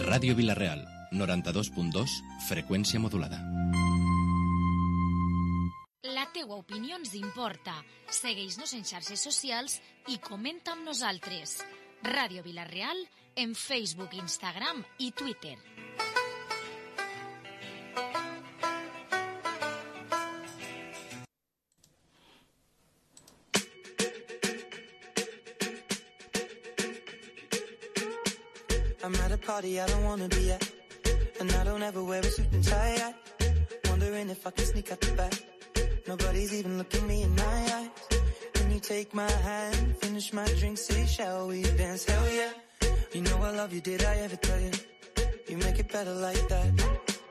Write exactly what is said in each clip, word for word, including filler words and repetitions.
Ràdio Vila-real, noranta-dos punt dos, freqüència modulada. La teua opinió ens importa. Segueix-nos en xarxes socials i comenta amb nosaltres. Ràdio Vila-real en Facebook, Instagram i Twitter. I'm at a party I don't wanna be at, and I don't ever wear a suit and tie yet. Wondering if I can sneak out the back. Nobody's even looking me in my eyes. Can you take my hand, finish my drink, say shall we dance? Hell yeah. You know I love you, did I ever tell you? You make it better like that.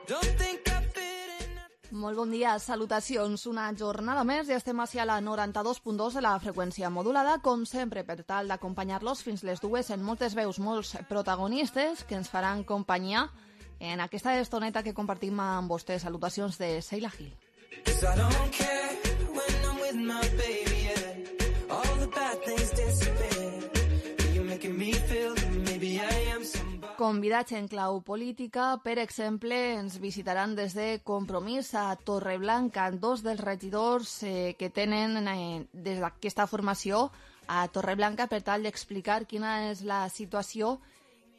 Don't think I fit in. Molt bon dia, salutacions. Una jornada més i estem així a la noranta-dos punt dos de la freqüència modulada, com sempre, per tal d'acompanyar-los fins les dues en moltes veus, molts protagonistes que ens faran companyia en aquesta estoneta que compartim amb vostès. Salutacions de Sheila Gil. Convidats en clau política, per exemple, ens visitaran des de Compromís a Torreblanca dos dels regidors eh, que tenen eh, des d'aquesta formació a Torreblanca per tal d'explicar quina és la situació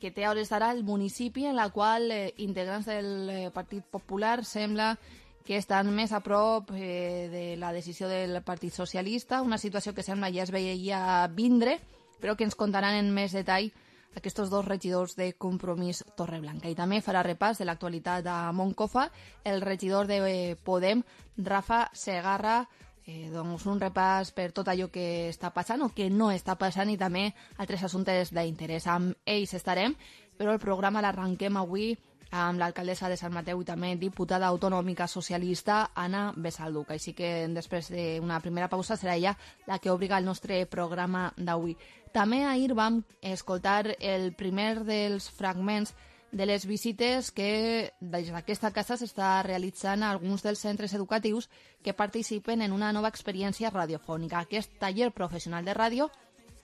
que té a hores d'ara el municipi, en la qual eh, integrants del eh, Partit Popular sembla que estan més a prop eh, de la decisió del Partit Socialista, una situació que sembla ja es veia vindre, però que ens contaran en més detall aquests dos regidors de Compromís Torreblanca. I també farà repàs de l'actualitat a Moncofa el regidor de Podem, Rafa Segarra, eh, doncs un repàs per tot allò que està passant o que no està passant i també altres assumptes d'interès. Amb ells estarem, però el programa l'arrenquem avui amb l'alcaldessa de Sant Mateu i també diputada autonòmica socialista Anna Besalduc. Així que després d'una primera pausa serà ella la que obriga el nostre programa d'avui. També ahir vam escoltar el primer dels fragments de les visites que des d'aquesta casa s'està realitzant a alguns dels centres educatius que participen en una nova experiència radiofònica. Aquest taller professional de ràdio,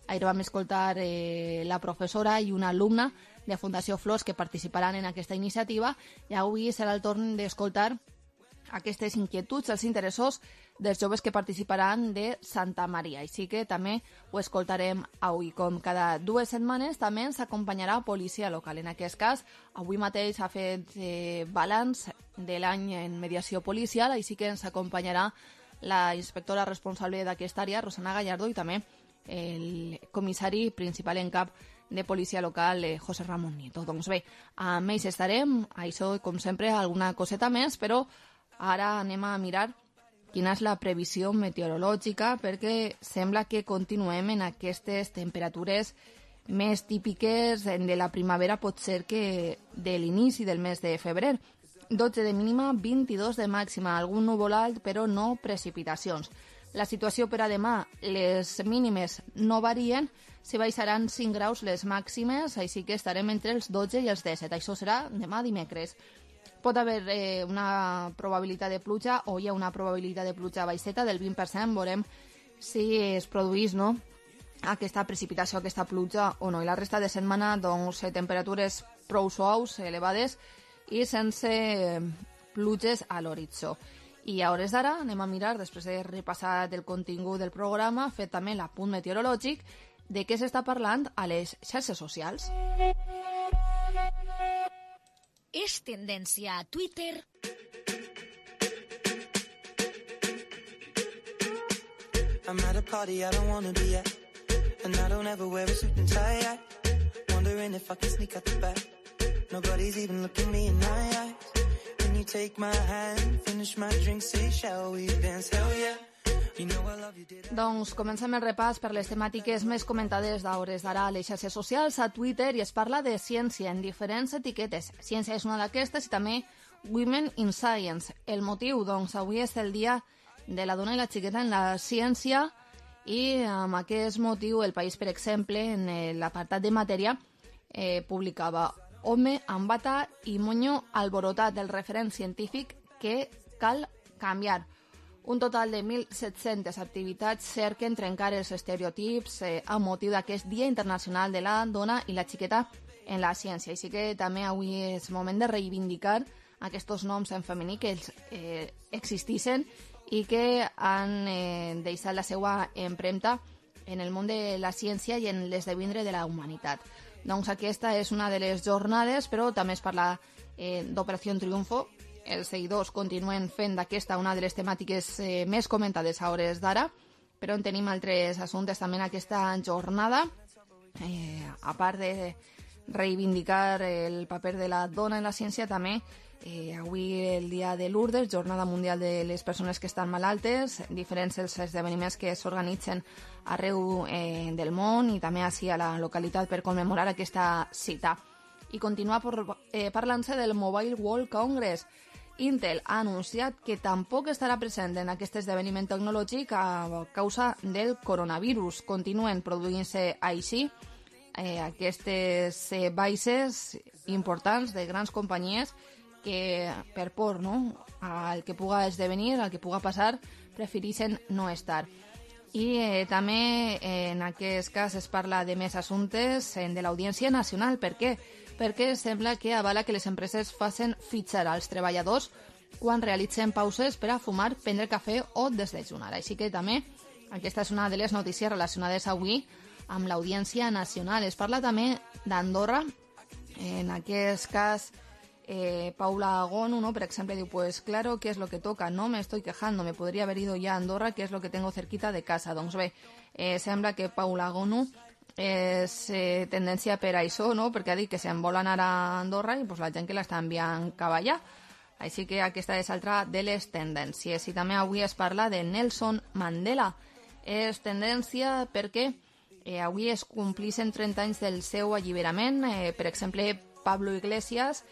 ahir vam escoltar eh, la professora i una alumna de Fundació Flors que participaran en aquesta iniciativa i avui serà el torn d'escoltar aquestes inquietuds, els interessos dels joves que participaran de Santa Maria. Així que també ho escoltarem avui. Com cada dues setmanes també ens acompanyarà policia local. En aquest cas, avui mateix ha fet eh, balanç de l'any en mediació policial, així que ens acompanyarà la inspectora responsable d'aquesta àrea, Rosana Gallardo, i també el comissari principal en cap de policia local, eh, José Ramón Nieto. Doncs bé, amb ells estarem, això com sempre alguna coseta més, però ara anem a mirar quina és la previsió meteorològica perquè sembla que continuem en aquestes temperatures més típiques de la primavera, pot ser que de l'inici del mes de febrer. dotze de mínima, vint-i-dos de màxima, algun núvol alt però no precipitacions. La situació per a demà, les mínimes no varien, se baixaran cinc graus les màximes, així que estarem entre els dotze i els disset. Això serà demà dimecres. Pot haver eh, una probabilitat de pluja o hi ha una probabilitat de pluja baixeta del vint per cent. Veurem si es produís no, aquesta precipitació, aquesta pluja o no. I la resta de setmana, doncs, temperatures prou suaus, elevades i sense pluges a l'horitzó. I a hores d'ara anem a mirar, després de repassar el contingut del programa, fet també l'apunt meteorològic, de què s'està parlant a les xarxes socials. És tendència a Twitter. I'm at a party I don't wanna be at, and I don't ever wear a suit and tie yet. Wondering if I can sneak out the back. Nobody's even looking me in my eyes. Can you take my hand, finish my drink, say shall we dance? Hell yeah. Doncs comencem el repàs per les temàtiques més comentades d'hores d'ara a les xarxes socials, a Twitter, i es parla de ciència en diferents etiquetes. Ciència és una d'aquestes i també Women in Science. El motiu, doncs, avui és el dia de la dona i la xiqueta en la ciència i amb aquest motiu el País, per exemple, en l'apartat de matèria, eh, publicava Home amb bata i monyo alborotat, del referent científic que cal canviar. Un total de mil set-centes activitats cerquen trencar els estereotips eh, amb motiu d'aquest Dia Internacional de la Dona i la Xiqueta en la Ciència. Així que també avui és moment de reivindicar aquests noms en femení que els, eh, existissin i que han eh, deixat la seva empremta en el món de la ciència i en l'esdevindre de la humanitat. Doncs aquesta és una de les jornades, però també es parla eh, d'Operació Triunfo. Els seguidors continuen fent d'aquesta una de les temàtiques eh, més comentades a hores d'ara, però en tenim altres assumptes també en aquesta jornada, eh, a part de reivindicar el paper de la dona en la ciència, també eh, avui el dia de Lourdes, Jornada Mundial de les Persones que estan malaltes, diferents els esdeveniments que s'organitzen arreu eh, del món i també així a la localitat per commemorar aquesta cita. I continua por, eh, parlant-se del Mobile World Congress. Intel ha anunciat que tampoc estarà present en aquest esdeveniment tecnològic a causa del coronavirus. Continuen produint-se així eh, aquestes eh, baixes importants de grans companyies que per por, no?, al que puga esdevenir, al que puga passar, prefereixen no estar. I eh, també eh, en aquest cas es parla de més assumptes eh, de l'Audiència Nacional. Per què? Perquè sembla que avala que les empreses facin fitxar als treballadors quan realitzen pauses per a fumar, prendre cafè o desdejunar. Així que també aquesta és una de les notícies relacionades avui amb l'Audiència Nacional. Es parla també d'Andorra. En aquest cas, eh, Paula Agonu, ¿no?, por ejemplo, diu, pues claro, ¿qué es lo que toca? No me estoy quejando, me podría haber ido ya a Andorra, que es lo que tengo cerquita de casa. Doncs bé, eh, sembla que Paula Agonu és eh, tendència per a això, no?, perquè ha dit que se'n vol anar a Andorra i pues, la gent que l'està enviant cap allà. Així que aquesta és altra de les tendències. I també avui es parla de Nelson Mandela. És tendència perquè eh, avui es complixen trenta anys del seu alliberament. Eh, per exemple, Pablo Iglesias,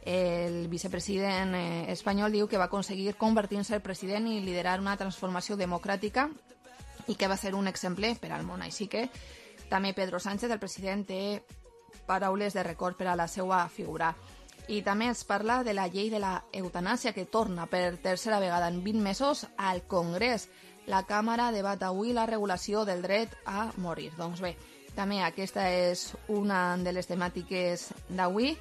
el vicepresident eh, espanyol, diu que va aconseguir convertir-se en president i liderar una transformació democràtica i que va ser un exemple per al món. Així que també Pedro Sánchez, el president, té paraules de record per a la seva figura. I també es parla de la llei de la eutanàsia, que torna per tercera vegada en vint mesos al Congrés. La Càmera debat avui la regulació del dret a morir. Doncs bé, també aquesta és una de les temàtiques d'avui.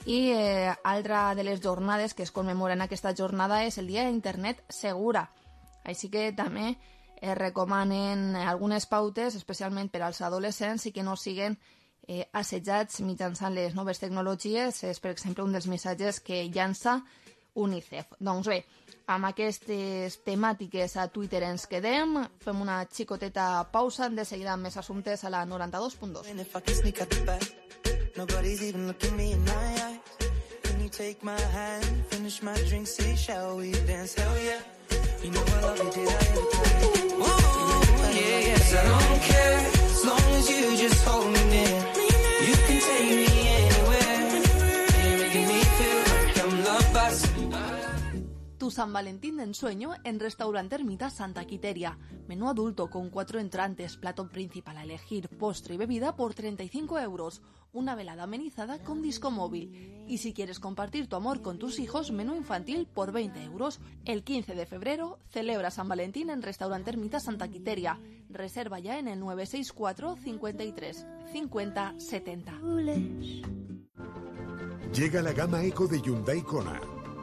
I eh, altra de les jornades que es commemoren aquesta jornada és el Dia d'Internet Segura. Així que també es recomanen algunes pautes, especialment per als adolescents, i que no siguen eh, assetjats mitjançant les noves tecnologies. És, per exemple, un dels missatges que llança UNICEF. Doncs bé, amb aquestes temàtiques a Twitter ens quedem, fem una xicoteta pausa, de seguida amb més assumptes a la noranta-dos punt dos. Nobody's even looking me in my eyes. Can you take my hand, finish my drink, say, shall we dance? Hell yeah. You know I love you, did I ever tell you? Ooh, yeah, yes, I don't care. As long as you just hold me near. You can take me anywhere. You're making me feel like I'm loved by somebody. Tu San Valentín de ensueño en Restaurante Ermita Santa Quiteria. Menú adulto con cuatro entrantes, plato principal a elegir, postre y bebida por treinta y cinco euros. Una velada amenizada con disco móvil. Y si quieres compartir tu amor con tus hijos, menú infantil por veinte euros. El quince de febrero celebra San Valentín en Restaurante Ermita Santa Quiteria. Reserva ya en el nueve seis cuatro, cincuenta y tres, cincuenta, setenta. Llega la gama Eco de Hyundai Kona.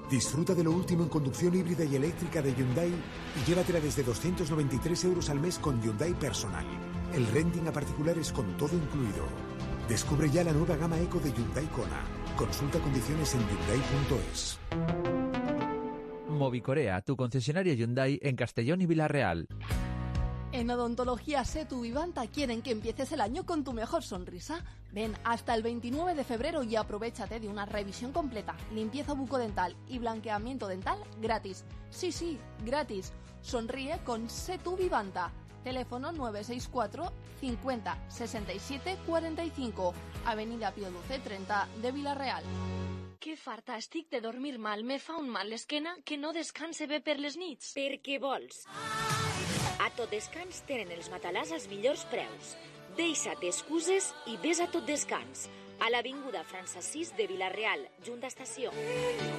Disfruta de lo último en conducción híbrida y eléctrica de Hyundai y llévatela desde doscientos noventa y tres euros al mes con Hyundai Personal. El renting a particulares con todo incluido. Descubre ya la nueva gama Eco de Hyundai Kona. Consulta condiciones en hyundai punto es. Movicorea, tu concesionario Hyundai en Castellón y Villarreal. En Odontología Setu Vivanta quieren que empieces el año con tu mejor sonrisa. Ven hasta el veintinueve de febrero y aprovéchate de una revisión completa, limpieza bucodental y blanqueamiento dental gratis. Sí, sí, gratis. Sonríe con Setu Vivanta. Teléfono nueve seis cuatro, cincuenta, sesenta y siete, cuarenta y cinco. Avenida Pío Duce, treinta de Villarreal. Que farta estic de dormir mal. Me fa un mal l'esquena que no descanse bé per les nits. Per què vols? A Tot Descans tenen els matalàs als millors preus. Deixa't excuses i ves a Tot Descans. A l'avinguda França sis de Villarreal, junt a estació.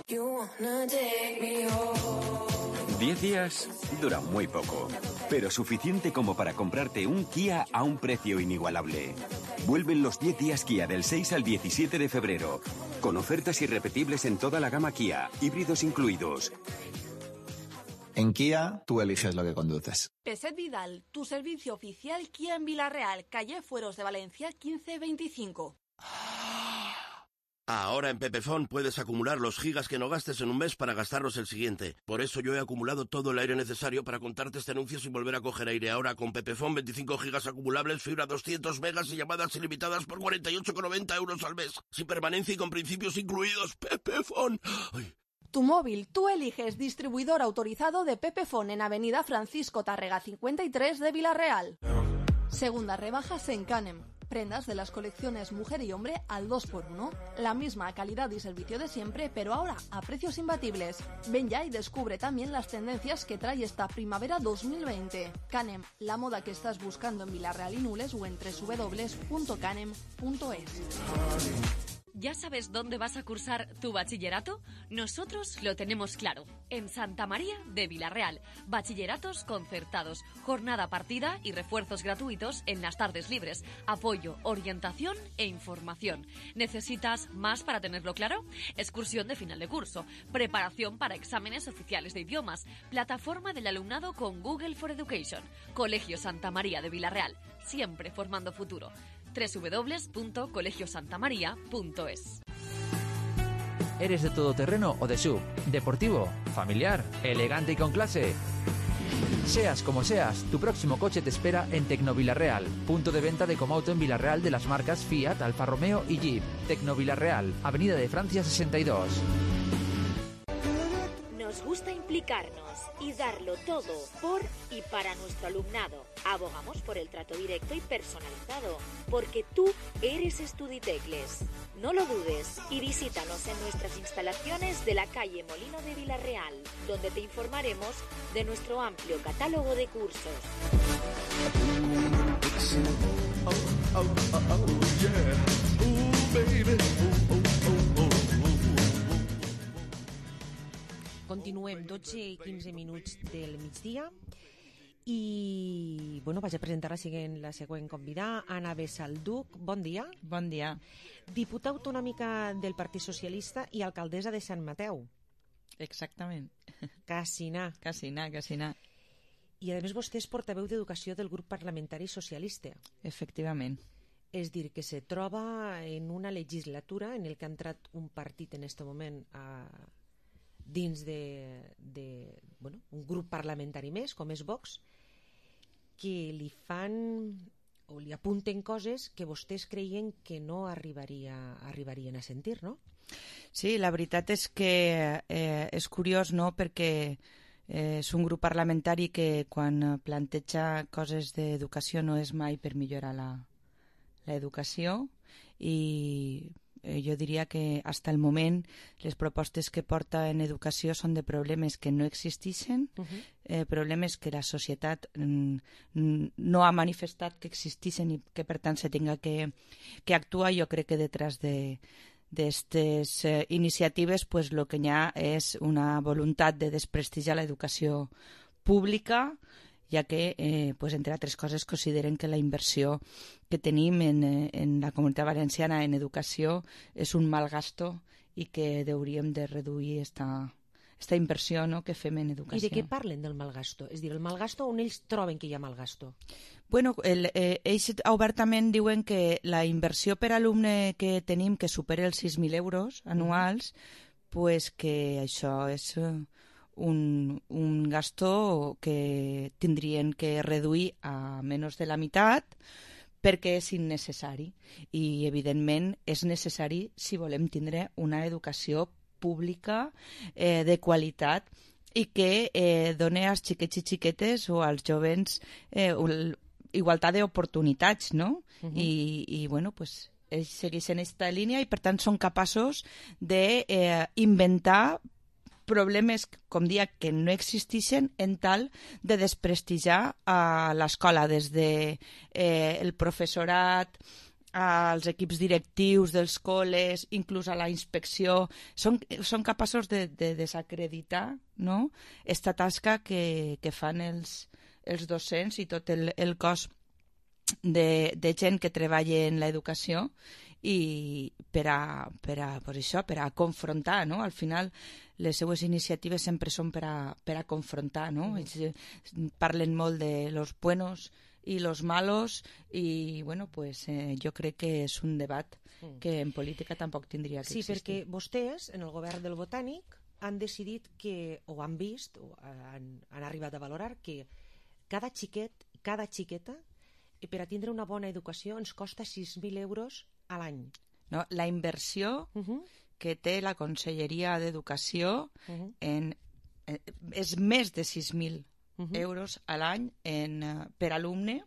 You wanna take me home. Diez días dura muy poco, pero suficiente como para comprarte un Kia a un precio inigualable. Vuelven los diez días Kia del seis al diecisiete de febrero, con ofertas irrepetibles en toda la gama Kia, híbridos incluidos. En Kia, tú eliges lo que conduces. Peset Vidal, tu servicio oficial Kia en Villarreal, calle Fueros de Valencia quince veinticinco. Ahora en Pepefon puedes acumular los gigas que no gastes en un mes para gastarlos el siguiente. Por eso yo he acumulado todo el aire necesario para contarte este anuncio sin volver a coger aire. Ahora con Pepefon, veinticinco gigas acumulables, fibra doscientos megas y llamadas ilimitadas por cuarenta y ocho con noventa euros al mes. Sin permanencia y con principios incluidos. Pepefon. Ay. Tu móvil, tú eliges distribuidor autorizado de Pepefon en Avenida Francisco Tárrega cincuenta y tres de Villarreal. Segundas rebajas en Canem. Prendas de las colecciones mujer y hombre al dos por uno. La misma calidad y servicio de siempre, pero ahora a precios imbatibles. Ven ya y descubre también las tendencias que trae esta primavera dos mil veinte. Canem, la moda que estás buscando en Villarreal y Nules o en doble u doble u doble u punto canem punto es. ¿Ya sabes dónde vas a cursar tu bachillerato? Nosotros lo tenemos claro. En Santa María de Villarreal. Bachilleratos concertados, jornada partida y refuerzos gratuitos en las tardes libres. Apoyo, orientación e información. ¿Necesitas más para tenerlo claro? Excursión de final de curso. Preparación para exámenes oficiales de idiomas. Plataforma del alumnado con Google for Education. Colegio Santa María de Villarreal. Siempre formando futuro. doble u doble u doble u punto colegio santa maría punto es. ¿Eres de todoterreno o de S U V? ¿Deportivo? ¿Familiar? ¿Elegante y con clase? Seas como seas, tu próximo coche te espera en Tecnovilarreal, punto de venta de Comauto en Villarreal de las marcas Fiat, Alfa Romeo y Jeep. Tecnovilarreal, Avenida de Francia sesenta y dos. Nos gusta implicarnos y darlo todo por y para nuestro alumnado. Abogamos por el trato directo y personalizado, porque tú eres Estuditecles. No lo dudes y visítanos en nuestras instalaciones de la calle Molino de Villarreal, donde te informaremos de nuestro amplio catálogo de cursos. Oh, oh, oh, oh, yeah. Ooh, baby. Oh, oh, oh, oh. Continuem, dotze i quinze minuts del migdia i bueno, vaig a presentar la següent, la següent convidada, Anna Besalduc. Bon dia. Bon dia. Diputada autonòmica del Partit Socialista i alcaldessa de Sant Mateu. Exactament. Cassinar. Cassinar, Cassinar. I a més vostè és portaveu d'Educació del grup parlamentari socialista. Efectivament. És dir, que se troba en una legislatura en el que ha entrat un partit en aquest moment a dins de, de bueno, un grup parlamentari més, com és Vox, que li fan o li apunten coses que vostès creien que no arribaria, arribarien a sentir, no? Sí, la veritat és que eh, és curiós, no?, perquè eh, és un grup parlamentari que quan planteja coses d'educació no és mai per millorar la, l'educació i Eh, jo diria que fins al moment les propostes que porta en educació són de problemes que no existeixen, uh-huh. eh, problemes que la societat mm, no ha manifestat que existeixen i que per tant se tinga que, que actuar. Jo crec que detrás de d'aquestes eh, iniciatives pues, lo que hi ha és una voluntat de desprestigiar l'educació pública, ja que, eh, pues, entre altres coses, consideren que la inversió que tenim en, en la Comunitat Valenciana en educació és un mal gasto i que hauríem de reduir esta, esta inversió, no?, que fem en educació. I de què parlen del mal gasto? És dir, el mal gasto on ells troben que hi ha mal gasto? Bueno, el, eh, ells obertament diuen que la inversió per alumne que tenim, que supera els sis mil euros anuals, mm. pues que això és... Eh, Un, un gasto que tindrien que reduir a menys de la meitat perquè és innecessari i evidentment és necessari si volem tindre una educació pública eh, de qualitat i que eh, doni als xiquets i xiquetes o als jovens eh, igualtat d'oportunitats, no? Uh-huh. I, i bueno, pues ells segueixen aquesta línia i per tant són capaços d'inventar eh, problemes, com dia, que no existeixen en tal de desprestigiar a l'escola, des de eh, el professorat als equips directius dels col·les, inclús a la inspecció, són, són capaços de, de desacreditar, no?, esta tasca que, que fan els, els docents i tot el, el cos de, de gent que treballa en l'educació, i per a, per a, per això, per a confrontar, no? Al final les seues iniciatives sempre són per a, per a confrontar, no? Mm. Ells parlen molt de los buenos i los malos i, bueno, pues eh, jo crec que és un debat mm. que en política tampoc tindria que sí, existir. Sí, perquè vostès, en el govern del Botànic, han decidit que, o han vist, o han, han arribat a valorar que cada xiquet, cada xiqueta, per a tindre una bona educació ens costa sis mil euros a l'any. No, la inversió uh -huh. que té la Conselleria d'Educació uh -huh. en, eh, és més de sis mil uh -huh. euros a l'any en, uh, per alumne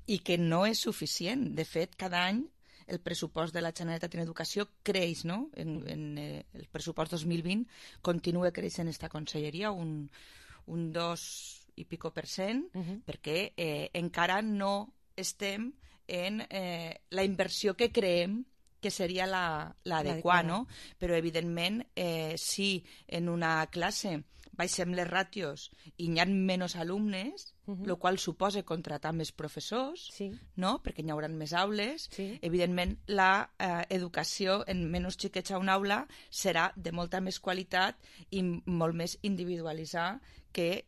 i que no és suficient. De fet, cada any el pressupost de la Generalitat en Educació creix, no? En, en eh, el pressupost dos mil vint continua creixent esta Conselleria un, un dos i pico per cent uh -huh. perquè eh, encara no estem en eh, la inversió que creem que seria l'adequada, la, no? Però, evidentment, eh, si en una classe baixem les ràtios i hi ha menys alumnes, el uh -huh. qual suposa contratar més professors, sí. no? Perquè hi haurà més aules, sí. evidentment la eh, educació en menys xiquets a una aula serà de molta més qualitat i molt més individualitzada, que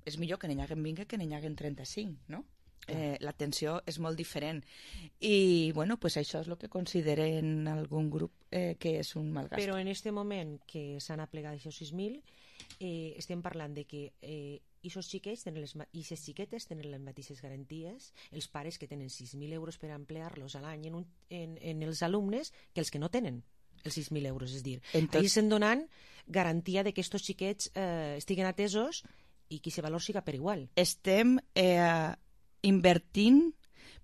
és millor que n'hi haguen vint que n'hi haguen trenta-cinc, no? Eh, l'atenció és molt diferent i bueno, pues això és el que consideren algun grup eh, que és un mal gast. Però en este moment que s'han aplegat aquests sis mil eh, estem parlant de que eh, aquests xiquets tenen les, i les xiquetes tenen les mateixes garanties, els pares que tenen sis mil euros per emplear-los a l'any en, un, en, en els alumnes que els que no tenen els sis mil euros, és dir, tot... ahí estem donant garantia de que aquests xiquets eh, estiguen atesos i que aquest valor siga per igual. Estem eh, invertint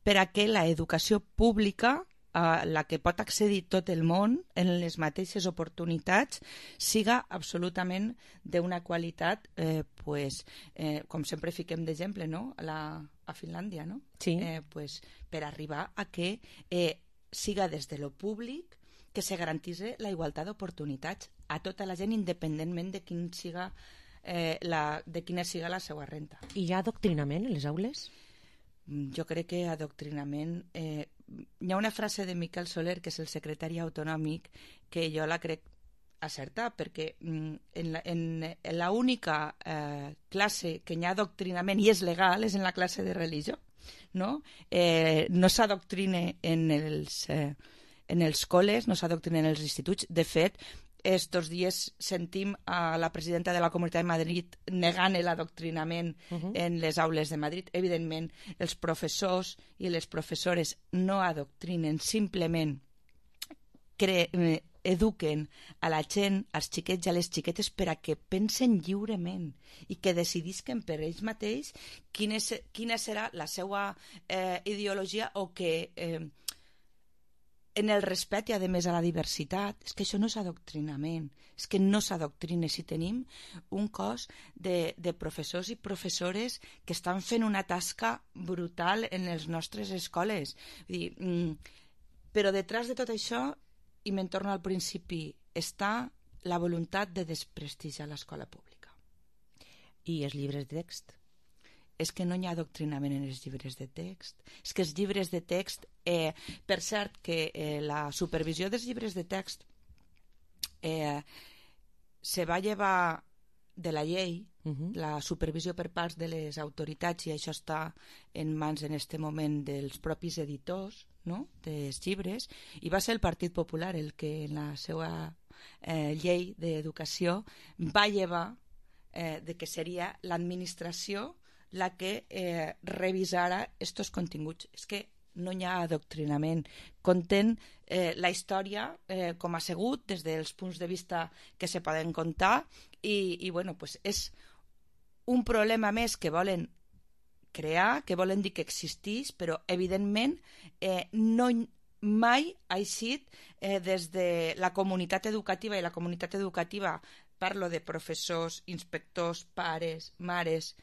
per a que l'educació pública, a la que pot accedir tot el món en les mateixes oportunitats, siga absolutament d'una qualitat, eh, pues, eh, com sempre fiquem d'exemple, no? a, la, a Finlàndia, no? Sí. Eh, pues, per arribar a que eh, siga des de lo públic que se garantitzi la igualtat d'oportunitats a tota la gent, independentment de quin siga eh, la, de quina siga la seva renta. I hi ha adoctrinament en les aules? Jo crec que adoctrinament... Eh, hi ha una frase de Miquel Soler, que és el secretari autonòmic, que jo la crec acertar, perquè en la, en, en la única eh, classe que hi ha adoctrinament i és legal és en la classe de religió, no? Eh, no s'adoctrina en els, eh, en els col·les, no s'adoctrina en els instituts. De fet, estos dies sentim a la presidenta de la Comunitat de Madrid negant l'adoctrinament uh-huh. en les aules de Madrid. Evidentment, els professors i les professores no adoctrinen, simplement cre eduquen a la gent, als xiquets i a les xiquetes per a que pensen lliurement i que decidisquen per ells mateix quina, és, quina serà la seva eh, ideologia o que... Eh, en el respecte, a més, a la diversitat. És que això no és adoctrinament, és que no s'adoctrina. Si tenim un cos de, de professors i professores que estan fent una tasca brutal en les nostres escoles. Vull dir, mm, però detrás de tot això, i me'n torno al principi, està la voluntat de desprestigiar l'escola pública. I els llibres de text? És que no hi ha adoctrinament en els llibres de text. És que els llibres de text... Eh, per cert, que eh, la supervisió dels llibres de text eh, se va llevar de la llei, uh-huh. la supervisió per part de les autoritats, i això està en mans en este moment dels propis editors, no?, dels llibres, i va ser el Partit Popular el que en la seva eh, llei d'educació va llevar eh, de que seria l'administració la que eh, revisara estos continguts. És que no hi ha adoctrinament. Conten eh, la història eh, com ha sigut des dels punts de vista que se poden contar i, i bueno, pues és un problema més que volen crear, que volen dir que existís, però evidentment eh, no mai ha eixit eh, des de la comunitat educativa, i la comunitat educativa parlo de professors, inspectors, pares, mares.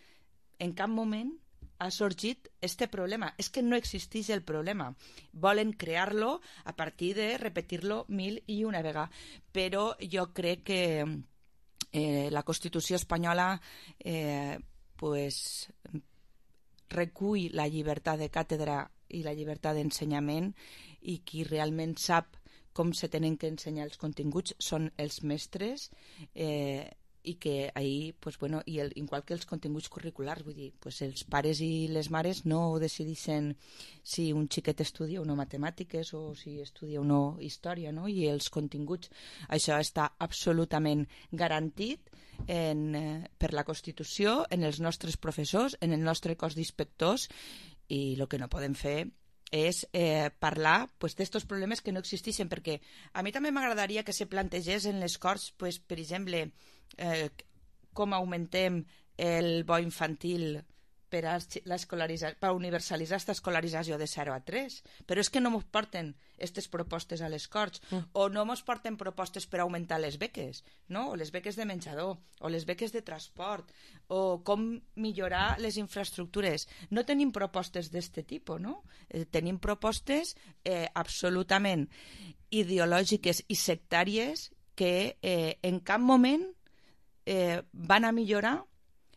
En cap moment ha sorgit este problema. És que no existeix el problema. Volen crear-lo a partir de repetir-lo mil i una vegada. Però jo crec que eh, la Constitució espanyola eh, pues, recull la llibertat de càtedra i la llibertat d'ensenyament, i qui realment sap com se tenen que ensenyar els continguts són els mestres, eh, i que ahir, pues, bueno, i el, igual que els continguts curriculars, vull dir, pues, els pares i les mares no decideixen si un xiquet estudia o no matemàtiques o si estudia o no història, no? I els continguts, això està absolutament garantit en, eh, per la Constitució, en els nostres professors, en el nostre cos d'inspectors, i el que no podem fer és eh, parlar pues, d'estos problemes que no existeixen, perquè a mi també m'agradaria que se plantegés en les Corts, pues, per exemple, eh, com augmentem el bo infantil per a, per a universalitzar aquesta escolarització de zero a tres, però és que no ens porten aquestes propostes a les Corts, mm. o no ens porten propostes per augmentar les beques, no? O les beques de menjador, o les beques de transport, o com millorar les infraestructures. No tenim propostes d'aquest tipus, no? Eh, tenim propostes eh, absolutament ideològiques i sectàries que eh, en cap moment eh, van a millorar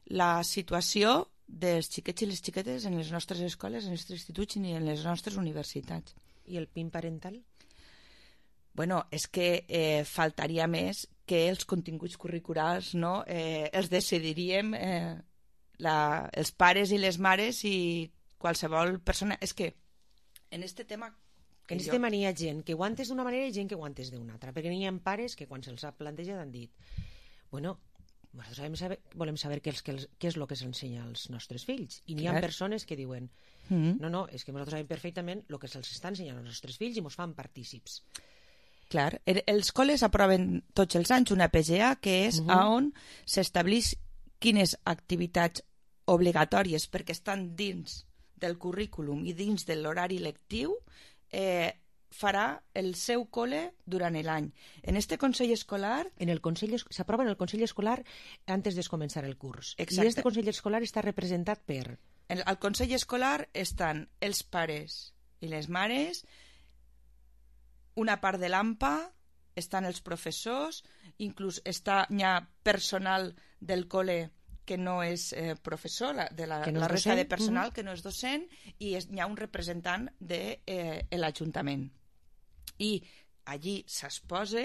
la situació dels xiquets i les xiquetes en les nostres escoles, en els nostres instituts i en les nostres universitats. I el P I M parental? Bueno, és que eh, faltaria més que els continguts curriculars, no? eh, els decidiríem eh, la, els pares i les mares i qualsevol persona. És que en este tema... En aquest jo... tema n'hi ha gent que ho ha entès d'una manera i gent que ho ha entès d'una altra, perquè n'hi ha pares que quan se'ls ha plantejat han dit bueno, nosaltres volem saber, volem saber què, és, què, és, què és el que s'ensenya als nostres fills, i n'hi ha persones que diuen mm-hmm. no, no, és que nosaltres sabem perfectament el que se'ls està ensenyant als nostres fills i ens fan partícips. Clar, els col·les aproven tots els anys una P G A que és mm-hmm. on s'estableix quines activitats obligatòries, perquè estan dins del currículum i dins de l'horari lectiu, eh, farà el seu col·le durant l'any. En este Consell Escolar... En el Consell s'aprova en el Consell Escolar antes de començar el curs. Exacte. I este Consell Escolar està representat per... En, al Consell Escolar estan els pares i les mares, una part de l'A M P A, estan els professors, inclús està, hi ha personal del col·le que no és eh, professor, la, de la, no la resta de personal mm-hmm. que no és docent, i es, hi ha un representant de eh, l'Ajuntament. I allí s'exposa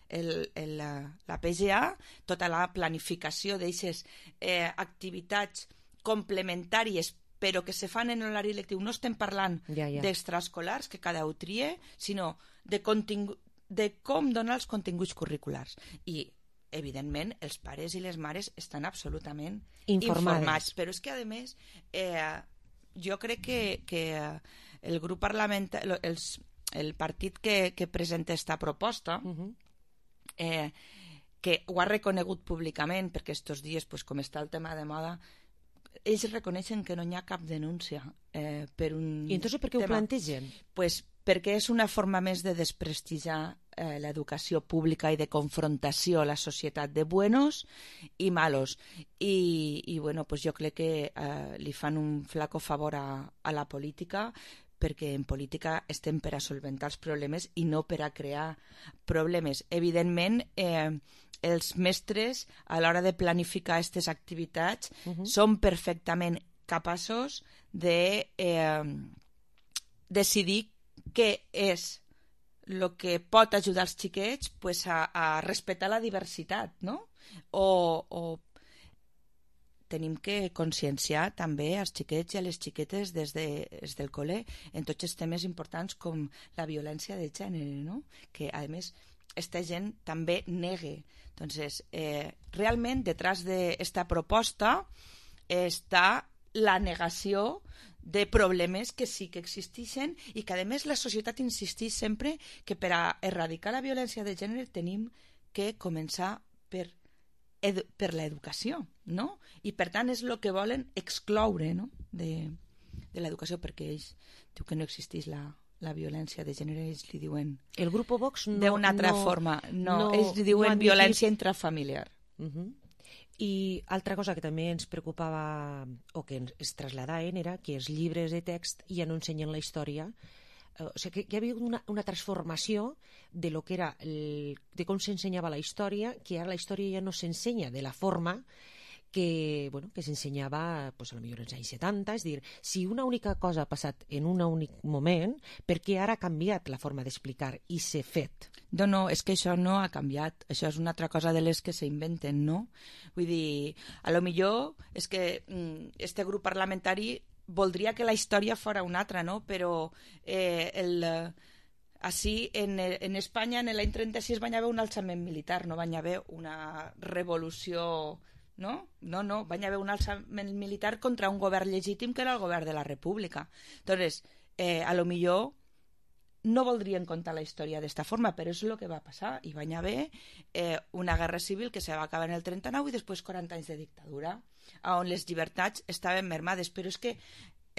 el, el, la, la P G A, tota la planificació d'aquestes eh, activitats complementàries però que se fan en l'horari lectiu. No estem parlant ja, ja. d'extraescolars, que cada un trie, sinó de, contingu- de com donar els continguts curriculars. I evidentment, els pares i les mares estan absolutament informades. informats. Però és que, a més, eh, jo crec que, que el grup parlamentari, els, el partit que, que presenta esta proposta, uh-huh. eh, que ho ha reconegut públicament, perquè estos dies, pues, com està el tema de moda, ells reconeixen que no hi ha cap denúncia eh, per un I entonces per què tema. Ho plantegen? Pues perquè és una forma més de desprestigiar eh, l'educació pública i de confrontació a la societat de buenos i malos. I, i bueno, pues jo crec que eh, li fan un flaco favor a, a la política, perquè en política estem per a solventar els problemes i no per a crear problemes. Evidentment, eh, els mestres, a l'hora de planificar aquestes activitats, uh-huh. són perfectament capaços de eh, decidir què és el que pot ajudar els xiquets pues, a, a respectar la diversitat, no? O, o tenim que conscienciar també als xiquets i a les xiquetes des, de, des del col·le en tots els temes importants com la violència de gènere, no? Que, a més, esta gent també negue. Entonces, eh, realment, detrás d'esta proposta està la negació de problemes que sí que existeixen i que, a més, la societat insisteix sempre que per a erradicar la violència de gènere tenim que començar per Edu- per l'educació, no? I per tant és el que volen excloure, no? de, de l'educació, perquè ells diu que no existeix la, la violència de gènere, ells li diuen el grup Vox no, d'una altra no, forma, no, no ells li diuen no violència intrafamiliar. Uh-huh. I altra cosa que també ens preocupava o que ens traslladaven era que els llibres de text ja no ensenyen la història. O sigui, que hi havia una, una transformació de lo que era el, de com s'ensenyava la història, que ara la història ja no s'ensenya de la forma que, bueno, que s'ensenyava pues, a lo millor als anys setanta, és a dir, si una única cosa ha passat en un únic moment, per què ara ha canviat la forma d'explicar i s'ha fet? No, no, és que això no ha canviat, això és una altra cosa de les que s'inventen, no? Vull dir, a lo millor és que mm, este grup parlamentari voldria que la història fora una altra, no? Però eh, el... Així, en, en Espanya, en l'any trenta-sis, van haver un alçament militar, no van haver una revolució... No? No, no, van haver un alçament militar contra un govern legítim que era el govern de la República. Entonces, eh, a lo millor no voldrien contar la història d'esta forma, però és el que va passar. I van haver eh, una guerra civil que se va acabar en el trenta-nou i després quaranta anys de dictadura, on les llibertats estaven mermades. Però és que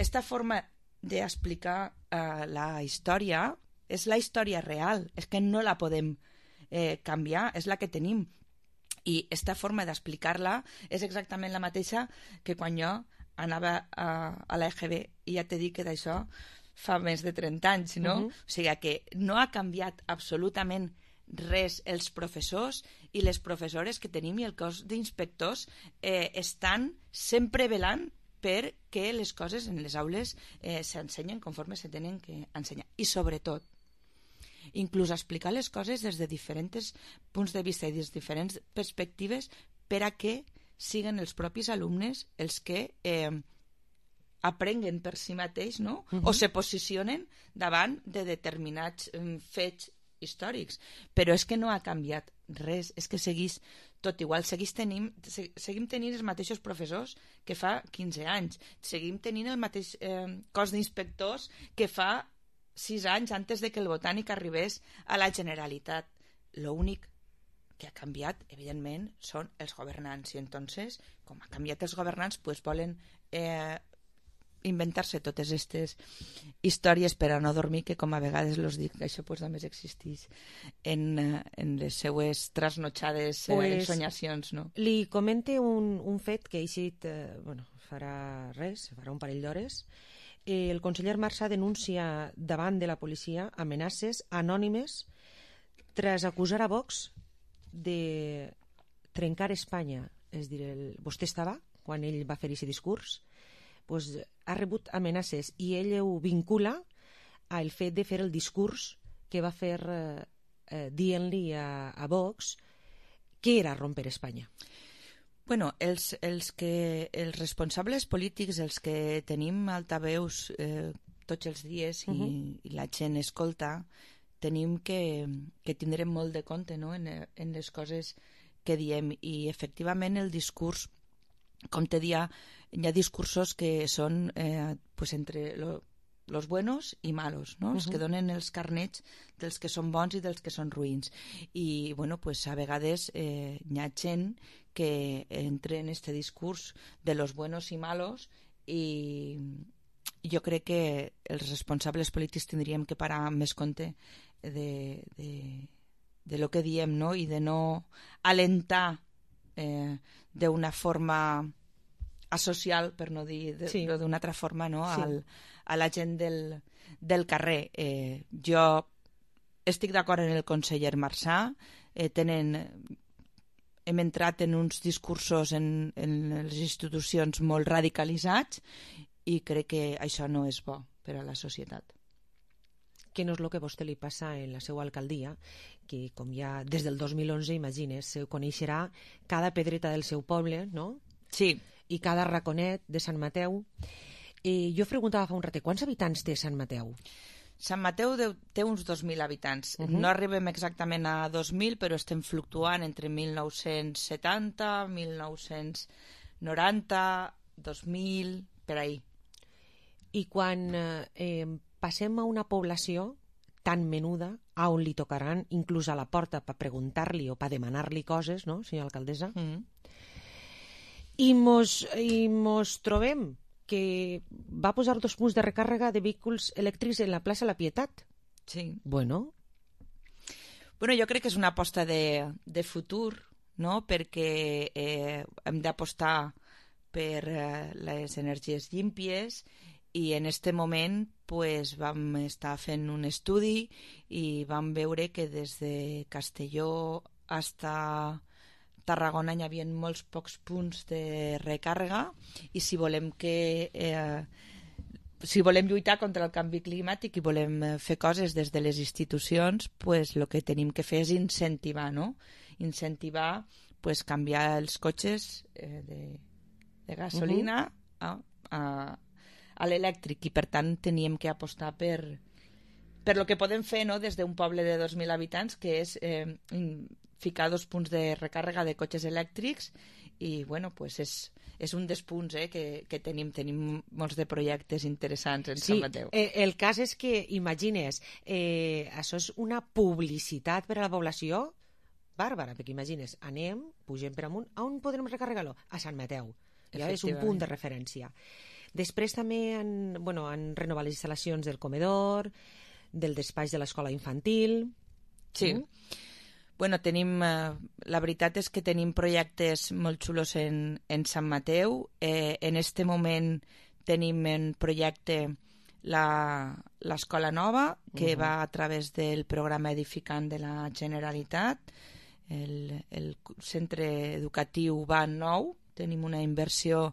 esta forma d'explicar eh, la història és la història real, és que no la podem eh, canviar, és la que tenim. I aquesta forma d'explicar-la és exactament la mateixa que quan jo anava a, a l'E G B, i ja t'he dit que d'això fa més de trenta anys, no? Uh-huh. O sigui que no ha canviat absolutament res. Els professors i les professores que tenim i el cos d'inspectors eh, estan sempre velant perquè les coses en les aules eh, s'ensenyen conforme se tenen que ensenyar. I sobretot, inclús explicar les coses des de diferents punts de vista i des de diferents perspectives per a que siguin els propis alumnes els que eh, aprenguen per si mateix, no? Uh-huh. O se posicionen davant de determinats eh, fets històrics. Però és que no ha canviat res, és que seguís tot igual, seguís tenim, se, seguim tenint els mateixos professors que fa quinze anys, seguim tenint el mateix eh, cos d'inspectors que fa sis anys antes de que el Botànic arribés a la Generalitat. L'únic que ha canviat, evidentment, són els governants. I entonces, com ha canviat els governants, pues volen eh, inventar-se totes aquestes històries per a no dormir, que com a vegades los dic, que això pues, només existeix en, en les seues trasnotxades eh, pues, sonyacions. No? Li comente un, un fet que ha eixit, eh, bueno, farà res, farà un parell d'hores. El conseller Marsà denuncia davant de la policia amenaces anònimes tras acusar a Vox de trencar Espanya. És dir, el, vostè estava quan ell va fer aquest discurs, pues, ha rebut amenaces i ell ho vincula al fet de fer el discurs que va fer eh, eh, dient-li a, a Vox que era romper Espanya. Bueno, els, els, que, els responsables polítics, els que tenim altaveus eh, tots els dies i, uh-huh. i la gent escolta, tenim que, que tindrem molt de compte, no? en, en les coses que diem. I efectivament el discurs, com te dia, hi ha discursos que són eh, pues entre lo, los buenos i malos, no? Uh-huh. Els que donen els carnets dels que són bons i dels que són ruïns. I bueno, pues a vegades eh, hi ha gent que entre en este discurs de los buenos i malos, i jo crec que els responsables polítics tindríem que parar més compte de, de, de lo que diem, no? I de no alentar eh, d'una forma asocial, per no dir de, sí. d'una altra forma, no? Sí. Al, a la gent del, del carrer. Eh, jo estic d'acord en el conseller Marsà, eh, tenen... hem entrat en uns discursos en, en les institucions molt radicalitzats i crec que això no és bo per a la societat. Que no és el que a vostè li passa en la seva alcaldia, que com ja des del dos mil onze, imagines, coneixerà cada pedreta del seu poble, no? Sí. I cada raconet de Sant Mateu. Eh, jo preguntava fa un ratet, quants habitants té Sant Mateu? Sant Mateu té uns dos mil habitants. Uh-huh. No arribem exactament a dos mil, però estem fluctuant entre mil nou-cents setanta, mil nou-cents noranta, dos mil, per ahí. I quan eh, passem a una població tan menuda, a on li tocaran inclús a la porta per preguntar-li o per demanar-li coses, no, senyora alcaldessa? Uh-huh. I mos, i mos trobem que va posar dos punts de recàrrega de vehicles elèctrics en la plaça La Pietat. Sí. Bueno. Bueno, jo crec que és una aposta de, de futur no? Perquè eh, hem d'apostar per eh, les energies llímpies i en este moment pues, vam estar fent un estudi i vam veure que des de Castelló fins Tarragona hi havia molts pocs punts de recàrrega i si volem que eh, si volem lluitar contra el canvi climàtic i volem fer coses des de les institucions, pues el que tenim que fer és incentivar, no? Incentivar pues, canviar els cotxes eh, de, de gasolina uh-huh. a, a, a l'elèctric i per tant teníem que apostar per, per lo que podem fer, no? Des d'un poble de dos mil habitants que és eh, ficar dos punts de recàrrega de cotxes elèctrics i bueno, pues és, és un dels punts eh, que, que tenim. Tenim molts de projectes interessants en sí, Sant Mateu. Eh, el cas és que, imagines, eh, això és una publicitat per a la població bàrbara, perquè imagines, anem, pugem per amunt, on podrem recarregar-lo? A Sant Mateu. Ja és un punt de referència. Després també han, bueno, han renovat les instal·lacions del comedor, del despatx de l'escola infantil. Sí. Mm? Bueno, tenim, eh, la veritat és que tenim projectes molt xulos en, en Sant Mateu. Eh, en este moment tenim en projecte l'escola nova, que uh-huh. va a través del programa edificant de la Generalitat. El, el centre educatiu va nou. Tenim una inversió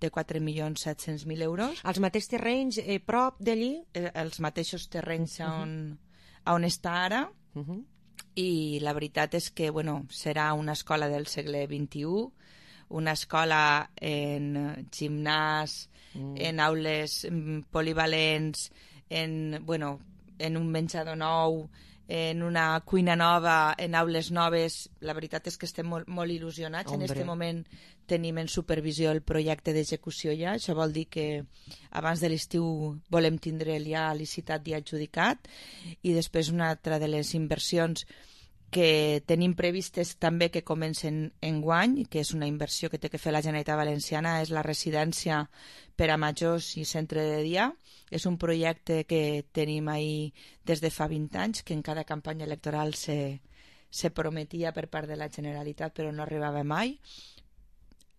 de quatre milions set-cents mil euros. Els mateixos terrenys eh, prop d'allí? Eh, els mateixos terrenys uh-huh. on, on està ara. Uh-huh. I la veritat és que bueno, serà una escola del segle vint-i-u, una escola en gimnàs, mm. en aules polivalents, en, bueno, en un menjador nou, en una cuina nova, en aules noves. La veritat és que estem molt, molt il·lusionats. Hombre. En aquest moment tenim en supervisió el projecte d'execució ja. Això vol dir que abans de l'estiu volem tindre ja licitat i adjudicat. I després una altra de les inversions que tenim previstes també que comencen enguany, que és una inversió que té que fer la Generalitat Valenciana, és la residència per a majors i centre de dia. És un projecte que tenim ahí des de fa vint anys, que en cada campanya electoral se, se prometia per part de la Generalitat, però no arribava mai.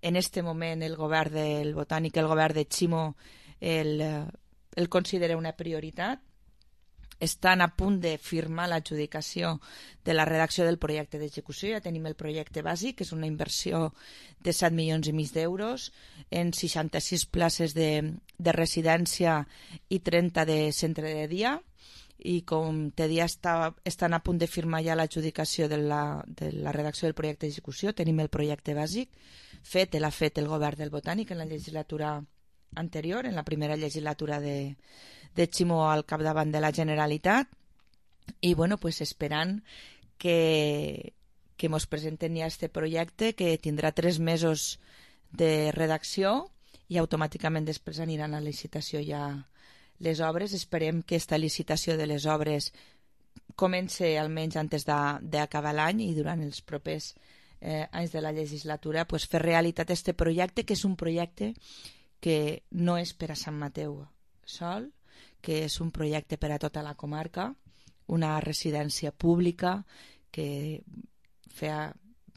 En este moment el govern del Botànic, el govern de Ximo, el, el considera una prioritat. Estan a punt de firmar l'adjudicació de la redacció del projecte d'execució. Ja tenim el projecte bàsic, que és una inversió de set milions i mig d'euros en seixanta-sis places de, de residència i trenta de centre de dia. I com te dia està, estan a punt de firmar ja l'adjudicació de la, de la redacció del projecte d'execució. Tenim el projecte bàsic fet, l'ha fet el govern del Botànic en la legislatura anterior, en la primera legislatura de, de Ximo al capdavant de la Generalitat, i bueno, pues esperant que, que mos presenten ja este projecte, que tindrà tres mesos de redacció i automàticament després aniran a licitació ja les obres. Esperem que esta licitació de les obres comence almenys antes d'acabar l'any i durant els propers eh, anys de la legislatura pues, fer realitat este projecte, que és un projecte que no és per a Sant Mateu sol, que és un projecte per a tota la comarca, una residència pública que feia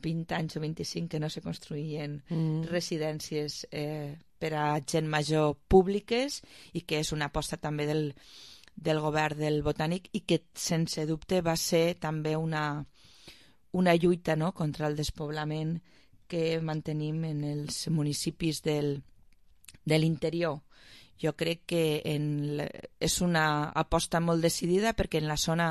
vint anys o vint-i-cinc que no se construïen mm. residències eh, per a gent major públiques i que és una aposta també del, del govern del Botànic i que sense dubte va ser també una, una lluita, no?, contra el despoblament que mantenim en els municipis del de l'interior. Jo crec que en, és una aposta molt decidida perquè en la zona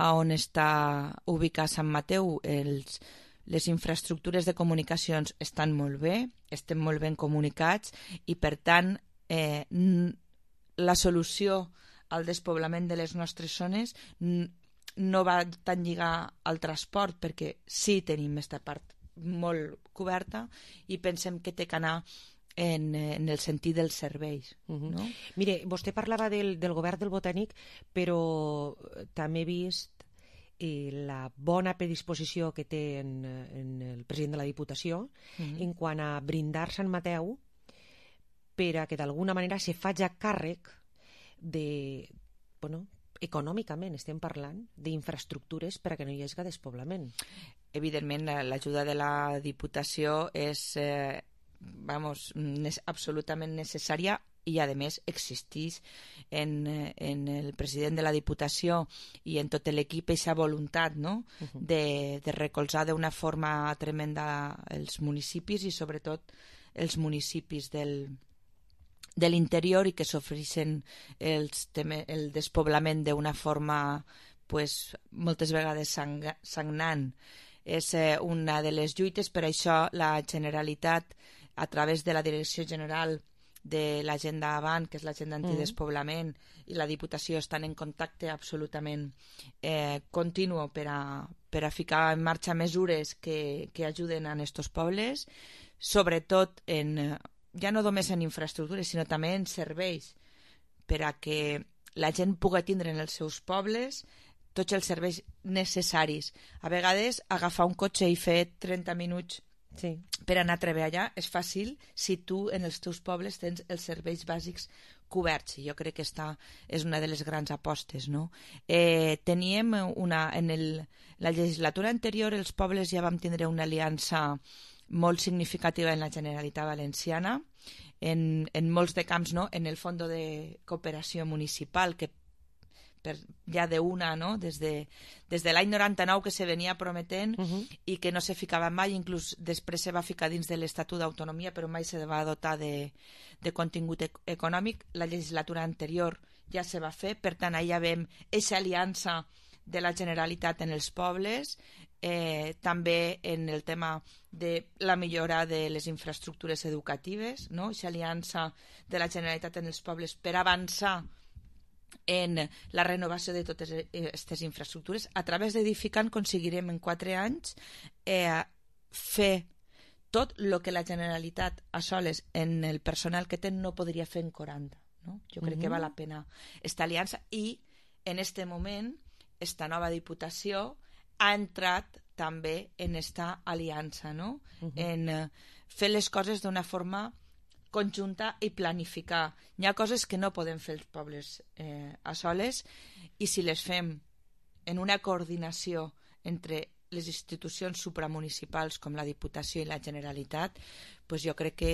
on està ubicat Sant Mateu els, les infraestructures de comunicacions estan molt bé, estem molt ben comunicats i per tant eh, la solució al despoblament de les nostres zones no va tan lligar al transport perquè sí tenim aquesta part molt coberta i pensem que té que anar En, en el sentit dels serveis. Uh-huh. No? Mire, vostè parlava del, del govern del Botànic, però també he vist eh, la bona predisposició que té en, en el president de la Diputació uh-huh. en quant a brindar Sant Mateu per a que d'alguna manera se faci càrrec de, bueno, econòmicament estem parlant d'infraestructures per a que no hi hagi despoblament. evidentment, l'ajuda de la Diputació és eh, vamos, nes absolutament necessària i, a més, existeix en, en el president de la Diputació i en tot l'equip aquesta voluntat, no? uh-huh. de, de recolzar d'una forma tremenda els municipis i, sobretot, els municipis del, de l'interior i que sofreixen els el despoblament d'una forma pues, moltes vegades sang sagnant. És eh, una de les lluites, per això la Generalitat, a través de la Direcció General de l'Agenda Avant, que és l'Agenda Antidespoblament, mm. i la Diputació estan en contacte absolutament eh, continu per a, per a ficar en marxa mesures que, que ajuden a aquests pobles, sobretot en, ja no només en infraestructures, sinó també en serveis, per a que la gent pugui tindre en els seus pobles tots els serveis necessaris. A vegades, agafar un cotxe i fer trenta minuts sí. per anar a treballar és fàcil si tu en els teus pobles tens els serveis bàsics coberts. Jo crec que esta és una de les grans apostes. No? Eh, teníem una, en el, la legislatura anterior els pobles ja vam tindre una aliança molt significativa en la Generalitat Valenciana, en, en molts de camps, no? En el Fons de Cooperació Municipal, que per, ja d'una, no? des de, des de l'any noranta-nou que se venia prometent uh-huh. i que no se ficava mai, inclús després se va ficar dins de l'Estatut d'Autonomia, però mai se va dotar de, de contingut ec econòmic. La legislatura anterior ja se va fer, per tant, allà veiem aquesta aliança de la Generalitat en els pobles, eh, també en el tema de la millora de les infraestructures educatives, no? Aquesta aliança de la Generalitat en els pobles per avançar en la renovació de totes aquestes infraestructures. A través d'Edificant aconseguirem en quatre anys eh, fer tot el que la Generalitat a soles en el personal que té no podria fer en quaranta. No? Jo crec uh-huh. que val la pena esta aliança i en este moment esta nova Diputació ha entrat també en esta aliança, no? uh-huh. en eh, fer les coses d'una forma conjunta i planificar. Hi ha coses que no podem fer els pobles eh, a soles i si les fem en una coordinació entre les institucions supramunicipals com la Diputació i la Generalitat, pues jo crec que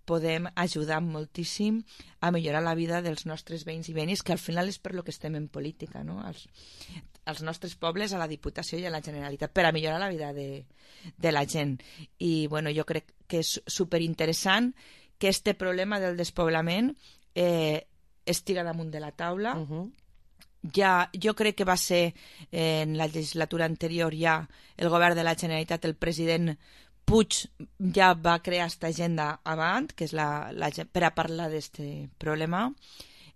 podem ajudar moltíssim a millorar la vida dels nostres veïns i veïnes, que al final és per lo que estem en política, no? Els, els nostres pobles, a la Diputació i a la Generalitat, per a millorar la vida de, de la gent. I bueno, jo crec que és superinteressant que este problema del despoblament eh, estiga damunt de la taula. Uh-huh. Ja, jo crec que va ser eh, en la legislatura anterior ja el govern de la Generalitat, el president Puig ja va crear aquesta agenda Avant, que és la, la, per a parlar d'aquest problema.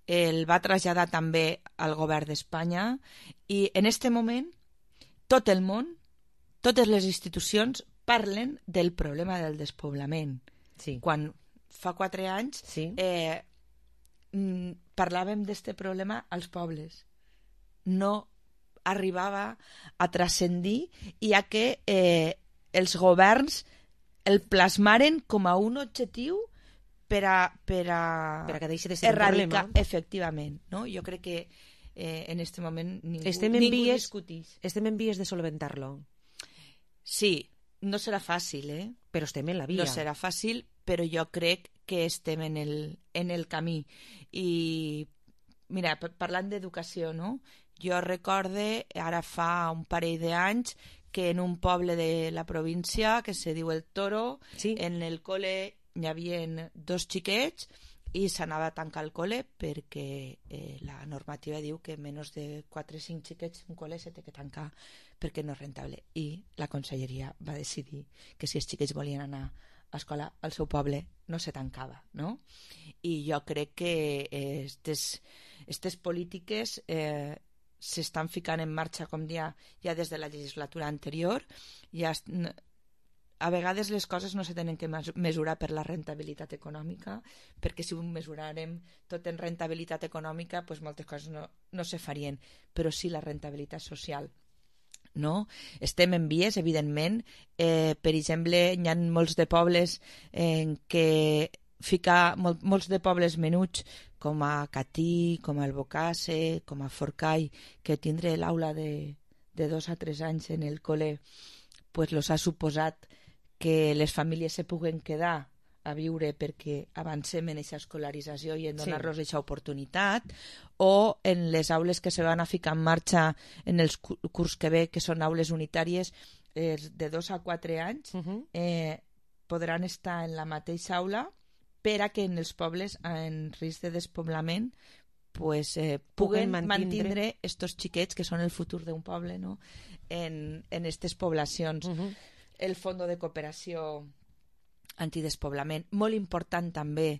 El va traslladar també al govern d'Espanya i en aquest moment tot el món, totes les institucions parlen del problema del despoblament. Sí. Quan fa quatre anys sí. eh, parlàvem d'aquest problema als pobles. No arribava a transcendir i a que eh, els governs el plasmaren com a un objectiu per a, per a, per a que deixi de ser erradicar, un problema. Efectivament. No? Jo crec que eh, en aquest moment ningú, estem en ningú vies, discutís. Estem en vies de solventar-lo. Sí, no serà fàcil, eh? Però estem en la via. No serà fàcil, però jo crec que estem en el, en el camí. I, mira, parlant d'educació, no? Jo recorde, ara fa un parell d'anys, que en un poble de la província, que se diu El Toro, sí. en el col·le hi havia dos xiquets i s'anava a tancar el col·le perquè eh, la normativa diu que menys de quatre o cinc xiquets un col·le se té que tancar perquè no és rentable. I la conselleria va decidir que si els xiquets volien anar a escola al seu poble no se tancava, no? I jo crec que aquestes eh, polítiques eh, s'estan ficant en marxa, com ja, ja des de la legislatura anterior. Ja, a vegades les coses no se tenen que mesurar per la rentabilitat econòmica, perquè si ho mesurarem tot en rentabilitat econòmica, pues moltes coses no, no se farien, però sí la rentabilitat social. No? Estem en vies, evidentment. Eh, per exemple, hi ha molts de pobles en què ficar mol, molts de pobles menuts com a Catí, com a Albocàsser, com a Forcall, que tindré l'aula de, de dos a tres anys en el col·le, pues, los ha suposat que les famílies se puguen quedar a viure perquè avancem en aquesta escolarització i en donar-los sí. aquesta oportunitat, o en les aules que se van a ficar en marxa en el curs que ve, que són aules unitàries eh, de dos a quatre anys, uh-huh. eh, podran estar en la mateixa aula per a que en els pobles en risc de despoblament pues, eh, puguen mantindre estos xiquets que són el futur d'un poble, no? en aquestes poblacions. Uh-huh. El Fons de Cooperació Antidespoblament. Molt important també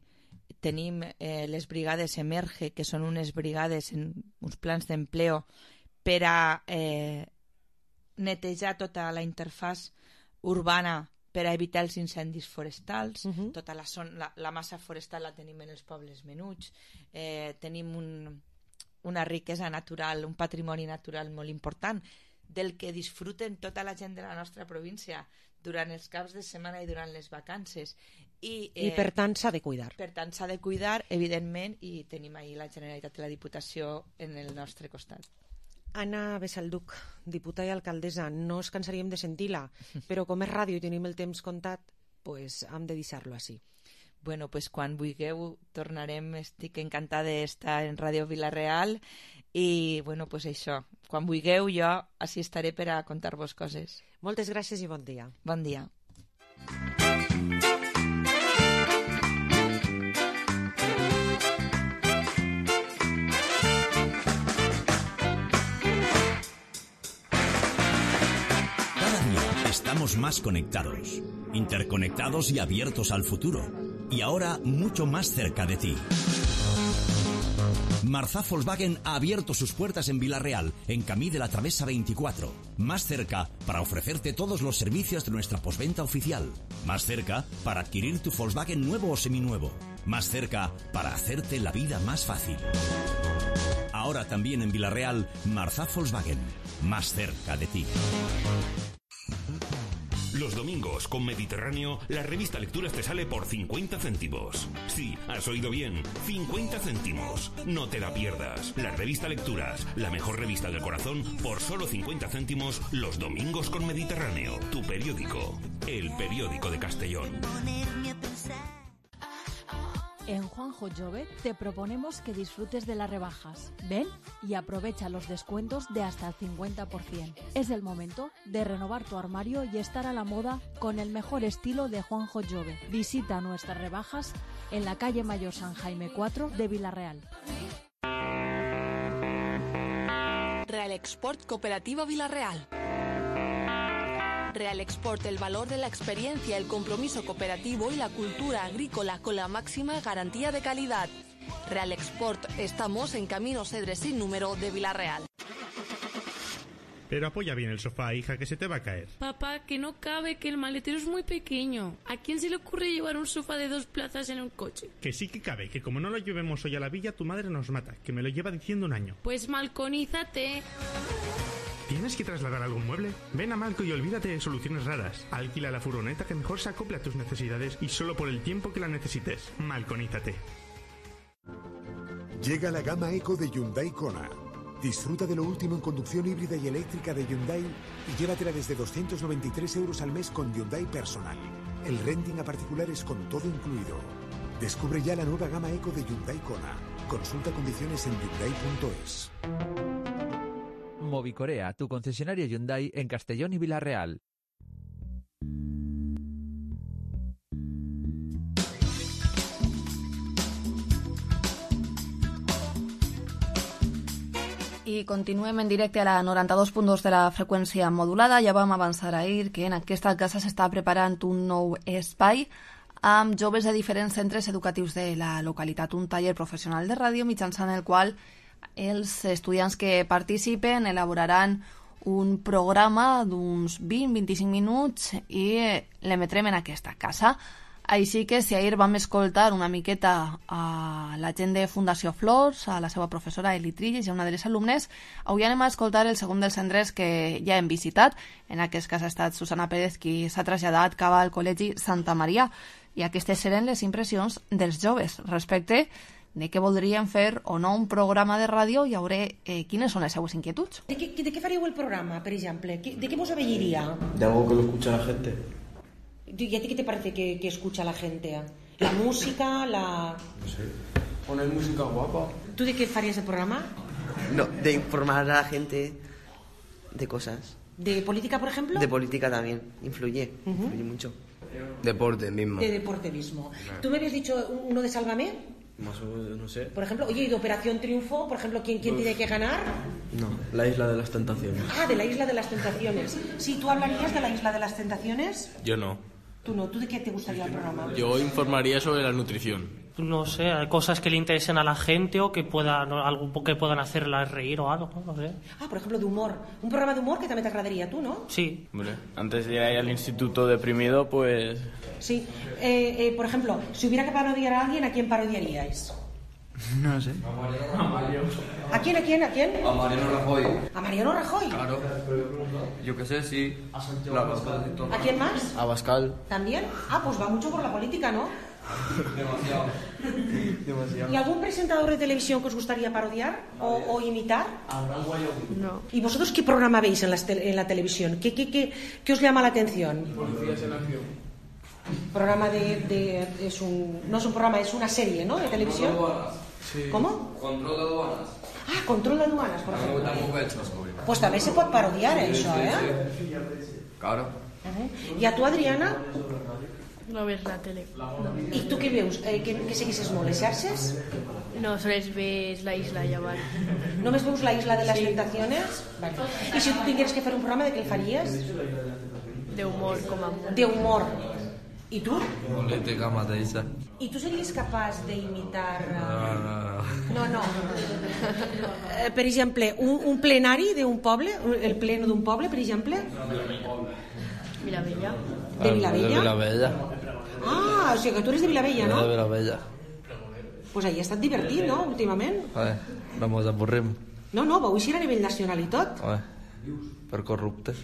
tenim eh, les brigades Emerge, que són unes brigades en uns plans d'empleo per a eh, netejar tota la interfàs urbana per a evitar els incendis forestals. Uh-huh. Tota la, son, la, la massa forestal la tenim en els pobles menuts. Eh, tenim un, una riquesa natural, un patrimoni natural molt important del que disfruten tota la gent de la nostra província durant els caps de setmana i durant les vacances. I, eh, I per tant s'ha de cuidar. Per tant s'ha de cuidar, evidentment, i tenim ahir la Generalitat i la Diputació en el nostre costat. Anna Besalduc, diputada i alcaldessa, no ens cansaríem de sentir-la, però com és ràdio i tenim el temps comptat, pues hem de deixar-lo així. Bueno, pues quan vulgueu tornarem, estic encantada d'estar en Ràdio Vila-real i, bueno, pues això, quan vulgueu jo així estaré per a contar-vos coses. Moltes gràcies i bon dia. Bon dia. Cada día estamos más conectados, interconectados y abiertos al futuro. Y ahora mucho más cerca de ti. Marzá Volkswagen ha abierto sus puertas en Vila-real, en Camí de la Travesa veinticuatro. Más cerca para ofrecerte todos los servicios de nuestra postventa oficial. Más cerca para adquirir tu Volkswagen nuevo o seminuevo. Más cerca para hacerte la vida más fácil. Ahora también en Vila-real, Marzá Volkswagen. Más cerca de ti. Los domingos con Mediterráneo, la revista Lecturas te sale por cincuenta céntimos. Sí, has oído bien, cincuenta céntimos. No te la pierdas. La revista Lecturas, la mejor revista del corazón, por solo cincuenta céntimos los domingos con Mediterráneo. Tu periódico, el periódico de Castellón. En Juanjo Jove te proponemos que disfrutes de las rebajas. Ven y aprovecha los descuentos de hasta el cincuenta por ciento. Es el momento de renovar tu armario y estar a la moda con el mejor estilo de Juanjo Jove. Visita nuestras rebajas en la calle Mayor San Jaime cuatro de Vila-real. Real Export Cooperativa Vila-real. Real Export, el valor de la experiencia, el compromiso cooperativo y la cultura agrícola con la máxima garantía de calidad. Real Export, estamos en Camino Cedre sin número de Vila-real. Pero apoya bien el sofá, hija, que se te va a caer. Papá, que no cabe, que el maletero es muy pequeño. ¿A quién se le ocurre llevar un sofá de dos plazas en un coche? Que sí que cabe, que como no lo llevemos hoy a la villa, tu madre nos mata, que me lo lleva diciendo un año. Pues malconízate. ¿Tienes que trasladar algún mueble? Ven a Malco y olvídate de soluciones raras. Alquila la furgoneta que mejor se acople a tus necesidades y solo por el tiempo que la necesites. Malconízate. Llega la gama Eco de Hyundai Kona. Disfruta de lo último en conducción híbrida y eléctrica de Hyundai y llévatela desde doscientos noventa y tres euros al mes con Hyundai Personal. El renting a particulares con todo incluido. Descubre ya la nueva gama Eco de Hyundai Kona. Consulta condiciones en hyundai punto es. Movicorea, tu concesionario Hyundai en Castellón y Vila-real. I continuem en directe a la noranta-dos punt dos de la freqüència modulada. Ja vam avançar ahir que en aquesta casa s'està preparant un nou espai amb joves de diferents centres educatius de la localitat, un taller professional de ràdio mitjançant el qual els estudiants que participen elaboraran un programa d'uns vint a vint-i-cinc minuts i l'emetrem en aquesta casa. Així que si ahir vam escoltar una miqueta a la gent de Fundació Flors, a la seva professora Eli Trilles i a una de les alumnes, avui anem a escoltar el segon dels centres que ja hem visitat. En aquest cas ha estat Susana Pérez qui s'ha traslladat cap al Col·legi Santa Maria i aquestes eren les impressions dels joves respecte de què voldrien fer o no un programa de ràdio i veure eh, quines són les seues inquietuds. ¿De qué, de qué faríeu el programa, por ejemplo? ¿De qué vos aveiría? De algo que lo escucha la gente. ¿Y a ti qué te parece que, que escucha la gente? ¿La música? La... No sé. Poner música guapa. ¿Tú de qué farías el programa? No, de informar a la gente de cosas. ¿De política, por ejemplo? De política también, influye, Uh-huh. influye mucho. Deporte mismo. De deporte mismo. ¿Tú me habías dicho uno de Sálvame? Más o menos, no sé. Por ejemplo, oye, ¿y de Operación Triunfo? Por ejemplo, ¿quién, quién Uf. tiene que ganar? No, la isla de las tentaciones. Ah, de la Isla de las Tentaciones. Sí, ¿tú hablarías de la Isla de las Tentaciones? Yo no. Tú no, ¿tú de qué te gustaría el programa? Yo informaría sobre la nutrición. No sé, hay cosas que le interesen a la gente o que puedan, algo que puedan hacerla reír o algo, no sé. Ah, por ejemplo, de humor. Un programa de humor que también te agradaría, ¿tú, no? Sí. Hombre, antes de ir al instituto deprimido, pues... Sí. Eh, eh, por ejemplo, si hubiera que parodiar a alguien, ¿a quién parodiaríais? No sé. ¿A quién, a quién, a quién? A Mariano Rajoy. ¿A Mariano Rajoy? Claro. Yo qué sé, sí. La... ¿A quién más? A Bascal. ¿También? Ah, pues va mucho por la política, ¿no? Demasiado. Demasiado. ¿Y algún presentador de televisión que os gustaría parodiar o, o imitar? No. ¿Y vosotros qué programa veis en la, en la televisión? ¿Qué, qué, qué, ¿Qué os llama la atención? Policías en acción. Programa de, de... es un, no es un programa, es una serie, ¿no? De televisión. Sí. ¿Cómo? Control de aduanas. Ah, control de aduanas, por ejemplo. También muy hecho, sobre. Pues también se puede parodiar eso, ¿eh? Claro. Uh-huh. ¿Y a tú, Adriana? No ves la tele. No. ¿Y tú qué veus? Eh, que, que seguisses molt, les xarxes? No, sols ves la isla llavors. Només veus la Isla de las Sí. Tentaciones? Vale. I si tu tingueres que fer un programa, de què el faries? D'humor, com a molt. D'humor. I tu? Política mateixa. I tu series capaç d'imitar... Ah. No, no. Eh, per exemple, un, un plenari d'un poble, el pleno d'un poble, per exemple? Vilavella. De Vilavella? De Vilavella. Ah, o sigui que tu eres de Vilavella, no? De Vilavella. Pues ahí ha estat divertit, no?, últimament. Eh, no mos avorrim. No, no, vau eixir a nivell nacional i tot. Eh, per corruptes.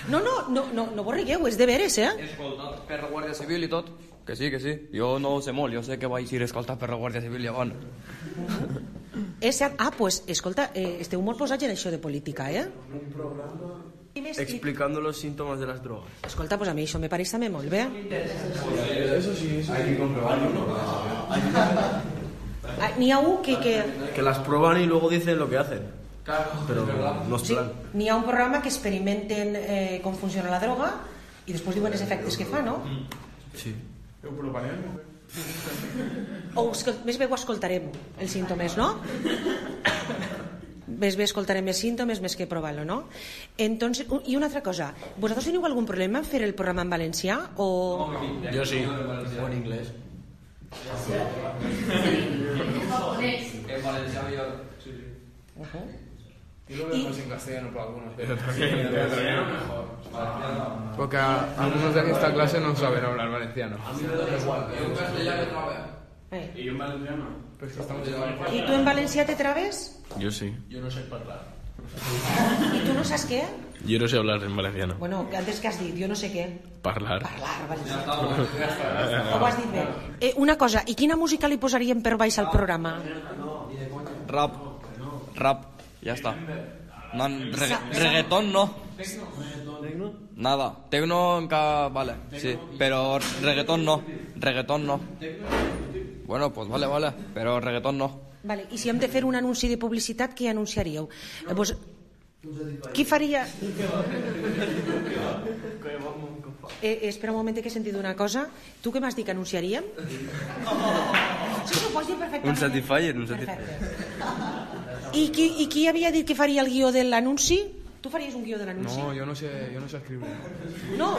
No, no, no, no, no vos rigueu, és de veres, eh? Escoltat per la Guàrdia Civil i tot. Que sí, que sí. Jo no ho sé molt, jo sé que vaig ir escoltat per la Guàrdia Civil llavors. És cert. Ah, pues, escolta, eh, esteu molt posats en això de política, eh? Un programa explicando los síntomas de las drogas. Escolta, pues a mi això me pareix també molt bé. Eso sí, eso hay que comprobarlo. Ah, n'hi ha un que... que... Que las prueban y luego dicen lo que hacen. Pero no es Sí, plan. n'hi ha un programa que experimenten eh, com funciona la droga i després diuen els efectes que fa, no? Sí. O escol- més bé ho escoltarem, els símptomes, no? Més bé escoltarem els símptomes més que provar-lo, no? Entonces, u- i una altra cosa, vosaltres teniu algun problema en fer el programa en valencià o... Yo sí. O en inglés. En Valencia millor. Uh-huh. Y lo vemos en castellano para algunos. Pero también, En castellano mejor. Porque a- algunos de esta clase no saben hablar valenciano. En castellano otra vez. Eh. ¿Y yo en valenciano? Pues que estamos en I valenciano. tu en valencià te trabes? Yo sí. Yo no sé hablar. I tu no saps què? Yo no sé hablar en valenciano. Bueno, antes que has dit, jo no sé què. Parlar. Parlar, valencià. Ho has dit bé. Eh, una cosa, i quina música li posaríem per baix al programa? Rap. Rap. Ya está. No, regga reggaetón no. Nada. Tecno en cada... Vale, sí. Pero reggaetón no. Reggaetón no. Bueno, pues vale, vale. Pero reggaetón no. Vale, i si hem de fer un anunci de publicitat, què anunciaríeu? Eh, pues, qui faria... Eh, espera un moment que he sentit una cosa. Tu què m'has dit que anunciaríem? Sí, sí, ho pots dir perfectament. Un Satisfyer, un Perfecte. Satisfyer. I qui, I qui havia dit que faria el guió de l'anunci? Tu faries un guió de l'anunci? No, yo no sé, yo no sé escribir. No,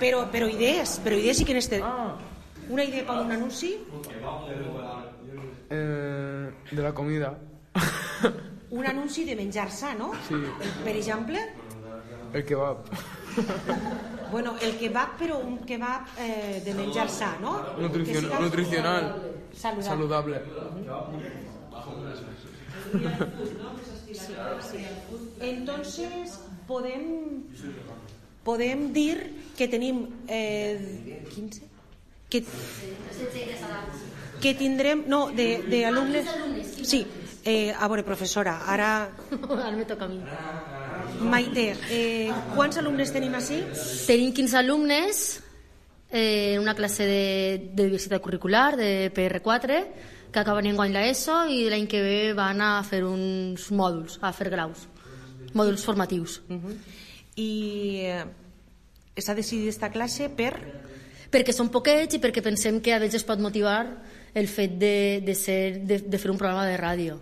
però, però idees, però idees sí que n'este... Una idea per un anunci? Eh, de la comida. Un anunci de menjar sa, no? Sí. Per exemple? El kebab. Bueno, el kebab, però un kebab eh, de menjar sa, no? Nutricion- Que siga, nutricional. eh, saludable. Saludable. Sí, sí. Entonces, podem, podem dir que tenim eh, quinze? que, que tindrem... No, d'alumnes... Sí, eh, a veure, professora, ara... Ara me toca a mi. Maite, eh, quants alumnes tenim així? Tenim quinze alumnes, eh, una classe de, de diversitat curricular, de P R quatre, que acaben enguany l'ESO i l'any que ve van a fer uns mòduls, a fer graus, mòduls formatius. Uh-huh. I eh, s'ha decidit esta classe per... Perquè són poquets i perquè pensem que a ells es pot motivar el fet de, de, ser, de, de fer un programa de ràdio,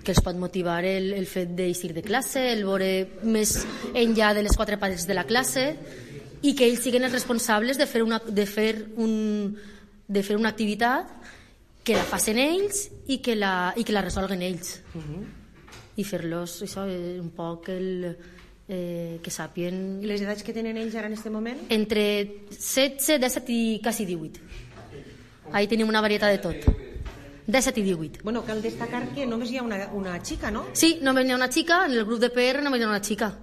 que els pot motivar el, el fet d'eixir de classe, el veure més enllà de les quatre parets de la classe i que ells siguin els responsables de fer una, de fer un, de fer una activitat que la facin ells i que la, i que la resolguen ells. Uh-huh. I fer-los això, un poc el, eh, que sàpien... I les edats que tenen ells ara en aquest moment? Entre setze, disset i quasi divuit. Ahí tenim una varietat de tot. disset i divuit. Bueno, cal destacar que només hi ha una, una xica, ¿no? Sí, només hi ha una xica, en el grup de P R només hi ha una xica.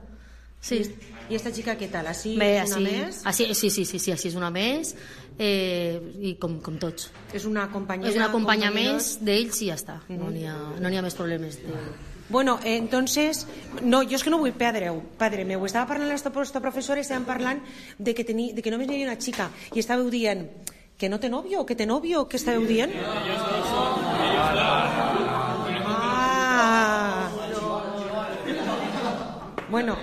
Sí. I esta xica què tal? Així Bé, és una així, més? Així, sí, sí, sí, sí, així és una més, eh, i com, com tots. És una compañera... És una companya compañeros... més d'ells i ja està. Uh-huh. No n'hi ha, no n'hi ha més problemes. De... Bueno, eh, entonces, no, jo és que no vull perdre-ho, padre meu. Estava parlant amb aquesta professora, estàvem parlant de que, teni, de que només hi havia una xica i estàveu dient que no té nòvio, que té nòvio, què estàveu dient? Ah! Bueno...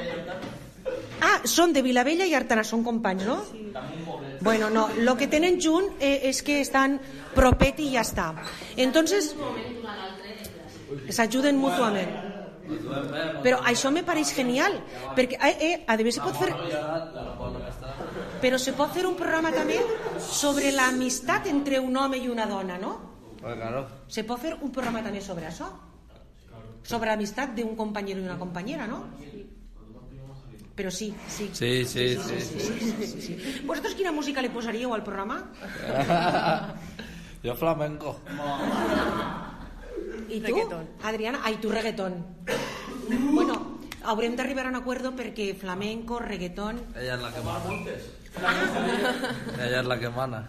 Ah, són de Vilavella i Artana, són companys, no? Bueno, no, lo que tenen junt eh, és que estan propet i ja està. Entonces, s'ajuden mútuament. Però això me pareix genial, perquè eh, eh, a veure, se pot fer... Però se pot fer un programa també sobre l'amistat entre un home i una dona, no? Claro. Se pot fer un programa també sobre això? Sobre l'amistat d'un companyero i una companyera, no? Però sí, sí. Sí, sí, sí. sí, sí, sí, sí, sí, sí. Vosaltres quina música li posaríeu al programa? Jo flamenco. I tu, Adriana? Ai, tu reggaeton. Bueno, haurem d'arribar a un acuerdo perquè flamenco, reggaeton... Ella és la que mana. Ella és la que mana.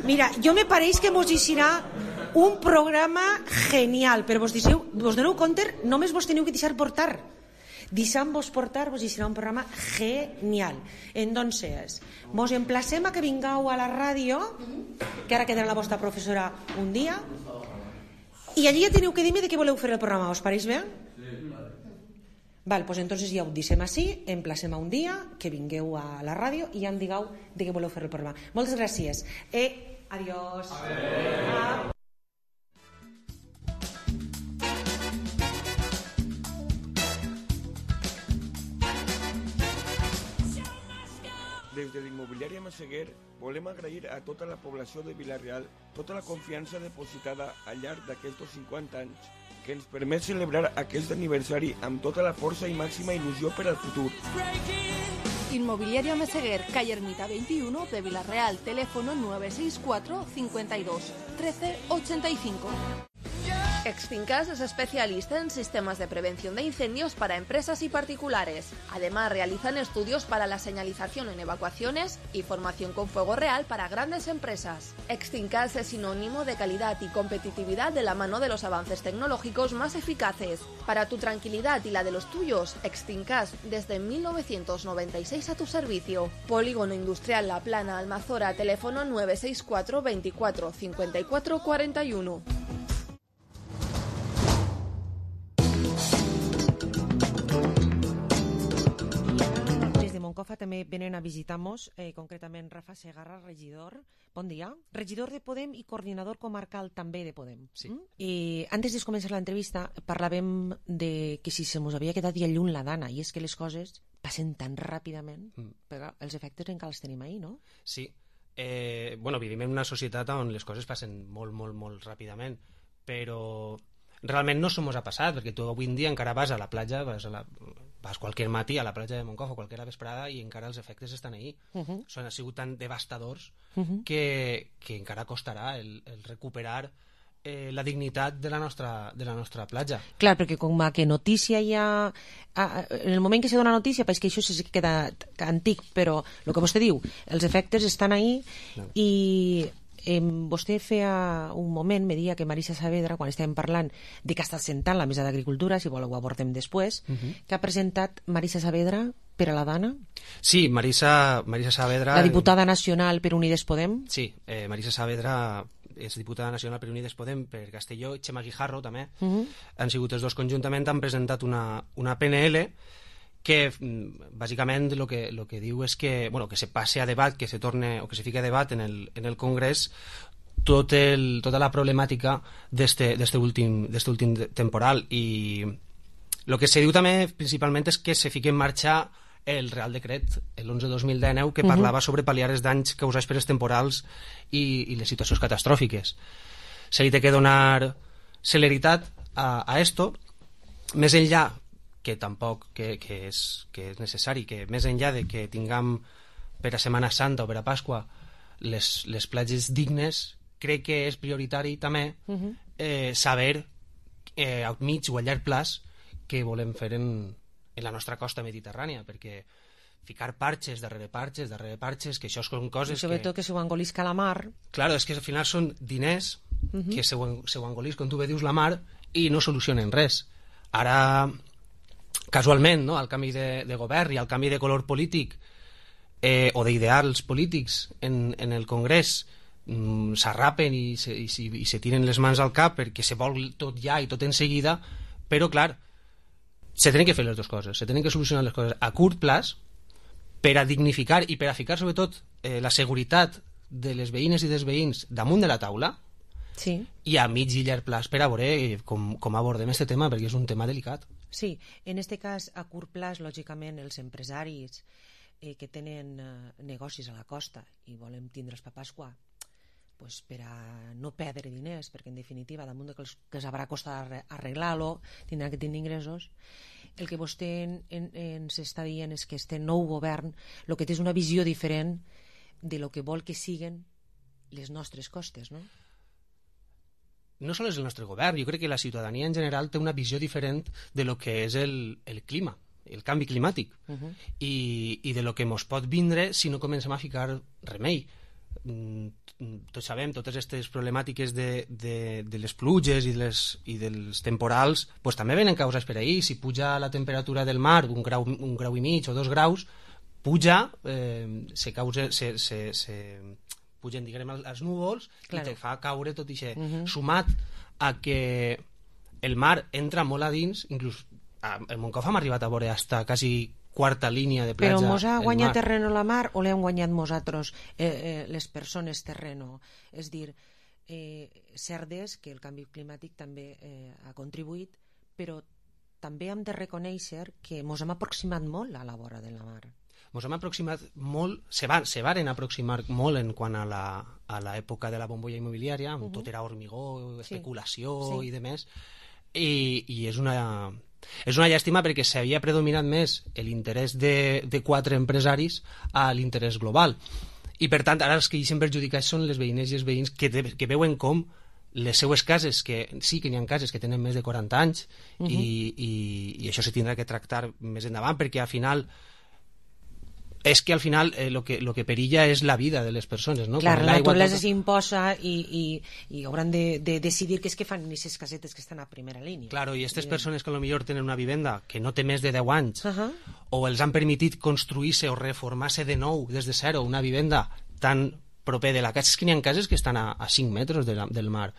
Mira, jo me pareix que vos deixarà un programa genial, però vos, deixeu, vos doneu compte, només vos teniu que deixar portar. Deixant-vos portar vos deixarà un programa genial. Entonces, vos emplacem a que vingueu a la ràdio, que ara quedarà la vostra professora un dia, i allí ja teniu que dir-me de què voleu fer el programa, us pareix bé? Val, doncs entonces ja ho deixem així, emplacem a un dia, que vingueu a la ràdio i ja em digueu de què voleu fer el programa. Moltes gràcies. Eh, adiós. Adéu. Des de l'Immobiliària Massaguer volem agrair a tota la població de Vila-real tota la confiança depositada al llarg d'aquests cinquanta anys que ens permet celebrar aquest aniversari amb tota la força i màxima il·lusió per al futur. Inmobiliaria Meseguer, calle Ermita veintiuno de Villarreal, teléfono nueve seis cuatro, cincuenta y dos, trece ochenta y cinco. Extincas es especialista en sistemas de prevención de incendios para empresas y particulares. Además, realizan estudios para la señalización en evacuaciones y formación con fuego real para grandes empresas. Extincas es sinónimo de calidad y competitividad de la mano de los avances tecnológicos más eficaces. Para tu tranquilidad y la de los tuyos, Extincas desde mil novecientos noventa y seis a tu servicio. Polígono Industrial La Plana, Almazora, teléfono nueve seis cuatro, veinticuatro, cincuenta y cuatro, cuarenta y uno. Moncofa també venen a visitar-nos, eh, concretament Rafa Segarra, regidor. Bon dia. Regidor de Podem i coordinador comarcal també de Podem. Sí. Mm? I antes de començar l'entrevista parlàvem de que si se mos havia quedat ja lluny la dana, i és que les coses passen tan ràpidament, mm. però els efectes encara els tenim ahí, no? Sí. Eh, bueno, vivim en una societat on les coses passen molt, molt, molt ràpidament, però realment no s'ho mos ha passat, perquè tu avui en dia encara vas a la platja, vas, a la, vas qualsevol matí a la platja de Moncofa, qualsevol vesprada, i encara els efectes estan ahí. Uh -huh. Són, han sigut tan devastadors uh -huh. que, que encara costarà el, el recuperar eh, la dignitat de la nostra, de la nostra platja. Clar, perquè com que notícia ja... En el moment que se dona notícia, és que això sí que queda antic, però el que vostè diu, els efectes estan ahí no. i... Eh, vostè feia un moment, me deia que Marisa Saavedra, quan estàvem parlant de que està sentant la mesa d'agricultura, si vol ho abordem després, uh -huh. que ha presentat Marisa Saavedra per a la Dana? Sí, Marisa, Marisa Saavedra... La diputada nacional per Unides Podem? Sí, eh, Marisa Saavedra és diputada nacional per Unides Podem per Castelló, i Xema Guijarro també, uh -huh. han sigut els dos conjuntament, han presentat una, una P N L que bàsicament el que, lo que diu és que, bueno, que se passe a debat, que se torne o que se fique a debat en el, en el Congrés tot el, tota la problemàtica d'este últim, últim temporal, i el que se diu també principalment és que se fique en marxa el Real Decret, l'onze dos mil dinou, que parlava uh -huh. sobre pal·liar els danys causats per els temporals i, i les situacions catastròfiques. Se li té que donar celeritat a, a esto, més enllà que tampoc que, que, és, que és necessari, que més enllà de que tinguem per a Setmana Santa o per a Pasqua les, les platges dignes, crec que és prioritari també uh-huh. eh, saber eh, a mig o a llarg plaç què volem fer en, en la nostra costa mediterrània, perquè ficar parxes darrere parxes, darrere parxes, que això són coses I sobretot que, que se ho engolisca la mar. Claro, és que al final són diners uh-huh. que se ho, se ho engolisca, com tu bé dius, la mar, i no solucionen res. Ara... casualment, no? Al canvi de, de govern i al canvi de color polític eh, o d'ideals polítics en, en el Congrés mm, s'arrapen i se, i, i se tiren les mans al cap perquè se vol tot ja i tot en seguida, però clar, se tenen que fer les dues coses, se tenen que solucionar les coses a curt plaç per a dignificar i per a ficar sobretot eh, la seguretat de les veïnes i dels veïns damunt de la taula, sí. i a mig i llarg plaç per a veure com, com abordem aquest tema, perquè és un tema delicat. Sí, en aquest cas, a curt plaç, lògicament, els empresaris eh, que tenen eh, negocis a la costa i volen tindre'ls per Pasqua, pues, per a no perdre diners, perquè en definitiva, damunt de que, els, que els haurà costat arreglar-lo, tindran que tenir ingressos. El que vostè en, en, ens està dient és que este nou govern el que té és una visió diferent de lo que vol que siguen les nostres costes, no? No sols és el nostre govern, jo crec que la ciutadania en general té una visió diferent de lo que és el, el clima, el canvi climàtic, uh-huh. i, i de lo que ens pot vindre si no comencem a ficar remei. Tots sabem, totes aquestes problemàtiques de, de, de les pluges i, les, i dels temporals pues, també venen causats per ahir. Si puja la temperatura del mar un grau, un grau i mig o dos graus, puja, eh, se causa... Se, se, se, pugen, diguem, els núvols, claro. I te fa caure tot això, uh-huh. sumat a que el mar entra molt a dins, inclús a, a Moncofa hem arribat a veure hasta quasi quarta línia de platja. Però mos ha guanyat terreno la mar o l'hem guanyat nosaltres, eh, eh, les persones terreno? És dir, eh, cert és que el canvi climàtic també eh, ha contribuït, però també hem de reconèixer que mos hem aproximat molt a la vora de la mar. Ens hem aproximat molt, se, van, se varen aproximar molt en quant a l'època de la bombolla immobiliària, on uh -huh. tot era hormigó, especulació sí. Sí. i demés, i, i és una és una llàstima perquè s'havia predominat més l'interès de, de quatre empresaris a l'interès global, i per tant ara els que hi són perjudicats són les veïnes i els veïns que, de, que veuen com les seues cases, que sí que n'hi ha cases que tenen més de quaranta anys, uh -huh. i, i, i això se tindrà que tractar més endavant, perquè al final és que al final eh, lo, que, lo que perilla és la vida de les persones, no? Clar, la naturalesa s'imposa i, i, i hauran de, de decidir què és que fan aquestes casetes que estan a primera línia. Claro, i aquestes persones que potser tenen una vivenda que no té més de deu anys, uh -huh. o els han permitit construir-se o reformar-se de nou des de zero una vivenda tan proper de la casa, és que n'hi ha cases que estan a, a cinc metres de la, del mar.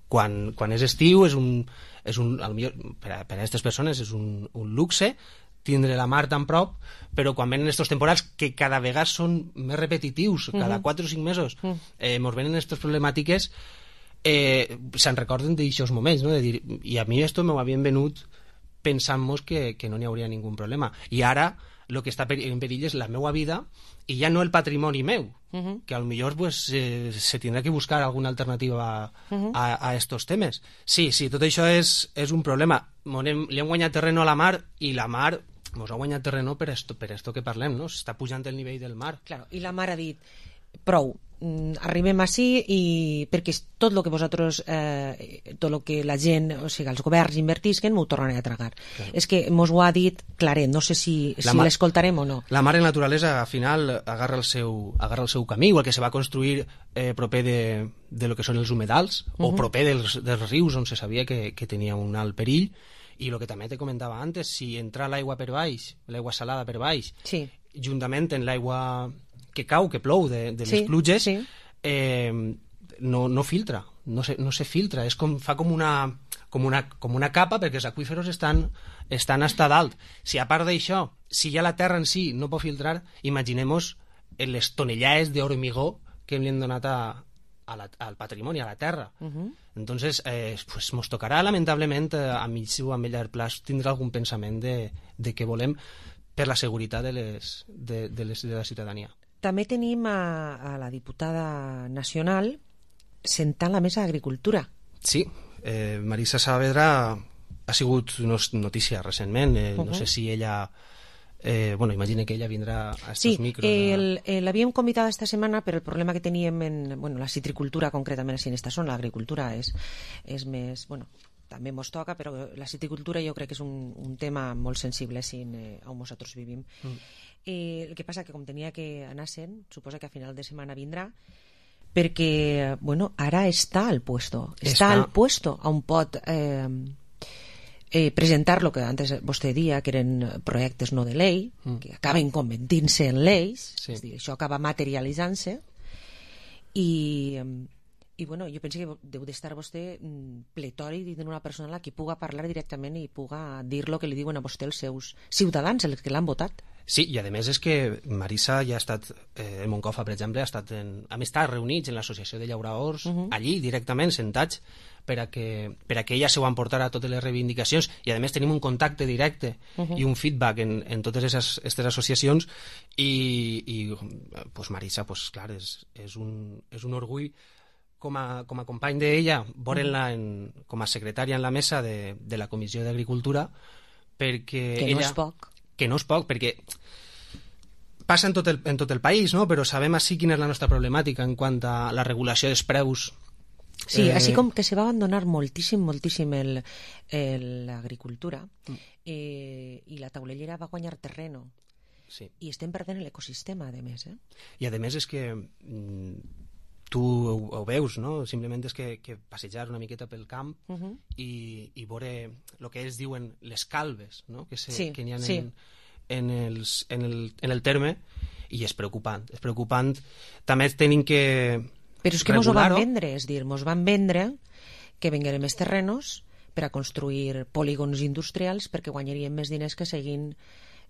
Quan, quan és estiu és un, és un millor, per a, per a aquestes persones és un, un luxe tindre la mar tan prop, però quan venen aquests temporals que cada vegada són més repetitius, cada quatre o cinc mesos eh, ens venen aquestes problemàtiques, eh, se'n recorden d'aixòs moments, no? De dir, i a mi esto m'ho havien venut pensant-nos que, que no n'hi hauria ningú problema, i ara el que està en perill és la meva vida i ja no el patrimoni meu, uh-huh. que potser pues, eh, se tindrà que buscar alguna alternativa uh-huh. a, a estos temes. Sí, sí, tot això és, és un problema. Hem, li hem guanyat terreno a la mar i la mar ens ha guanyat terreno per esto, per esto que parlem, no? S'està pujant el nivell del mar. Claro, i la mar ha dit, prou, mm, arribem així i perquè tot el que vosaltres eh, tot el que la gent, o sigui, els governs invertisquen m'ho tornaran a tragar. Claro. És que mos ho ha dit claret, no sé si, si l'escoltarem o no. La mare naturalesa al final agarra el seu, agarra el seu camí, igual que se va construir eh, proper de, de lo que són els humedals, uh -huh. o proper dels, dels rius on se sabia que, que tenia un alt perill. I el que també te comentava antes, si entra l'aigua per baix, l'aigua salada per baix, sí. juntament amb l'aigua que cau, que plou de, de les sí, pluges, sí. Eh, no, no filtra, no se, no se filtra, és com, fa com una, com, una, com una capa perquè els aqüíferos estan, estan hasta dalt. Si a part d'això, si ja la terra en si no pot filtrar, imaginem-nos les tonellades d'hormigó que li han donat a, a la, al patrimoni, a la terra. Uh -huh. Entonces, eh, pues nos tocarà, lamentablement, eh, a mig o a llarg plaç, tindre algun pensament de, de què volem per la seguretat de, les, de, de, les, de la ciutadania. També tenim a, a la diputada nacional sentant la mesa d'Agricultura. Sí, eh, Marisa Saavedra ha sigut notícia recentment, eh, uh -huh. no sé si ella... Eh, bueno, imagine que ella vindrà a estos sí, micros. Sí, eh, l'havíem convidat esta setmana, però el problema que teníem en bueno, la citricultura, concretament així en esta zona, l'agricultura és, és més... Bueno, també mos toca, però la citricultura jo crec que és un, un tema molt sensible així eh, on nosaltres vivim. Mm. Eh, el que passa que com tenia que anar sent, suposa que a final de setmana vindrà, perquè, bueno, ara està al puesto. Està, està al puesto on pot... Eh, Eh, presentar lo que antes vostè dia que eren projectes no de llei, mm. que acaben convertint-se en lleis, sí. És dir, això acaba materialitzant-se i, i bueno, jo penso que deu d'estar vostè pletori dins d'una persona a la que puga parlar directament i puga dir lo que li diuen a vostè els seus ciutadans, els que l'han votat. Sí, i a més és que Marisa ja ha estat, eh, el Moncofa, per exemple, ha estat en, hem estat reunits en l'associació de llauradors, uh -huh. allí directament, sentats, per a que, per a que ella se ho emportar a totes les reivindicacions, i a més tenim un contacte directe uh -huh. i un feedback en, en totes aquestes associacions, i, i pues Marisa, pues, clar, és, és, un, és un orgull com a, com a company d'ella, veure-la com a secretària en la mesa de, de la Comissió d'Agricultura, perquè que ella... no és poc. Que no és poc, perquè passa en tot el, en tot el país, no? Però sabem així quina és la nostra problemàtica en quant a la regulació dels preus. Sí, eh... així com que se va abandonar moltíssim, moltíssim l'agricultura mm. eh, i la taulellera va guanyar terreno. Sí. I estem perdent l'ecosistema, a més. Eh? I a més és que mm, tu ho, ho veus, no? Simplement és que, que passejar una miqueta pel camp uh -huh. i, i veure el que ells diuen les calves, no? Que, se, sí, que n'hi ha sí. en, en, els, en, el, en el terme, i és preocupant. És preocupant. També tenim que Però és que mos ho van vendre, és dir, mos van vendre que vengueren més terrenos per a construir polígons industrials perquè guanyaríem més diners que seguint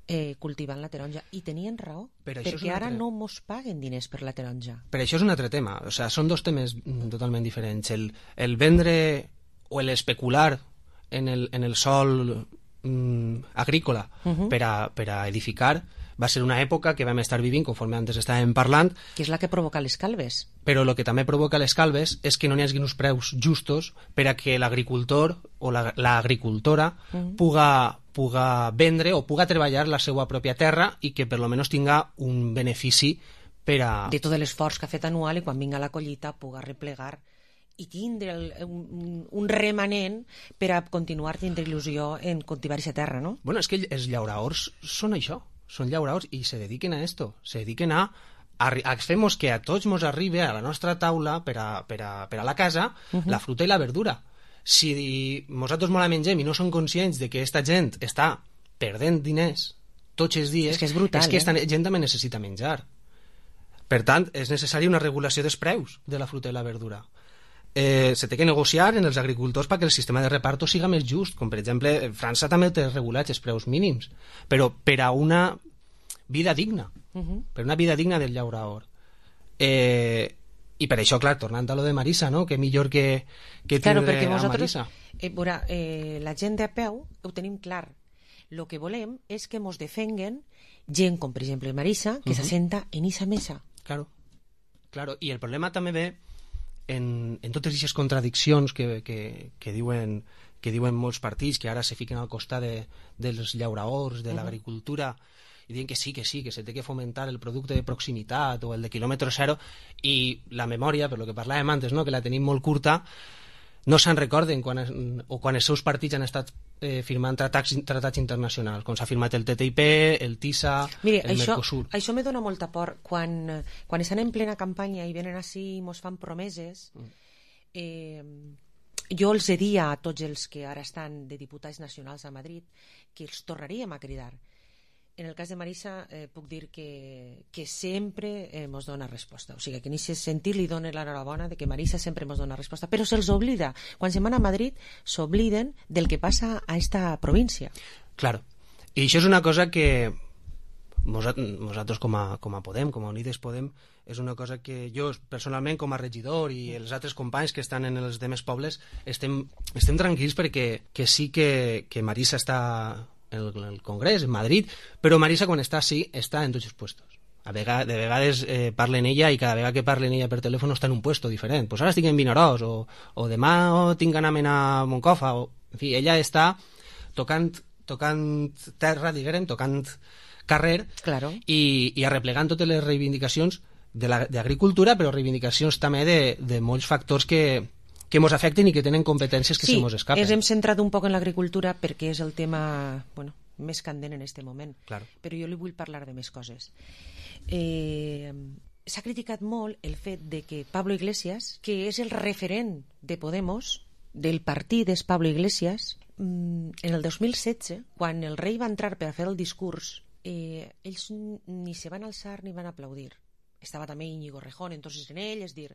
eh, cultivant la taronja. I tenien raó, per perquè ara altre... no mos paguen diners per la taronja. Per això és un altre tema. O sea, són dos temes totalment diferents. El, el vendre o l'especular en el, en el sòl mm, agrícola uh -huh. per, a, per a edificar va ser una època que vam estar vivint, conforme antes estàvem parlant. Que és la que provoca les calves. Però el que també provoca les calves és que no n'hi hagi uns preus justos per a que l'agricultor o l'agricultora la, uh -huh. puga, puga vendre o puga treballar la seva pròpia terra i que per lo menos tinga un benefici per a... De tot l'esforç que ha fet anual i quan vinga la collita puga replegar i tindre el, un, un remanent per a continuar tindre il·lusió en cultivar aquesta terra, no? Bueno, és que els llauradors són això. Són llauradors i se dediquen a esto, se dediquen a, a, a femos que a tots mos arribi a la nostra taula per a, per a, per a la casa uh -huh. la fruta i la verdura. Si nosaltres molt la mengem i no som conscients de que aquesta gent està perdent diners tots els dies, és que és brutal, és que aquesta eh? gent també necessita menjar. Per tant, és necessària una regulació dels preus de la fruta i la verdura. Eh, se té que negociar en els agricultors perquè el sistema de reparto siga més just, com per exemple França també té regulats els preus mínims, però per a una vida digna, uh -huh. per una vida digna del llaurador. Eh, i per això, clar, tornant a lo de Marisa, no? Que millor que, que claro, tindre perquè a vosaltres, Marisa. Eh, veurà, eh, la gent de a peu ho tenim clar. El que volem és que mos defenguen gent com per exemple Marisa, que uh -huh. s'assenta en esa mesa. Claro, claro. I el problema també ve En, en totes aquestes contradiccions que, que, que, diuen, que diuen molts partits que ara se fiquen al costat de, dels llauradors, de uh -huh. l'agricultura, i diuen que sí, que sí, que se té que fomentar el producte de proximitat o el de quilòmetre zero, i la memòria, per lo que parlàvem antes, no? que la tenim molt curta, no se'n recorden quan, o quan els seus partits han estat eh, firmant tratats, tratats internacionals, com s'ha firmat el T T I P, el TISA, Mire, el això, Mercosur. Això me dona molta por. Quan, quan estan en plena campanya i venen així i mos fan promeses, eh, jo els diria a tots els que ara estan de diputats nacionals a Madrid que els tornaríem a cridar. En el cas de Marisa eh, puc dir que, que sempre eh, mos dona resposta, o sigui que en aquest sentit li dona l'enhorabona de que Marisa sempre mos dona resposta, però se'ls oblida, quan se'n van a Madrid s'obliden del que passa a esta província. Claro, i això és una cosa que nosaltres com a, com a Podem, com a Unides Podem, és una cosa que jo personalment com a regidor i els altres companys que estan en els demés pobles estem, estem tranquils perquè que sí que, que Marisa està en el, el Congrés, en Madrid, però Marisa quan està així està en tots els puestos. A vegades, de vegades eh, parlen ella i cada vegada que parlen ella per telèfon està en un puesto diferent. Pues ara estic en Vinaròs o, o demà oh, tinc anamen a Moncofa. O, en fi, ella està tocant, tocant terra, diguem, tocant carrer claro. i, i arreplegant totes les reivindicacions d'agricultura, però reivindicacions també de, de molts factors que, que ens afecten i que tenen competències que sí, se ens escapen. Sí, ens hem centrat un poc en l'agricultura perquè és el tema bueno, més candent en aquest moment, claro. Però jo li vull parlar de més coses. Eh, s'ha criticat molt el fet de que Pablo Iglesias, que és el referent de Podemos, del partit és Pablo Iglesias, en el dos mil setze, quan el rei va entrar per a fer el discurs, eh, ells ni se van alçar ni van aplaudir. Estava també Íñigo Rejón, entonces en ell, és dir,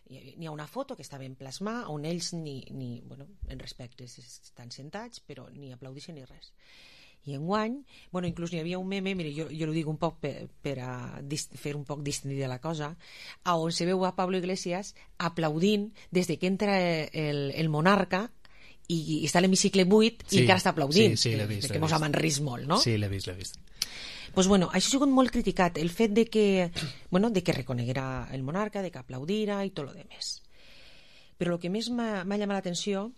n'hi ha una foto que estava en plasmar on ells ni, ni bueno, en respecte estan sentats, però ni aplaudixen ni res. I enguany, bueno, inclús n'hi havia un meme, mire, jo, jo ho dic un poc per, per a dist, fer un poc distendida la cosa, a on se veu a Pablo Iglesias aplaudint des de que entra el, el monarca i, i està a l'hemicicle buit sí, i encara està aplaudint, sí, sí, l'he vist, que mos han rist molt, no? Sí, l'he vist, l'he vist. Pues bueno, això ha sigut molt criticat, el fet de que, bueno, de que reconeguera el monarca, de que aplaudira i tot lo demés. Però el que més m'ha llamat l'atenció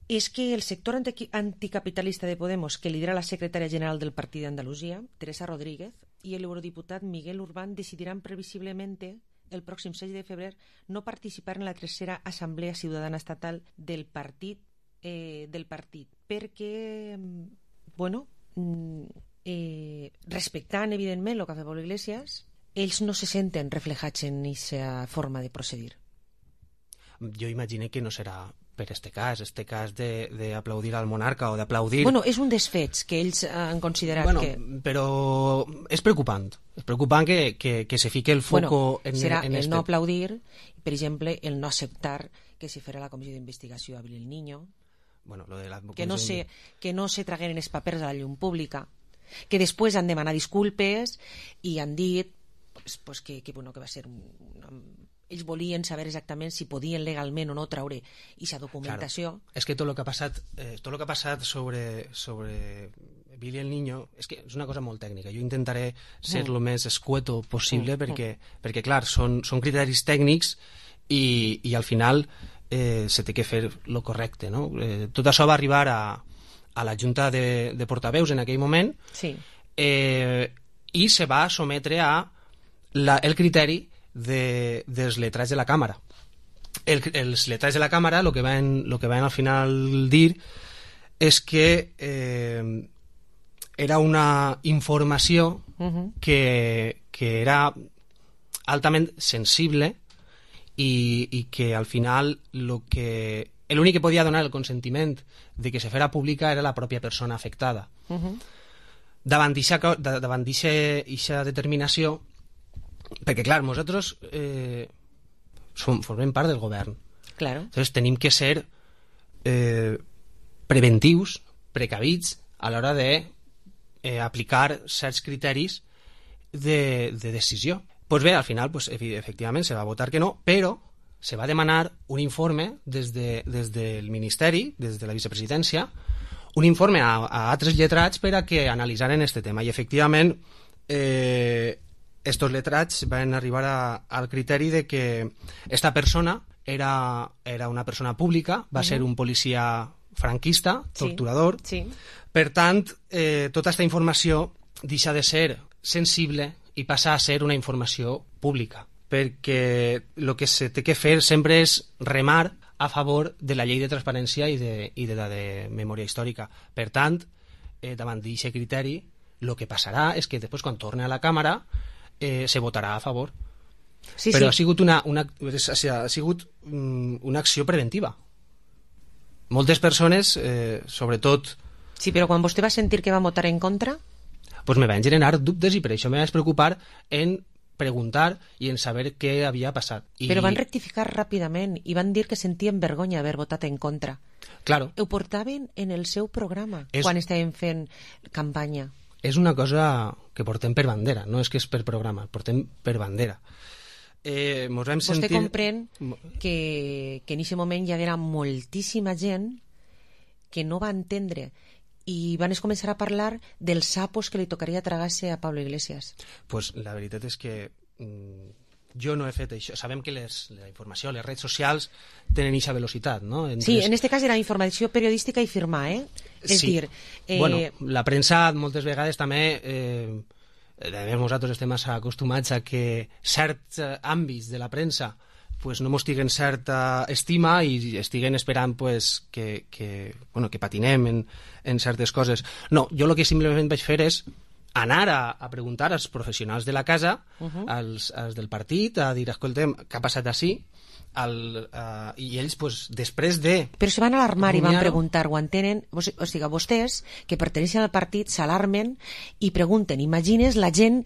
és que el sector anti anticapitalista de Podemos, que lidera la secretària general del Partit d'Andalusia, Teresa Rodríguez, i l'eurodiputat Miguel Urbán decidiran previsiblement el pròxim sis de febrer no participar en la tercera Assemblea Ciutadana Estatal del partit, eh, del partit perquè, bueno, eh, respectant evidentment el que ha fet Pablo Iglesias, ells no se senten reflejats en aquesta forma de procedir. Jo imagino que no serà per este cas, este cas d'aplaudir al monarca o d'aplaudir... Bueno, és un dels fets que ells han considerat bueno, que... Però és preocupant. És preocupant que, que, que se fique el foco bueno, en, serà en el este... no aplaudir, per exemple, el no acceptar que se farà la comissió d'investigació a Abril el Niño, bueno, lo de la que, no se, que no se tragueren els papers a la llum pública, que després han demanat disculpes i han dit pues, pues que, que, bueno, que va ser una... ells volien saber exactament si podien legalment o no traure aquesta documentació. Claro. És que tot el que ha passat, eh, tot el que ha passat sobre, sobre Billy el Niño és que és una cosa molt tècnica. Jo intentaré ser el mm. més escueto possible mm. perquè, perquè, clar, són, són criteris tècnics i, i al final eh, se té que fer lo correcte, no? Eh, tot això va arribar a, a la Junta de, de Portaveus en aquell moment sí. eh, i se va sometre a la, el criteri De, dels letrats de la càmera. El, els letrats de la càmera el que van, lo que van al final dir és que eh, era una informació uh-huh. que, que era altament sensible i, i que al final lo que l'únic que podia donar el consentiment de que se fera pública era la pròpia persona afectada. Uh-huh. Davant d'aquesta determinació, perquè clar, nosaltres eh, som, formem part del govern, claro. Entonces tenim que ser eh, preventius, precavits a l'hora de eh, aplicar certs criteris de, de decisió. Pues bé, al final pues, efectivament se va votar que no, però se va demanar un informe des, de, des del Ministeri, des de la vicepresidència, un informe a, a altres lletrats per a que analitzaren este tema i efectivament eh, estos letrats van arribar a, al criteri de que esta persona era, era una persona pública, va uh-huh. ser un policia franquista, torturador. Sí, sí. Per tant, eh, tota aquesta informació deixa de ser sensible i passa a ser una informació pública, perquè el que se té que fer sempre és remar a favor de la llei de transparència i de, i de la de memòria històrica. Per tant, eh, davant d'aquest criteri, el que passarà és que després, quan torni a la Càmera, eh, se votarà a favor. Sí, Però sí. ha sigut, una, una, ha sigut una acció preventiva. Moltes persones, eh, sobretot... Sí, però quan vostè va sentir que va votar en contra... Pues me van generar dubtes i per això me vaig preocupar en preguntar i en saber què havia passat. I... Però van rectificar ràpidament i van dir que sentien vergonya haver votat en contra. Claro. Ho portaven en el seu programa és... quan estaven fent campanya. És una cosa que portem per bandera, no és que és per programa, portem per bandera. Eh, mos vam sentir... Vostè comprèn que, que en aquest moment hi haguera moltíssima gent que no va entendre i van començar a parlar dels sapos que li tocaria tragar-se a Pablo Iglesias. Pues la veritat és que mm, jo no he fet això. Sabem que les, la informació, les redes socials tenen aquesta velocitat, no? Entre sí, en este cas era informació periodística i firmar, eh? És sí. dir... Eh... Bueno, la premsa moltes vegades també... Eh, a més, nosaltres estem massa acostumats a que certs àmbits de la premsa pues no mos tiguen certa estima i estiguen esperant pues, que, que, bueno, que patinem en, en certes coses. No, jo el que simplement vaig fer és anar a, a preguntar als professionals de la casa, uh -huh. als, als del partit, a dir, escoltem, què ha passat així? Al, uh, i ells, pues, després de... Però se van alarmar i van preguntar, ho entenen? O sigui, vostès, que perteneixen al partit, s'alarmen i pregunten. Imagines la gent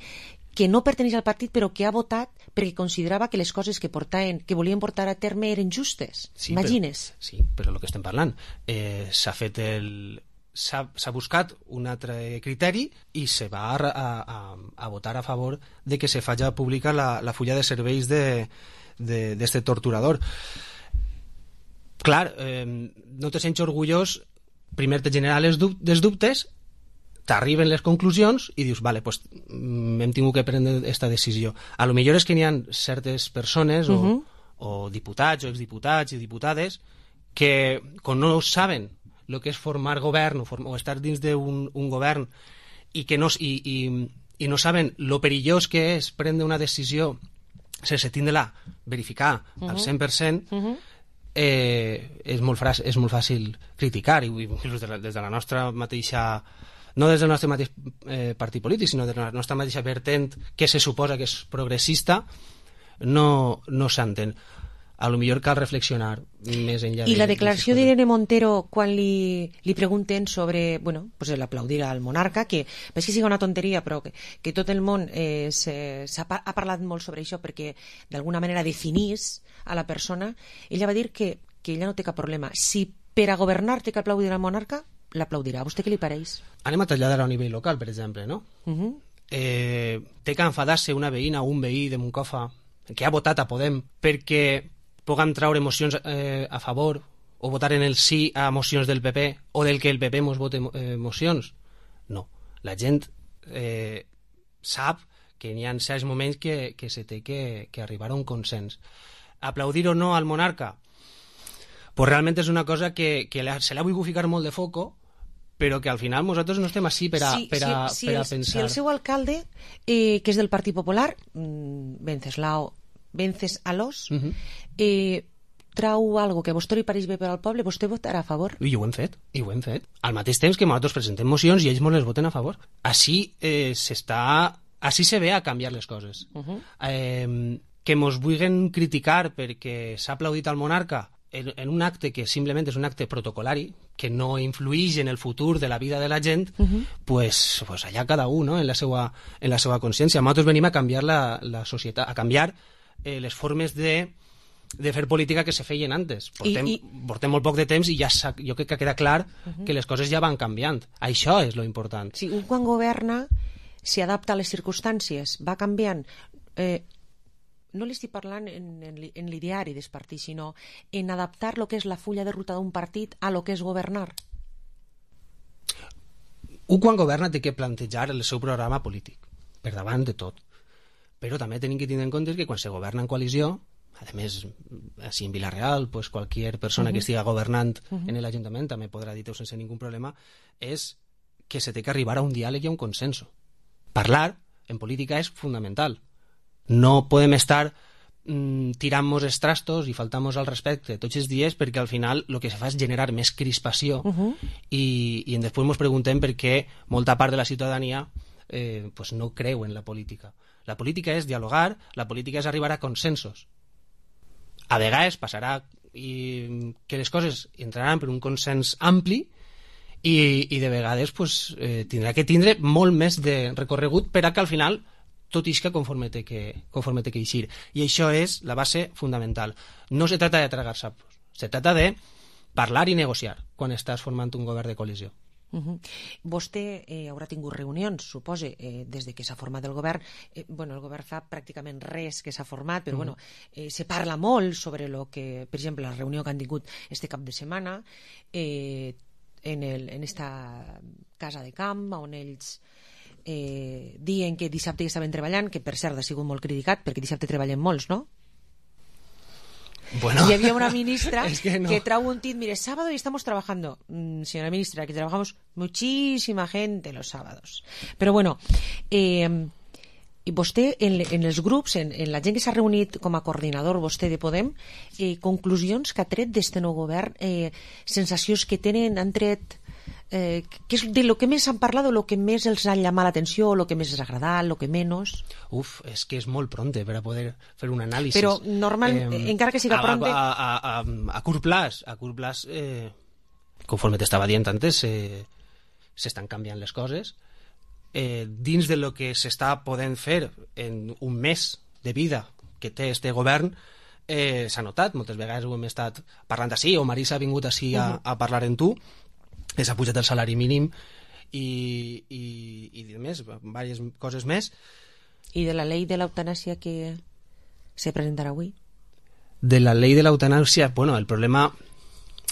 que no perteneix al partit però que ha votat perquè considerava que les coses que portaven, que volien portar a terme eren justes. Sí, imagines? Però, sí, però el que estem parlant eh, s'ha fet el... s'ha buscat un altre criteri i se va a, a, a votar a favor de que se faci pública la, la fulla de serveis de d'este torturador. Clar, eh, no te sents orgullós, primer te genera les dub dels dubtes, t'arriben les conclusions i dius, vale, pues, hem tingut que prendre aquesta decisió. A lo millor és que n'hi ha certes persones o, uh-huh. o diputats o exdiputats i diputades que quan no saben el que és formar govern o, form o estar dins d'un un govern i que no, i, i, i no saben lo perillós que és prendre una decisió sense tindre-la verificar uh-huh. al cent per cent, uh-huh. eh, és, molt és molt fàcil criticar, i des de la, des de la nostra mateixa, no des del nostre mateix eh, partit polític, sinó des de la nostra mateixa vertent, que se suposa que és progressista, no, no s'entén. A lo millor cal reflexionar més enllà. I de, la declaració d'Irene Montero quan li, li pregunten sobre, bueno, pues l'aplaudir al monarca, que veig que sigui una tonteria, però que, que tot el món eh, se, ha, ha parlat molt sobre això perquè d'alguna manera definís a la persona. Ella va dir que, que ella no té cap problema. Si per a governar té que aplaudir al monarca, l'aplaudirà. A vostè què li pareix? Anem a traslladar a nivell local, per exemple, no? Uh-huh. eh, té que enfadar-se una veïna o un veí de Moncofa que ha votat a Podem perquè puguem treure mocions eh, a favor o votar en el sí a mocions del P P o del que el P P mos vote eh, mocions. No. La gent eh, sap que n'hi ha certs moments que, que se té que, que arribar a un consens. Aplaudir o no al monarca? Pues realment és una cosa que, que se l'ha volgut ficar molt de foco, però que al final nosaltres no estem així per a, sí, per a, sí, per a sí, pensar. Si el seu alcalde, eh, que és del Partit Popular, Venceslao Vences Alós, uh-huh. eh, trau algo que a vostè li pareix bé per al poble, vostè votarà a favor? I ho hem fet, i ho hem fet. Al mateix temps que nosaltres presentem mocions i ells ens les voten a favor. Així eh, s'està... Així se ve a canviar les coses. Uh-huh. eh, que mos vulguin criticar perquè s'ha aplaudit al monarca en, en un acte que simplement és un acte protocolari, que no influïx en el futur de la vida de la gent, uh-huh. pues, pues allà cada un, no? en la seva, en la seva consciència. Nosaltres venim a canviar la, la societat, a canviar eh, les formes de, de fer política que se feien antes. Portem, I, i... portem molt poc de temps i ja jo crec que queda clar uh-huh. que les coses ja van canviant. Això és lo important. Si un quan governa s'hi adapta a les circumstàncies, va canviant. Eh, no li estic parlant en, en, en l'ideari del partit, sinó en adaptar el que és la fulla de ruta d'un partit a lo que és governar. Un quan governa té que plantejar el seu programa polític, per davant de tot. Però també tenim que tenir en compte que quan se governa en coalició, a més, així en Vila-real, pues cualquier persona uh-huh. que estiga governant uh-huh. en l'Ajuntament també podrà dir-ho sense ningú problema, és que se té que arribar a un diàleg i a un consenso. Parlar en política és fundamental. No podem estar mm, tirant-nos els trastos i faltar-nos al respecte tots els dies, perquè al final el que se fa és generar més crispació Uh-huh. i, i després ens preguntem per què molta part de la ciutadania eh, pues no creu en la política. La política és dialogar, la política és arribar a consensos. A vegades passarà i, que les coses entraran per un consens ampli i, i de vegades pues, eh, tindrà que tindre molt més de recorregut per a que al final tot isca conforme té que, conforme té que eixir. I això és la base fundamental. No se trata de tragar sapos, se trata de parlar i negociar quan estàs formant un govern de coalició. Uh-huh. Vostè eh, haurà tingut reunions, supose, eh, des de que s'ha format el govern. Eh, bueno, el govern fa pràcticament res que s'ha format, però Mhm. bueno, eh, se parla molt sobre lo que, per exemple, la reunió que han tingut este cap de setmana eh, en, el, en esta casa de camp, on ells eh, diuen que dissabte ja estaven treballant, que per cert ha sigut molt criticat, perquè dissabte treballen molts, no? Bueno, y había una ministra es que, no. que trae un tuit, mire, sábado y estamos trabajando. Mm, señora ministra, que trabajamos muchísima gente los sábados. Pero bueno, eh, i vostè, en, en els grups, en, en la gent que s'ha reunit com a coordinador, vostè de Podem, eh, conclusions que ha tret d'este nou govern, eh, sensacions que tenen, han tret... Eh, que és de lo que més han parlat, o lo que més els ha llamat l'atenció, o lo que més els ha agradat, lo que menys... Uf, és que és molt pronte per a poder fer un anàlisi. Però normal, eh, encara que siga a, pronte... A, a, a, a curt plaç, a curt plaç eh, conforme t'estava dient antes, s'estan eh, canviant les coses. Eh, dins de lo que s'està podent fer en un mes de vida que té este govern, eh, s'ha notat, moltes vegades ho hem estat parlant així, o Marisa ha vingut així a, Uh-huh. a parlar en tu, que s'ha pujat el salari mínim i, i, i més, diverses coses més. I de la llei de l'eutanàsia que se presentarà avui? De la llei de l'eutanàsia, bueno, el problema...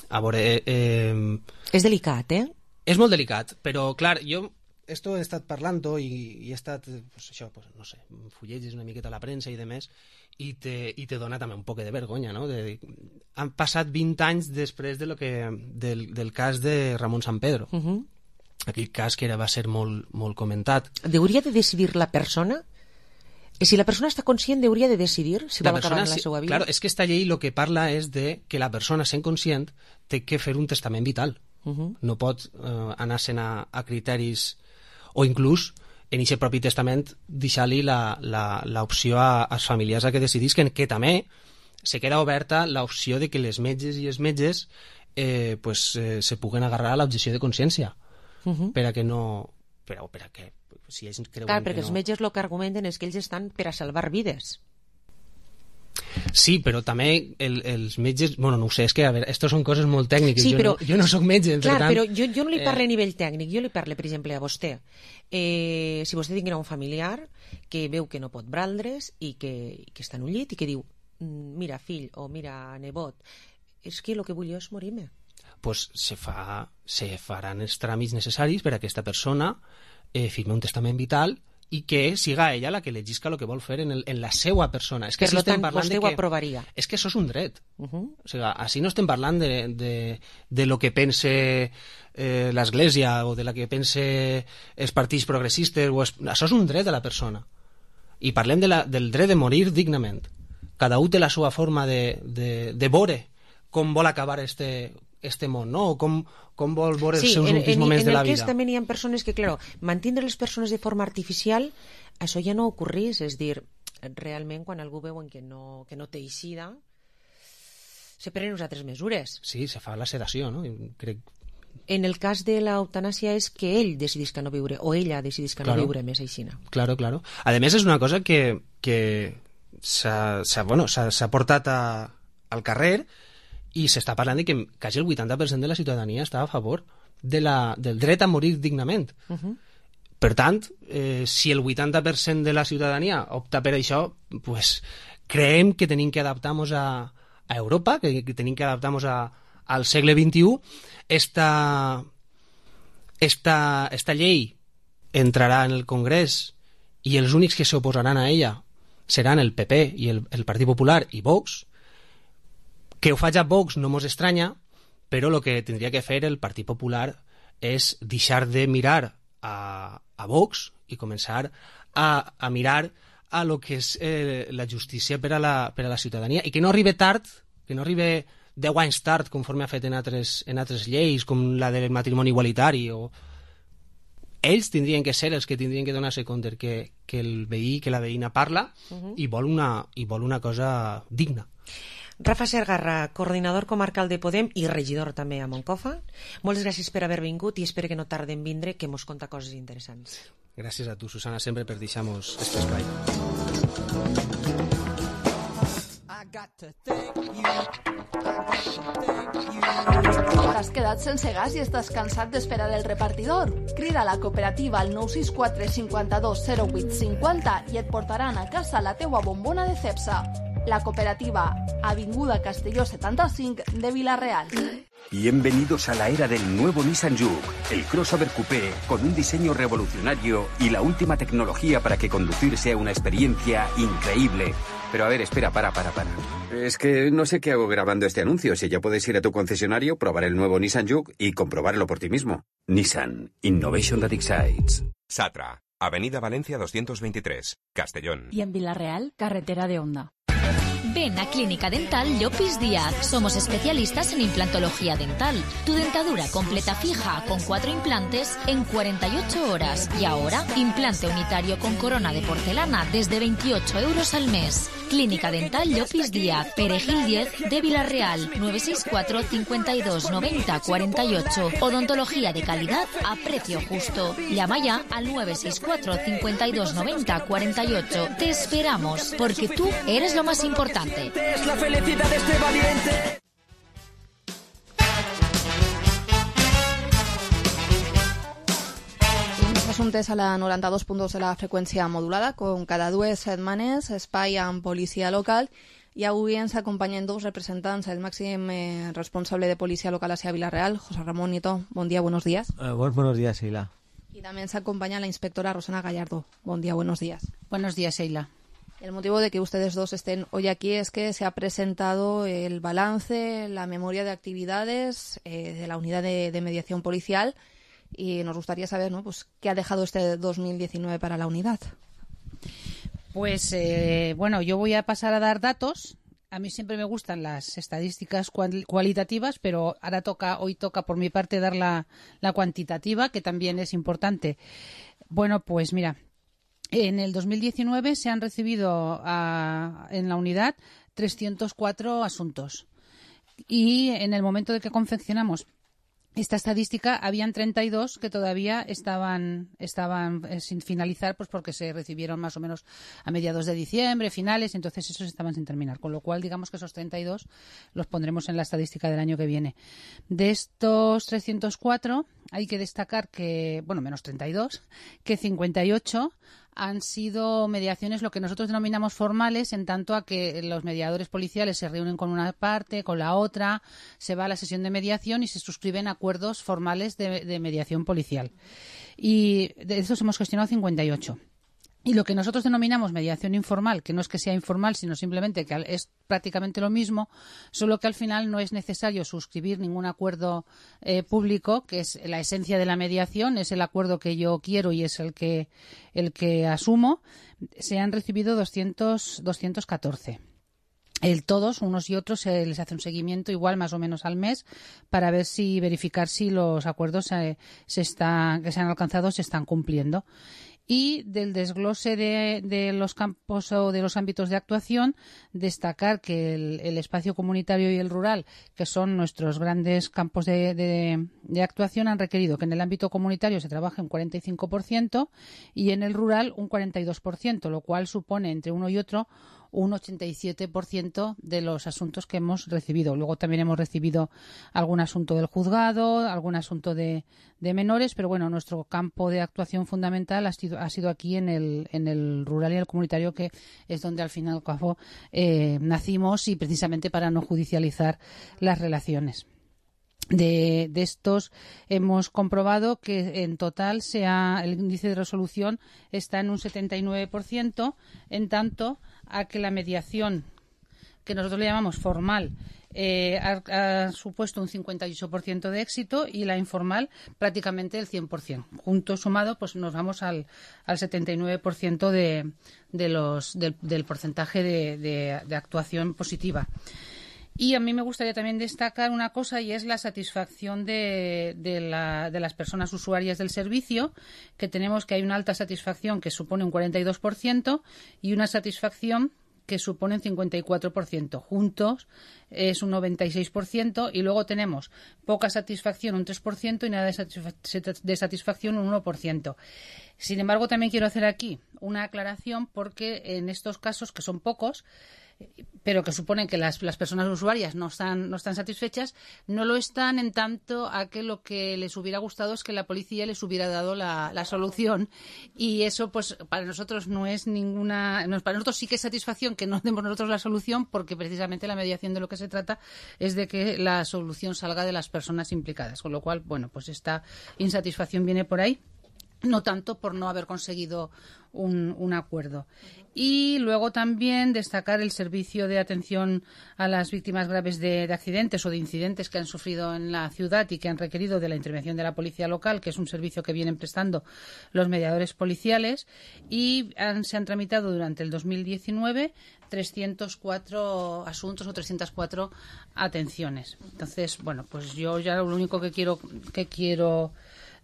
A veure... Eh, eh, és delicat, eh? És molt delicat, però, clar, jo esto he estat parlant-ho i, i he estat, pues, això, pues, no sé, fullegis una miqueta a la premsa i demés, i te, i te dona també un poc de vergonya, no? De, han passat vint anys després de lo que, del, del cas de Ramon San Pedro. Uh-huh. Aquell cas que era, va ser molt, molt comentat. Hauria de decidir la persona? Si la persona està conscient, hauria de decidir si La vol acabar persona, amb la sí, seva vida? claro, és que esta llei el que parla és de que la persona, sent conscient, té que fer un testament vital. Uh-huh. No pot eh, anar-se'n a, a criteris, o inclús en aquest propi testament deixar-li l'opció a, als familiars a que decidisquen, que també se queda oberta l'opció de que les metges i els metges eh, pues, eh, se puguen agarrar a l'objecció de consciència, Uh-huh. per a que no... Per a, per a que si ells creuen Clar, que perquè no... els metges el que argumenten és que ells estan per a salvar vides. Sí, però també el, els metges... Bueno, no ho sé, és que, a veure, estos són coses molt tècniques. Sí, jo, però, no, jo no sóc metge, clar, per tant... però jo, jo no li parlo eh, a nivell tècnic, jo li parlo, per exemple, a vostè. Eh, si vostè tinguera un familiar que veu que no pot braldre's i que, i que està en un llit i que diu, mira, fill, o mira, nebot, és que el que vull jo és morir-me. pues se, fa, se faran els tràmits necessaris per a aquesta persona eh, firme un testament vital i que siga ella la que legisca el que vol fer en, el, en la seva persona. És que Per si lo estem tant, parlant vostè de ho que, aprovaria. És que això és un dret. Uh-huh. O sigui, així no estem parlant de, de, de lo que pense eh, l'Església o de la que pense els partits progressistes. O es, això és un dret de la persona. I parlem de la, del dret de morir dignament. Cada un té la seva forma de, de, de veure com vol acabar este, este món, no? O com, com vol veure Sí, els seus en, últims en, moments en de la el que és, vida. també hi ha persones que, claro, mantindre les persones de forma artificial, això ja no ocorrís, és dir, realment quan algú veuen que no, que no té eixida, se prenen unes altres mesures. Sí, se fa la sedació, no? I crec... En el cas de l'eutanàsia és que ell decidís que no viure, o ella decidís que Claro. no viure més aixina. Claro, claro. A més, és una cosa que, que s'ha bueno, portat a, al carrer i s'està parlant de que quasi el vuitanta per cent de la ciutadania està a favor de la, del dret a morir dignament. Uh-huh. Per tant, eh, si el vuitanta per cent de la ciutadania opta per això, pues, creiem que tenim que adaptar-nos a, a Europa, que, que tenim que adaptar-nos a, al segle vint-i-u. Esta, esta, esta llei entrarà en el Congrés i els únics que s'oposaran a ella seran el P P i el, el Partit Popular i Vox. Que ho faci a Vox no mos estranya, però el que tindria que fer el Partit Popular és deixar de mirar a, a Vox i començar a, a mirar a lo que és eh, la justícia per a la, per a la ciutadania, i que no arribi tard, que no arribi deu anys tard, conforme ha fet en altres, en altres lleis, com la del matrimoni igualitari. O... Ells tindrien que ser els que tindrien que donar-se compte que, que el veí, que la veïna parla uh-huh. i, vol una, i vol una cosa digna. Rafa Sergarra, coordinador comarcal de Podem i regidor també a Moncofa. Moltes gràcies per haver vingut i espero que no tarden en vindre, que mos conta coses interessants. Gràcies a tu, Susana, sempre per deixar-nos este espai. T'has quedat sense gas i estàs cansat d'esperar el repartidor? Crida a la cooperativa al nou sis quatre cinquanta-dos zero vuit cinquanta i et portaran a casa la teua bombona de Cepsa. La cooperativa, Avinguda Castelló setanta-cinc de Vila-real. Bienvenidos a la era del nuevo Nissan Juke, el crossover coupé con un diseño revolucionario y la última tecnología para que conducir sea una experiencia increíble. Pero a ver, espera, para, para, para. Es que no sé qué hago grabando este anuncio. Si ya puedes ir a tu concesionario, probar el nuevo Nissan Juke y comprobarlo por ti mismo. Nissan, Innovation that excites. Satra, Avenida Valencia doscientos veintitrés, Castellón. Y en Vila-real, carretera de Onda. Ven a Clínica Dental Llopis Díaz. Somos especialistas en implantología dental. Tu dentadura completa fija con cuatro implantes en cuarenta y ocho horas. Y ahora, implante unitario con corona de porcelana desde veintiocho euros al mes. Clínica Dental Llopis Díaz, Perejil diez de Vila-real, nueve seis cuatro, cincuenta y dos, noventa, cuarenta y ocho. Odontología de calidad a precio justo. Llama ya al nueve seis cuatro, cincuenta y dos, noventa, cuarenta y ocho. Te esperamos, porque tú eres lo más importante. Es la felicidad de este valiente. Assumptes a la noranta-dos punt dos de la freqüència modulada, com cada dues setmanes, espai amb policia local, i avui ens acompanyen dos representants, el màxim eh, responsable de policia local a Vila-real, José Ramón Nieto. Bon dia, buenos días. Uh, buenos, buenos días, Sheila. Y también se acompaña la inspectora Rosana Gallardo. Bon dia, buenos días. Buenos días, Sheila. El motivo de que ustedes dos estén hoy aquí es que se ha presentado el balance, la memoria de actividades eh, de la unidad de, de mediación policial, y nos gustaría saber, ¿no?, pues, qué ha dejado este dos mil diecinueve para la unidad. Pues, eh, bueno, yo voy a pasar a dar datos. A mí siempre me gustan las estadísticas cual, cualitativas, pero ahora toca, hoy toca por mi parte dar la, la cuantitativa, que también es importante. Bueno, pues mira, en el dos mil diecinueve se han recibido a, en la unidad trescientos cuatro asuntos, y en el momento de que confeccionamos esta estadística habían treinta y dos que todavía estaban estaban eh, sin finalizar, pues porque se recibieron más o menos a mediados de diciembre, finales, entonces esos estaban sin terminar, con lo cual digamos que esos treinta y dos los pondremos en la estadística del año que viene. De estos trescientos cuatro hay que destacar que, bueno, menos treinta y dos, que cincuenta y ocho han sido mediaciones, lo que nosotros denominamos formales, en tanto a que los mediadores policiales se reúnen con una parte, con la otra, se va a la sesión de mediación y se suscriben acuerdos formales de, de mediación policial. Y de estos hemos gestionado cincuenta y ocho. Y lo que nosotros denominamos mediación informal, que no es que sea informal, sino simplemente que es prácticamente lo mismo, solo que al final no es necesario suscribir ningún acuerdo eh, público, que es la esencia de la mediación, es el acuerdo que yo quiero y es el que, el que asumo. Se han recibido doscientos, doscientos catorce. El, todos, unos y otros, se les hace un seguimiento igual más o menos al mes para ver si, verificar si los acuerdos eh, se están, que se han alcanzado se están cumpliendo. Y del desglose de, de los campos o de los ámbitos de actuación, destacar que el, el espacio comunitario y el rural, que son nuestros grandes campos de, de, de actuación, han requerido que en el ámbito comunitario se trabaje un cuarenta y cinco por ciento y en el rural un cuarenta y dos por ciento, lo cual supone entre uno y otro un ochenta y siete por ciento de los asuntos que hemos recibido. Luego también hemos recibido algún asunto del juzgado, algún asunto de, de menores, pero bueno, nuestro campo de actuación fundamental ha sido, ha sido aquí en el, en el rural y el comunitario, que es donde al fin y al cabo eh, nacimos, y precisamente para no judicializar las relaciones. De, de estos hemos comprobado que en total sea, el índice de resolución está en un setenta y nueve por ciento, en tanto a que la mediación que nosotros le llamamos formal, eh, ha, ha supuesto un cincuenta y ocho por ciento de éxito y la informal prácticamente el cien por ciento. Junto sumado, pues nos vamos al, al setenta y nueve por ciento de, de los, del, del porcentaje de, de, de actuación positiva. Y a mí me gustaría también destacar una cosa, y es la satisfacción de, de, la, de las personas usuarias del servicio, que tenemos que hay una alta satisfacción que supone un cuarenta y dos por ciento y una satisfacción que supone un cincuenta y cuatro por ciento. Juntos es un noventa y seis por ciento y luego tenemos poca satisfacción, un tres por ciento, y nada de, satisfac- de satisfacción, un uno por ciento. Sin embargo, también quiero hacer aquí una aclaración, porque en estos casos, que son pocos, pero que suponen que las, las personas usuarias no están, no están satisfechas, no lo están en tanto a que lo que les hubiera gustado es que la policía les hubiera dado la, la solución, y eso pues para nosotros no es ninguna, no, para nosotros sí que es satisfacción que no demos nosotros la solución, porque precisamente la mediación de lo que se trata es de que la solución salga de las personas implicadas, con lo cual, bueno, pues esta insatisfacción viene por ahí. No tanto por no haber conseguido un, un acuerdo. Y luego también destacar el servicio de atención a las víctimas graves de, de accidentes o de incidentes que han sufrido en la ciudad y que han requerido de la intervención de la policía local, que es un servicio que vienen prestando los mediadores policiales, y han, se han tramitado durante el dos mil diecinueve trescientos cuatro asuntos o trescientas cuatro atenciones. Entonces, bueno, pues yo ya lo único que quiero que quiero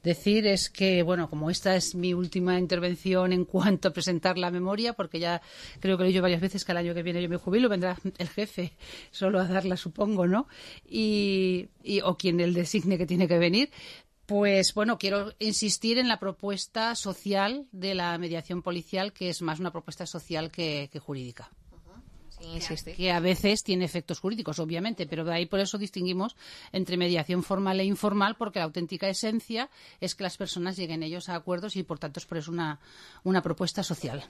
decir es que, bueno, como esta es mi última intervención en cuanto a presentar la memoria, porque ya creo que lo he dicho varias veces que el año que viene yo me jubilo, vendrá el jefe solo a darla, supongo, ¿no? Y, y o quien él designe que tiene que venir. Pues bueno, quiero insistir en la propuesta social de la mediación policial, que es más una propuesta social que, que jurídica. Que, que a veces tiene efectos jurídicos, obviamente, pero de ahí por eso distinguimos entre mediación formal e informal, porque la auténtica esencia es que las personas lleguen ellos a acuerdos y por tanto es por eso una, una propuesta social.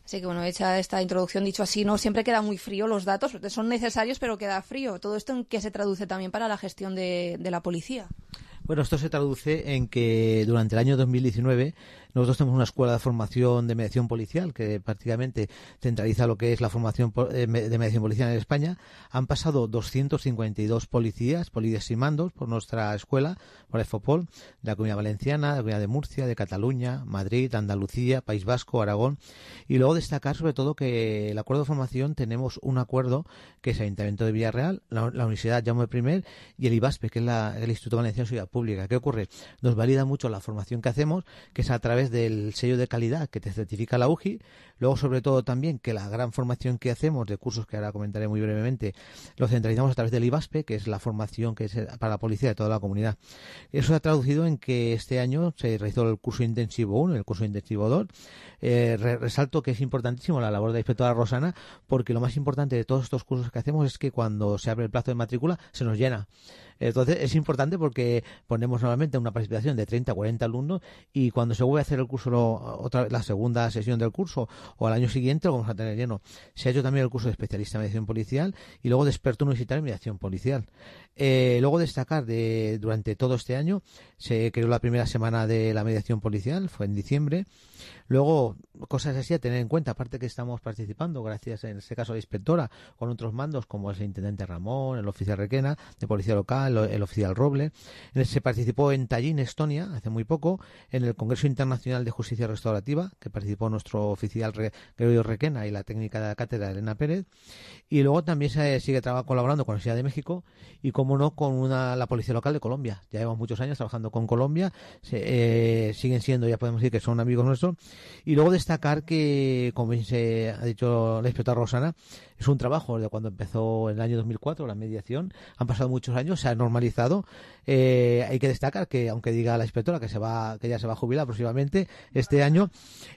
Así que bueno, hecha esta introducción, dicho así, no siempre queda muy frío los datos, son necesarios pero queda frío. ¿Todo esto en qué se traduce también para la gestión de, de la policía? Bueno, esto se traduce en que durante el año dos mil diecinueve nosotros tenemos una escuela de formación de mediación policial que prácticamente centraliza lo que es la formación de mediación policial en España. Han pasado doscientos cincuenta y dos policías, policías y mandos por nuestra escuela, por el FOPOL, de la Comunidad Valenciana, de la Comunidad de Murcia, de Cataluña, Madrid, Andalucía, País Vasco, Aragón. Y luego destacar sobre todo que el acuerdo de formación tenemos un acuerdo que es el Ayuntamiento de Villarreal, la, la Universidad Jaume I y el IBASPE, que es la, el Instituto Valenciano de Seguridad Pública. ¿Qué ocurre? Nos valida mucho la formación que hacemos, que es a través del sello de calidad que te certifica la U J I. Luego, sobre todo, también que la gran formación que hacemos de cursos, que ahora comentaré muy brevemente, lo centralizamos a través del IBASPE, que es la formación que es para la policía de toda la comunidad. Eso se ha traducido en que este año se realizó el curso intensivo uno y el curso intensivo dos. Eh, re resalto que es importantísimo la labor de la inspectora Rosana, porque lo más importante de todos estos cursos que hacemos es que cuando se abre el plazo de matrícula se nos llena. Entonces es importante porque ponemos normalmente una participación de treinta a cuarenta alumnos, y cuando se vuelve a hacer el curso, lo, otra la segunda sesión del curso o al año siguiente, lo vamos a tener lleno. Se ha hecho también el curso de especialista en mediación policial y luego de experto universitario en mediación policial. Eh, luego destacar de durante todo este año se creó la primera semana de la mediación policial, fue en diciembre. Luego, cosas así a tener en cuenta, aparte que estamos participando, gracias en este caso a la inspectora, con otros mandos como el intendente Ramón, el oficial Requena, de policía local, el oficial Roble. Se participó en Tallinn, Estonia, hace muy poco, en el Congreso Internacional de Justicia Restaurativa, que participó nuestro oficial Gregorio Requena y la técnica de la cátedra Elena Pérez. Y luego también se sigue colaborando con la Universidad de México y, como no, con una, la Policía Local de Colombia. Ya llevamos muchos años trabajando con Colombia, se, eh, siguen siendo, ya podemos decir que son amigos nuestros. Y luego destacar que, como se ha dicho la inspectora Rosana, es un trabajo de cuando empezó en el año dos mil cuatro la mediación. Han pasado muchos años, se ha normalizado. Eh, hay que destacar que, aunque diga la inspectora que se va, que ya se va a jubilar próximamente este año,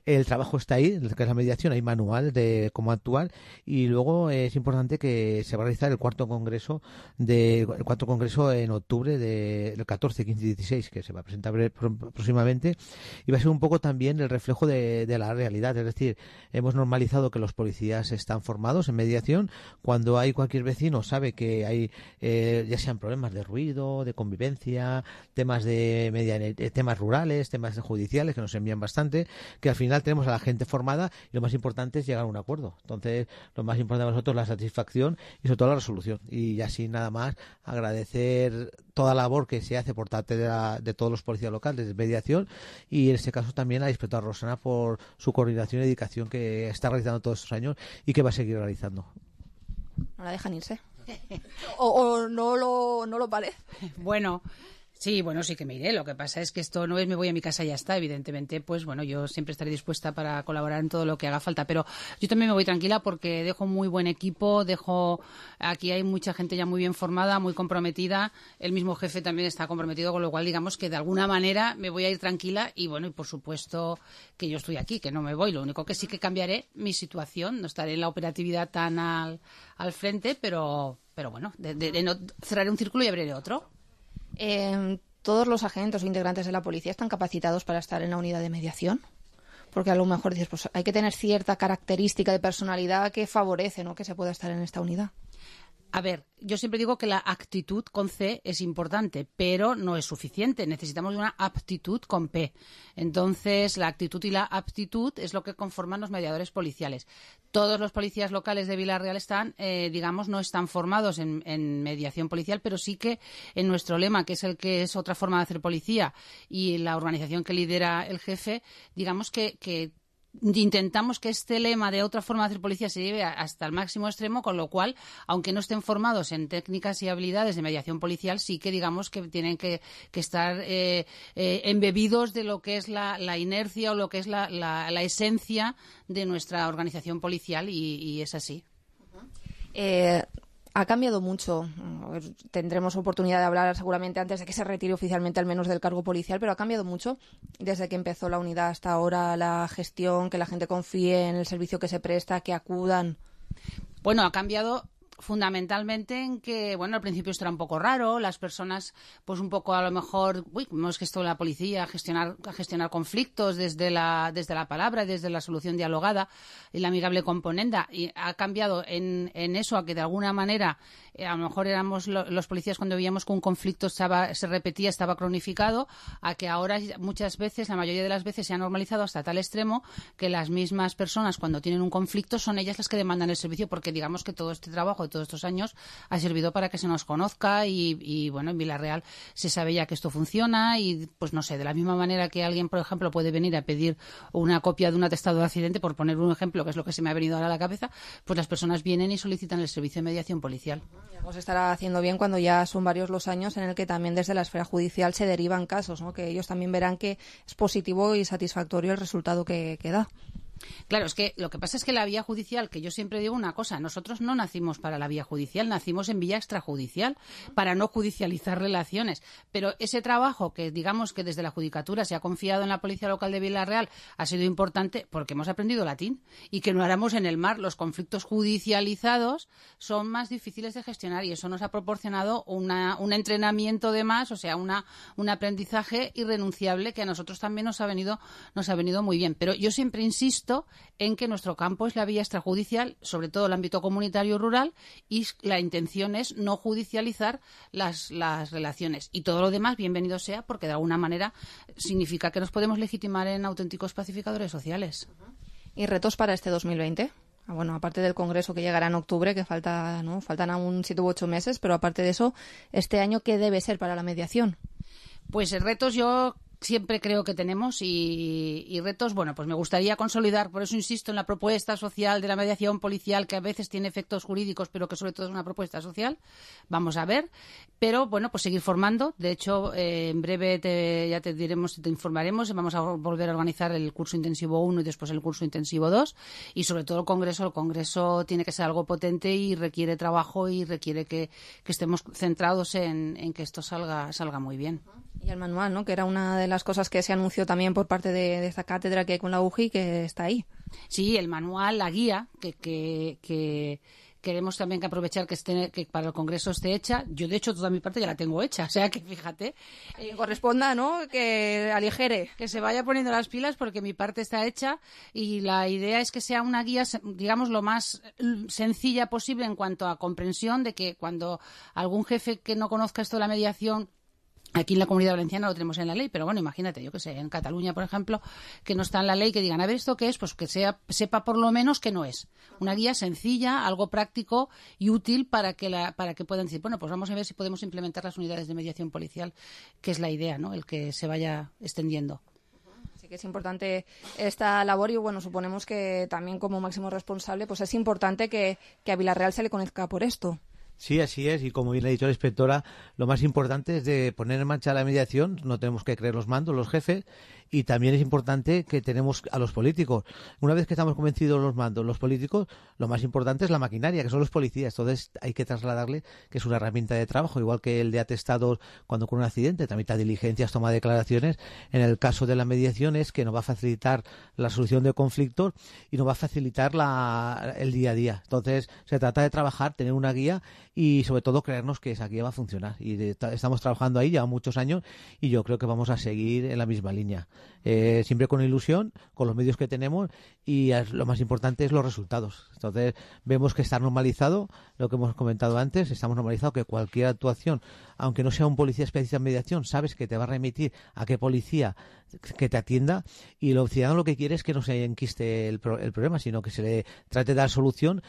el trabajo está ahí, que es la mediación, hay manual de cómo actuar. Y luego eh, es importante que se va a realizar el cuarto congreso de el cuarto congreso en octubre del de, catorce, quince y dieciséis, que se va a presentar próximamente, y va a ser un poco también el reflejo de, de la realidad. Es decir, hemos normalizado que los policías están formados en mediación. Cuando hay cualquier vecino sabe que hay eh, ya sean problemas temas de ruido, de convivencia, temas de media, temas rurales, temas judiciales que nos envían bastante, que al final tenemos a la gente formada y lo más importante es llegar a un acuerdo. Entonces, lo más importante para nosotros es la satisfacción y sobre todo la resolución. Y así nada más agradecer toda la labor que se hace por parte de, la, de todos los policías locales de mediación y en este caso también a la inspectora Rosana por su coordinación y dedicación que está realizando todos estos años y que va a seguir realizando. No la dejan irse. o, o no lo no lo parece. Bueno, sí, bueno, sí que me iré. Lo que pasa es que esto no es me voy a mi casa y ya está. Evidentemente, pues bueno, yo siempre estaré dispuesta para colaborar en todo lo que haga falta. Pero yo también me voy tranquila porque dejo muy buen equipo, dejo aquí hay mucha gente ya muy bien formada, muy comprometida. El mismo jefe también está comprometido, con lo cual digamos que de alguna manera me voy a ir tranquila y bueno, y por supuesto que yo estoy aquí, que no me voy. Lo único que sí que cambiaré mi situación, no estaré en la operatividad tan al, al frente, pero, pero bueno, de, de, de no, cerraré un círculo y abriré otro. Eh, ¿Todos los agentes o integrantes de la policía están capacitados para estar en la unidad de mediación? Porque a lo mejor dices, pues hay que tener cierta característica de personalidad que favorece, ¿no?, que se pueda estar en esta unidad. A ver, yo siempre digo que la actitud con C es importante, pero no es suficiente. Necesitamos una aptitud con P. Entonces, la actitud y la aptitud es lo que conforman los mediadores policiales. Todos los policías locales de Vila-real están, eh, digamos, no están formados en, en mediación policial, pero sí que en nuestro lema, que es el que es otra forma de hacer policía, y la organización que lidera el jefe, digamos que, que intentamos que este lema de otra forma de hacer policía se lleve hasta el máximo extremo, con lo cual, aunque no estén formados en técnicas y habilidades de mediación policial, sí que digamos que tienen que, que estar eh, eh, embebidos de lo que es la, la inercia o lo que es la, la, la esencia de nuestra organización policial y, y es así. Eh, ha cambiado mucho. Tendremos oportunidad de hablar seguramente antes de que se retire oficialmente al menos del cargo policial, pero ha cambiado mucho desde que empezó la unidad hasta ahora, la gestión, que la gente confíe en el servicio que se presta, que acudan. Bueno, ha cambiado fundamentalmente en que, bueno, al principio esto era un poco raro, las personas, pues un poco a lo mejor, uy, no es que esto de la policía, a gestionar, a gestionar conflictos desde la, desde la palabra, desde la solución dialogada y la amigable componenda, y ha cambiado en, en eso a que de alguna manera, eh, a lo mejor éramos lo, los policías cuando veíamos que un conflicto estaba, se repetía, estaba cronificado, a que ahora muchas veces, la mayoría de las veces se ha normalizado hasta tal extremo que las mismas personas cuando tienen un conflicto son ellas las que demandan el servicio, porque digamos que todo este trabajo de todos estos años ha servido para que se nos conozca y, y bueno, en Vila-real se sabe ya que esto funciona y pues no sé, de la misma manera que alguien, por ejemplo, puede venir a pedir una copia de un atestado de accidente, por poner un ejemplo, que es lo que se me ha venido ahora a la cabeza, pues las personas vienen y solicitan el servicio de mediación policial. Vamos a estar haciendo bien cuando ya son varios los años en el que también desde la esfera judicial se derivan casos, ¿no?, que ellos también verán que es positivo y satisfactorio el resultado que, que da. Claro, es que lo que pasa es que la vía judicial, que yo siempre digo una cosa, nosotros no nacimos para la vía judicial, nacimos en vía extrajudicial, para no judicializar relaciones. Pero ese trabajo que digamos que desde la Judicatura se ha confiado en la Policía Local de Vila-real ha sido importante porque hemos aprendido latín y que no éramos en el mar. Los conflictos judicializados son más difíciles de gestionar y eso nos ha proporcionado una, un entrenamiento de más, o sea, una, un aprendizaje irrenunciable que a nosotros también nos ha venido, nos ha venido muy bien. Pero yo siempre insisto en que nuestro campo es la vía extrajudicial, sobre todo el ámbito comunitario rural, y la intención es no judicializar las, las relaciones. Y todo lo demás, bienvenido sea, porque de alguna manera significa que nos podemos legitimar en auténticos pacificadores sociales. ¿Y retos para este dos mil veinte? Bueno, aparte del Congreso que llegará en octubre, que falta, ¿no?, faltan aún siete u ocho meses, pero aparte de eso, este año, ¿qué debe ser para la mediación? Pues retos yo siempre creo que tenemos y, y retos, bueno, pues me gustaría consolidar, por eso insisto en la propuesta social de la mediación policial, que a veces tiene efectos jurídicos, pero que sobre todo es una propuesta social. Vamos a ver, pero bueno, pues seguir formando. De hecho, eh, en breve te, ya te diremos, te informaremos, vamos a volver a organizar el curso intensivo uno y después el curso intensivo dos, y sobre todo el Congreso. El Congreso tiene que ser algo potente y requiere trabajo y requiere que, que estemos centrados en, en que esto salga, salga muy bien. Y el manual, ¿no?, que era una de las cosas que se anunció también por parte de, de esta cátedra que hay con la U J I, que está ahí. Sí, el manual, la guía, que, que, que, queremos también que aprovechar que, esté, que para el Congreso esté hecha. Yo, de hecho, toda mi parte ya la tengo hecha, o sea que fíjate. Eh, corresponda, ¿no?, que aligere. Que se vaya poniendo las pilas porque mi parte está hecha y la idea es que sea una guía, digamos, lo más sencilla posible en cuanto a comprensión de que cuando algún jefe que no conozca esto de la mediación. Aquí en la Comunidad Valenciana lo tenemos en la ley, pero bueno, imagínate, yo que sé, en Cataluña, por ejemplo, que no está en la ley, que digan, a ver, ¿esto qué es? Pues que sea, sepa por lo menos que no es. Una guía sencilla, algo práctico y útil para que la, para que puedan decir, bueno, pues vamos a ver si podemos implementar las unidades de mediación policial, que es la idea, ¿no?, el que se vaya extendiendo. Sí que es importante esta labor y, bueno, suponemos que también como máximo responsable, pues es importante que, que a Vila Real se le conozca por esto. Sí, así es, y como bien ha dicho la inspectora, lo más importante es de poner en marcha la mediación, no tenemos que creer los mandos, los jefes, y también es importante que tenemos a los políticos. Una vez que estamos convencidos los mandos, los políticos, lo más importante es la maquinaria, que son los policías. Entonces hay que trasladarle que es una herramienta de trabajo, igual que el de atestados cuando ocurre un accidente, tramita diligencias, toma declaraciones. En el caso de la mediación es que nos va a facilitar la solución de conflictos y nos va a facilitar la, el día a día. Entonces se trata de trabajar, tener una guía y sobre todo creernos que esa guía va a funcionar. Y de, estamos trabajando ahí ya muchos años y yo creo que vamos a seguir en la misma línea. Eh, siempre con ilusión, con los medios que tenemos y lo más importante es los resultados. Entonces vemos que está normalizado lo que hemos comentado antes, estamos normalizado que cualquier actuación, aunque no sea un policía especialista en mediación, sabes que te va a remitir a qué policía que te atienda y el ciudadano lo que quiere es que no se enquiste el, pro, el problema, sino que se le trate de dar solución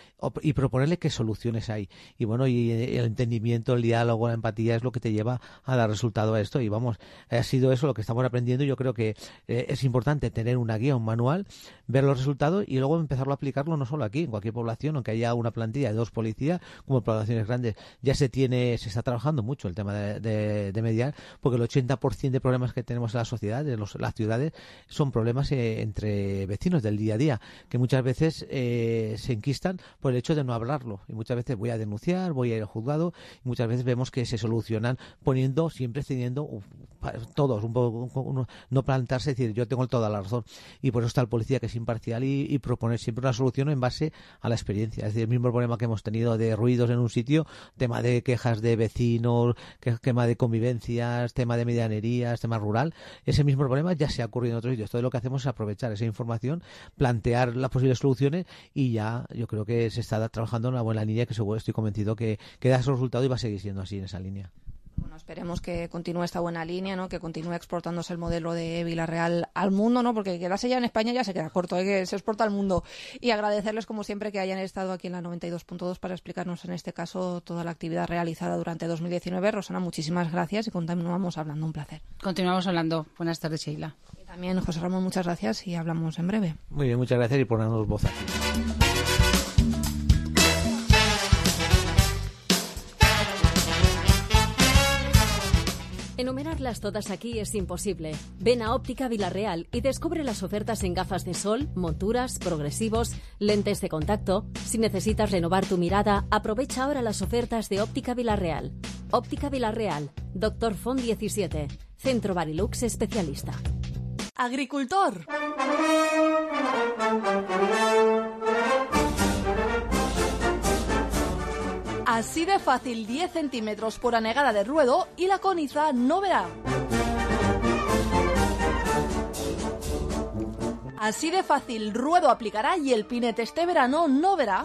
y proponerle qué soluciones hay. Y bueno, y el entendimiento, el diálogo, la empatía es lo que te lleva a dar resultado a esto y vamos, ha sido eso lo que estamos aprendiendo y yo creo que eh, es importante tener una guía, un manual, ver los resultados y luego empezarlo a aplicarlo no solo aquí, en cualquier población, aunque haya una plantilla de dos policías, como en poblaciones grandes, ya se tiene, se está trabajando mucho el tema de, de, de mediar, porque el ochenta por ciento de problemas que tenemos en la sociedad, de los, las ciudades, son problemas eh, entre vecinos del día a día, que muchas veces eh, se enquistan por el hecho de no hablarlo, y muchas veces voy a denunciar, voy a ir al juzgado, y muchas veces vemos que se solucionan poniendo, siempre cediendo uh, todos, un poco, un, no plantarse y decir yo tengo toda la razón, y por eso está el policía que es imparcial y, y proponer siempre una solución en base a la experiencia. Es decir, el mismo problema que hemos tenido de ruidos en un sitio, tema de quejas de vecinos, que, tema de convivencias, tema de medianerías, tema rural, ese mismo problema ya se ha ocurrido en otros sitios. Entonces lo que hacemos es aprovechar esa información, plantear las posibles soluciones y ya yo creo que se está trabajando en una buena línea que seguro estoy convencido que, que da esos resultados y va a seguir siendo así en esa línea. Bueno, esperemos que continúe esta buena línea, ¿no? Que continúe exportándose el modelo de Vila Real al mundo, ¿no? Porque quedarse ya en España ya se queda corto, ¿eh? Que se exporta al mundo. Y agradecerles, como siempre, que hayan estado aquí en la noventa y dos punto dos para explicarnos, en este caso, toda la actividad realizada durante dos mil diecinueve. Rosana, muchísimas gracias y continuamos hablando. Un placer. Continuamos hablando. Buenas tardes, Sheila. Y también, José Ramón, muchas gracias y hablamos en breve. Muy bien, muchas gracias y por darnos voz aquí. Enumerarlas todas aquí es imposible. Ven a Óptica Vila Real y descubre las ofertas en gafas de sol, monturas, progresivos, lentes de contacto. Si necesitas renovar tu mirada, aprovecha ahora las ofertas de Óptica Vila Real. Óptica Vila Real, Doctor Font diecisiete, Centro Barilux especialista. Agricultor. Así de fácil, diez centímetros por anegada de ruedo y la coniza no verá. Así de fácil, ruedo aplicará y el pinete este verano no verá.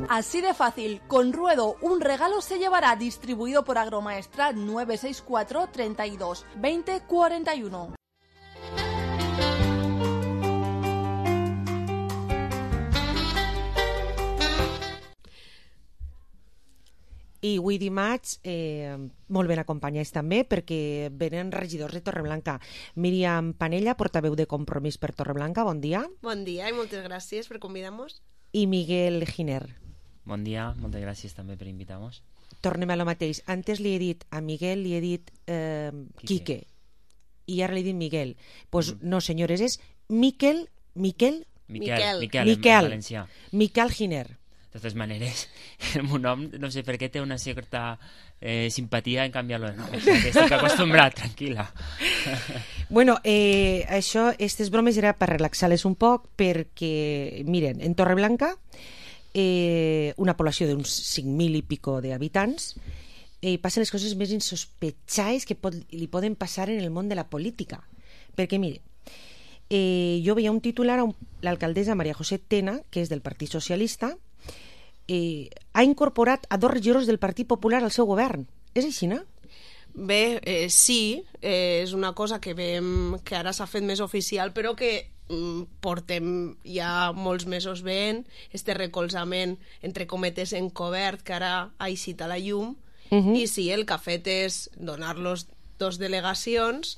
Así de fácil, con ruedo un regalo se llevará, distribuido por Agromaestra nueve seis cuatro, treinta y dos, veinte, cuarenta y uno. I avui dimarts eh, molt ben acompanyats també perquè venen regidors de Torreblanca. Míriam Panella, portaveu de Compromís per Torreblanca, bon dia. Bon dia i moltes gràcies per convidar-nos. I Miguel Giner. Bon dia, moltes gràcies també per invitar-nos. Tornem a lo mateix. Antes li he dit a Miguel, li he dit eh, Quique. I ara li he dit Miguel. Pues no, senyores, és Miquel... Miquel? Miquel, Miquel, Miquel, en valencià. Miquel Giner. De totes maneres, el meu nom, no sé per què, té una certa eh, simpatia en canviar-lo de nom. O sigui, que estic acostumbrat, tranquil·la. Bueno, eh, això, aquestes bromes era per relaxar-les un poc, perquè, miren, en Torreblanca, eh, una població d'uns cinc mil i pico d'habitants, eh, passen les coses més insospechades que pot, li poden passar en el món de la política. Perquè, mire, eh, jo veia un titular a un, l'alcaldessa María José Tena, que és del Partit Socialista, eh, ha incorporat a dos regidors del Partit Popular al seu govern. És així, no? Bé, eh, sí, eh, és una cosa que veiem que ara s'ha fet més oficial, però que mm, portem ja molts mesos veient este recolzament, entre cometes, encobert, que ara ha eixit a la llum, uh-huh. I sí, el que ha fet és donar-los dos delegacions,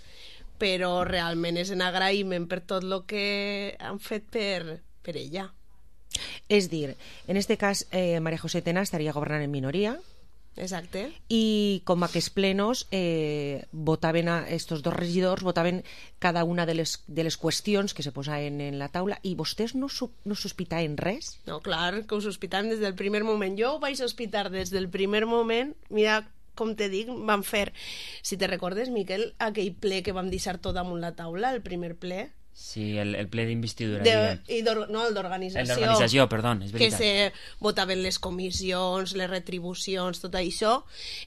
però realment és en agraïment per tot el que han fet per, per ella. És dir, en este cas, eh, María José Tena estaria governant en minoria. Exacte. I com aquests plenos eh, votaven a estos dos regidors, votaven cada una de les, de les qüestions que se posaven en la taula, i vostès no, no sospitaven res? No, clar, que ho sospitaven des del primer moment. Jo ho vaig sospitar des del primer moment. Mira, com te dic, van fer, si te recordes, Miquel, aquell ple que vam deixar tot damunt la taula, el primer ple. Sí, el, el ple d'investidura. De, no, el d'organització. El d'organització, perdó, és veritat. Que se votaven les comissions, les retribucions, tot això.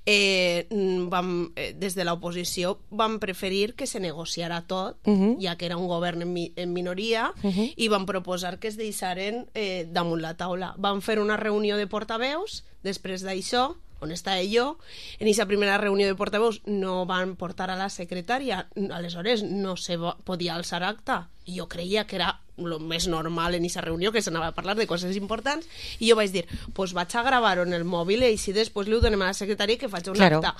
Eh, vam, eh, des de l'oposició vam preferir que se negociara tot, uh-huh. ja que era un govern en, mi, en minoria, uh-huh. i vam proposar que es deixaren eh, damunt la taula. Vam fer una reunió de portaveus, després d'això, on estava jo, en aquesta primera reunió de portaveus no van portar a la secretària, aleshores no se podia alçar acta, i jo creia que era el més normal en aquesta reunió, que s'anava a parlar de coses importants, i jo vaig dir, pues vaig a gravar-ho en el mòbil i així després li ho donem a la secretària que faig un claro. acta.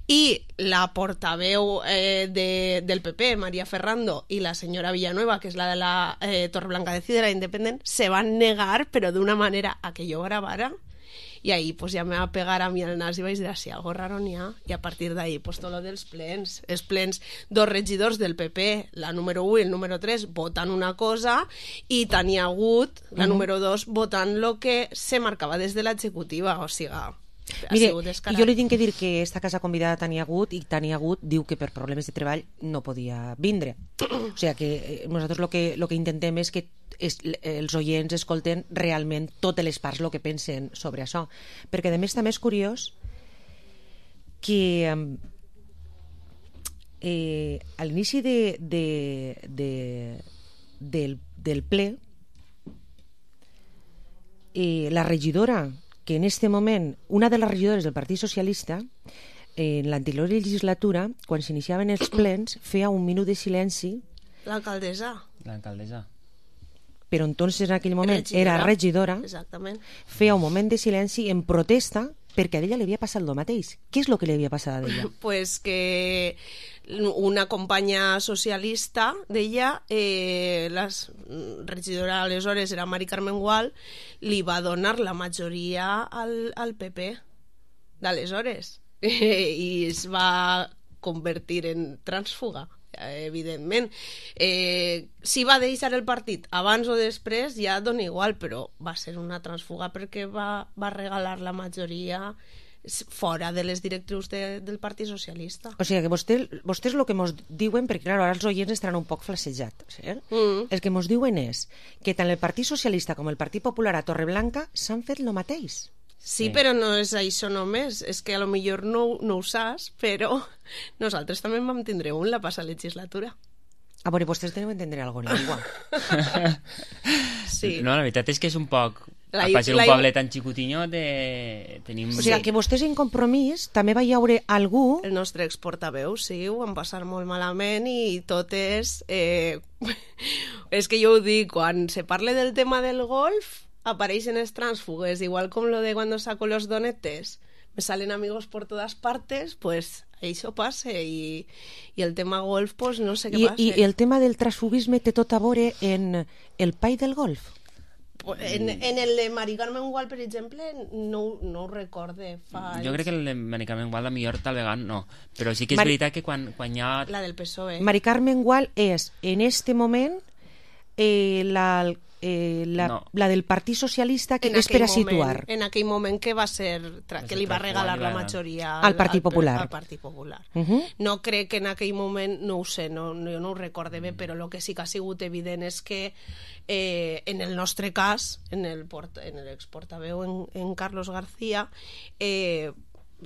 I la portaveu eh, de, del P P, María Ferrando, i la senyora Villanueva, que és la de la eh, Torreblanca Decidera Independent, se van negar, però d'una manera a que jo gravara. I ahí pues, ja me va pegar a mi el nas i vaig dir, si algo raro n'hi ha. I a partir d'ahí, pues, tot lo dels plens. Els plens, dos regidors del P P, la número u i el número tres, votant una cosa, i tenia hagut, la uh-huh. número dos, votant lo que se marcava des de l'executiva. O sigui, mire, jo li tinc que dir que esta casa convidada Tania Gut, i Tania Gut diu que per problemes de treball no podia vindre. O sigui que nosaltres lo que, lo que intentem és que es, els oients escolten realment totes les parts el que pensen sobre això, perquè a més també és curiós que eh, a l'inici de, de, de, del, del ple eh, la regidora que en este moment, una de les regidores del Partit Socialista, en l'anterior legislatura, quan s'iniciaven els plens, feia un minut de silenci. L'alcaldessa. L'alcaldessa. Però entonces en aquell moment regidora. Era regidora. Exactament. Feia un moment de silenci en protesta perquè a ella li havia passat el mateix. Què és el que li havia passat a ella? Pues que una companya socialista d'ella, eh, la regidora aleshores era Mari Carmen Gual, li va donar la majoria al, al P P d'aleshores i es va convertir en trànsfuga, evidentment. Eh, si va deixar el partit abans o després ja dona igual, però va ser una trànsfuga perquè va, va regalar la majoria fora de les directrius de, del Partit Socialista. O sigui que vostè, vostès el que ens diuen, perquè clar, ara els oients estaran un poc flassejats, eh? mm. el que ens diuen és que tant el Partit Socialista com el Partit Popular a Torreblanca s'han fet el mateix. Sí, sí, però no és això només, és que a lo millor no, no ho saps, però nosaltres també en vam tindre un la passada legislatura. A veure, vostès tenen entendre alguna cosa. Sí. No, la veritat és que és un poc... La, a ser un la... poble tan xicotinyo de... tenim... O sigui, que vostès en Compromís també va haure algú... El nostre exportaveu, sí, ho van passar molt malament i tot és... Eh... és que jo ho dic, quan se parla del tema del golf apareixen els trànsfugues, igual com lo de cuando saco los donetes, me salen amigos por todas partes, pues això passa, i, i el tema golf, pues no sé què I, passa. I el tema del transfugisme té tot a veure en el pai del golf? En, en el de Mari Carmen Gual, per exemple, no, no ho recorde. Fa jo crec que el de Mari Carmen Gual, la millor tal vegada no, però sí que és Mari... veritat que quan, quan hi ha... La del P S O E. Mari Carmen Gual és, en este moment, eh, la, eh, la, No. la del Partit Socialista, que En és per a aquell moment- situar. En aquell moment que va ser, tra- que li va regalar la majoria Al Partit Popular. Al Partit Popular. Uh-huh. No crec que en aquell moment, no ho sé, no, no, jo no ho recorde bé, però el que sí que ha sigut evident és que eh, en el nostre cas, en el, port, en l'exportaveu en, en Carlos García, eh,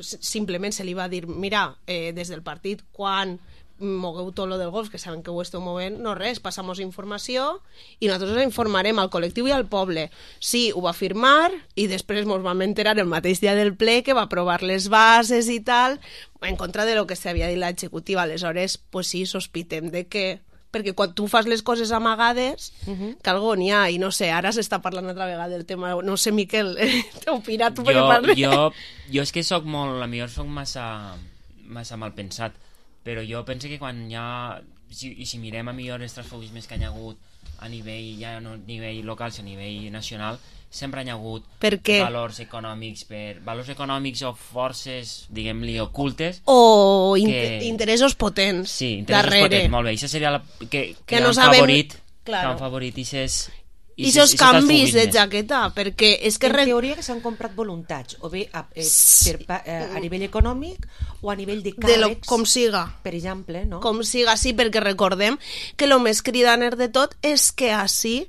simplement se li va dir, mira, eh, des del partit, quan mogueu tot lo del golf, que saben que ho esteu movent, no res, passamos informació i nosaltres informarem al col·lectiu i al poble. Sí, ho va firmar i després ens vam enterar el mateix dia del ple que va aprovar les bases i tal, en contra de lo que s'havia dit l'executiva. Aleshores, pues sí, sospitem de que perquè quan tu fas les coses amagades, uh-huh. que algo n'hi ha, i no sé, ara s'està parlant altra vegada del tema, no sé, Miquel, opina tu perquè jo, parles. jo, jo és que soc molt, a millor soc massa, massa mal pensat, però jo penso que quan hi ha, si, i si mirem a millor els transfugismes que hi ha hagut a nivell, ja no a nivell local, sinó a nivell nacional, sempre hi ha hagut per què? valors econòmics, per valors econòmics o forces, diguem-li, ocultes. O que... inter interessos potents sí, interessos darrere. potents, molt bé. Això seria la, que, que, Que no han sabem- favorit, claro. que han favorit ixes, I esos canvis de jaqueta, perquè és que... En re- teoria que s'han comprat voluntats, o bé a, eh, per, pa- eh, a nivell econòmic o a nivell de de càrrecs, lo, com siga. per exemple, no? Com siga, sí, perquè recordem que el més cridaner de tot és que així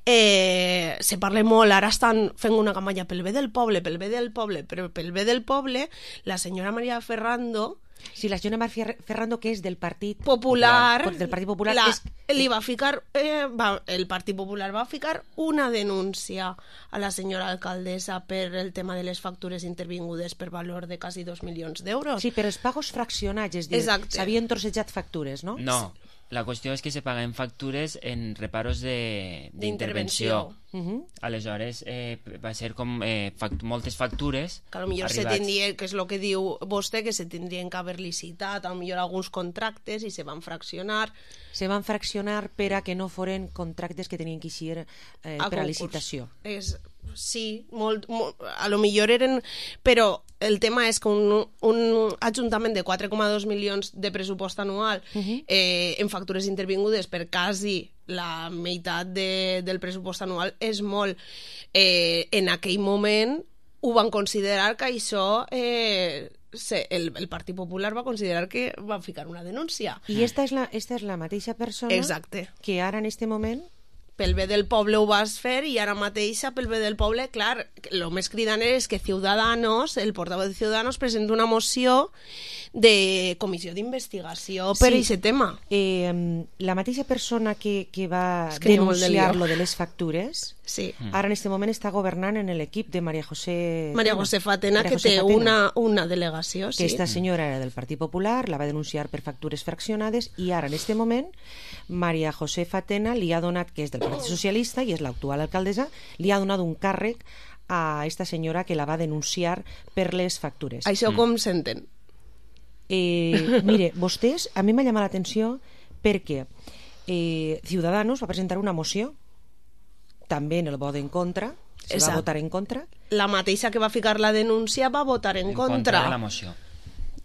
eh, se parla molt, ara estan fent una campanya pel bé del poble, pel bé del poble, però pel bé del poble, la senyora Maria Ferrando, Sí, la senyora Maria Ferrando, que és del Partit Popular, del Partit Popular, la, és, li va ficar, eh, va, el Partit Popular va ficar una denúncia a la senyora alcaldessa per el tema de les factures intervingudes per valor de quasi dos milions d'euros. sí, però els pagos fraccionats, és dir, Exacte. s'havien trossejat factures, no? No, la qüestió és que se paguen factures en reparos de- d'intervenció. Uh -huh. Aleshores, eh, va ser com eh, fact moltes factures que potser se arribats. tindria, que és el que diu vostè, que se tindrien que haver licitat a millor alguns contractes i se van fraccionar Se van fraccionar per a que no foren contractes que tenien que eixir eh, per a concurs. licitació. És, sí, molt, molt, a lo millor eren... Però el tema és que un, un ajuntament de quatre coma dos milions de pressupost anual Uh -huh. eh, en factures intervingudes per quasi la meitat de, del pressupost anual és molt. Eh, en aquell moment ho van considerar que això... Eh, se, el, el Partit Popular va considerar que va ficar una denúncia. I esta és la, esta és la mateixa persona Exacte. que ara en este moment Pel bé del poble ho vas fer i ara mateixa pel bé del poble, clar, el més cridaner és que Ciudadanos, el portavoz de Ciudadanos, presenta una moció de comissió d'investigació per Sí. aquest tema. Eh, la mateixa persona que, que va És que hi ha molt de denunciar lío. lo de les factures, sí. ara en este moment està governant en l'equip de María José María José Fatena, María que José té Fatena. una, una delegació, sí. Que esta senyora era del Partit Popular, la va denunciar per factures fraccionades i ara en este moment María José Fatena li ha donat, que és del Partit Socialista i és l'actual alcaldessa, li ha donat un càrrec a esta senyora que la va denunciar per les factures. Això com s'entén? Eh, mire, vostès, a mi m'ha llamat l'atenció perquè eh, Ciudadanos va presentar una moció també en el vot en contra, se Exacte. va votar en contra. La mateixa que va ficar la denúncia va votar en, en contra. contra de la moció.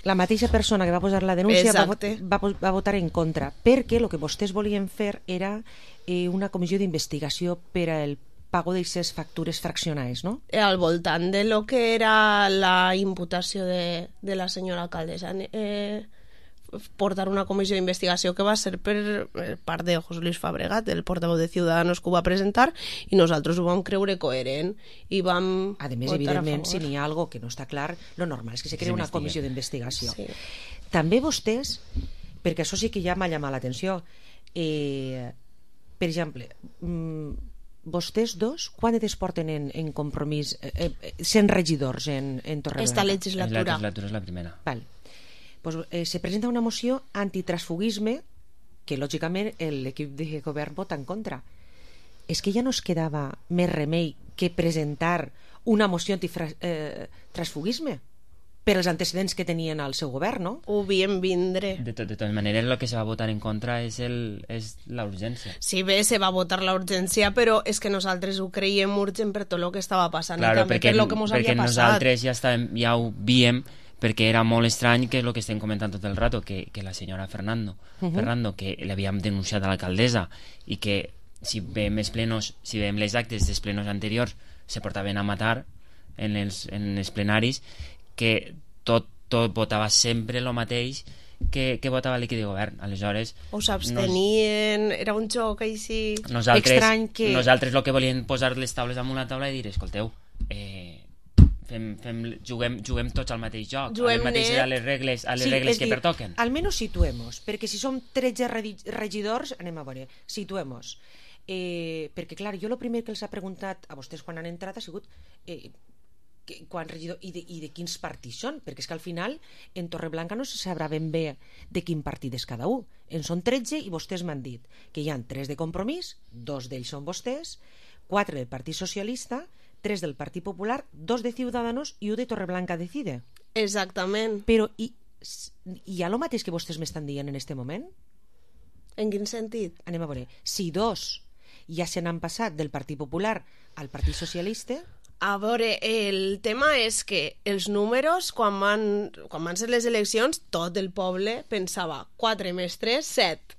La mateixa persona que va posar la denúncia va, Exacte. va, va votar en contra, perquè el que vostès volien fer era eh, una comissió d'investigació per al pago d'aquestes factures fraccionades, no? Al voltant de lo que era la imputació de, de la senyora alcaldessa, eh, portar una comissió d'investigació que va ser per part de José Luis Fabregat, el portavoz de Ciudadanos, que ho va presentar, i nosaltres ho vam creure coherent i vam A més, votar evidentment, a si favor. n'hi ha algo que no està clar, lo normal és que se crea una s'investigue. comissió d'investigació. Sí. També vostès, perquè això sí que ja m'ha llamat l'atenció, eh, per exemple, mm, vostès dos, quan es porten en, en compromís eh, eh, sent regidors en, en Torreblanca? Esta La legislatura. legislatura és la primera. Val. Pues, eh, se presenta una moció antitransfugisme que lògicament l'equip de govern vota en contra. És que ja no es quedava més remei que presentar una moció antitransfugisme per als antecedents que tenien al seu govern, no? Ho viem vindre. De, to de totes maneres, el que se va votar en contra és, el, és la urgència. Sí, bé, se va votar la urgència, però és que nosaltres ho creiem urgent per tot el que estava passant Claro, i també perquè, per lo que mos perquè havia passat. nosaltres ja, estàvem, ja ho víem, perquè era molt estrany que és el que estem comentant tot el rato, que, que la senyora Fernando, Uh-huh. Fernando, que l'havíem denunciat a l'alcaldessa i que si veiem els plenos, si veiem les actes dels plenos anteriors, se portaven a matar en els, en els plenaris, que tot, tot votava sempre el mateix que, que votava l'equip de govern. Aleshores, o s'abstenien, nos, era un joc així nosaltres, estrany que... Nosaltres el que volíem posar les taules damunt la taula i dir, escolteu, eh, fem, fem, juguem, juguem tots al mateix joc, juguem a les mateixes net. a les regles, a les sí, regles que dir, pertoquen. Almenys situemos, perquè si som tretze regidors, anem a veure, situemos. Eh, perquè, clar, jo el primer que els ha preguntat a vostès quan han entrat ha sigut eh, que, quan regidor, i, de, i de quins partits són, perquè és que al final en Torreblanca no se sabrà ben bé de quin partit és cada un. En són tretze i vostès m'han dit que hi ha tres de Compromís, dos d'ells són vostès, quatre del Partit Socialista, tres del Partit Popular, dos de Ciudadanos i un de Torreblanca Decide. Exactament. Però i, hi ha el mateix que vostès m'estan dient en este moment? En quin sentit? Anem a veure. Si dos ja se n'han passat del Partit Popular al Partit Socialista... A veure, el tema és que els números, quan van, quan van ser les eleccions, tot el poble pensava quatre més tres, set,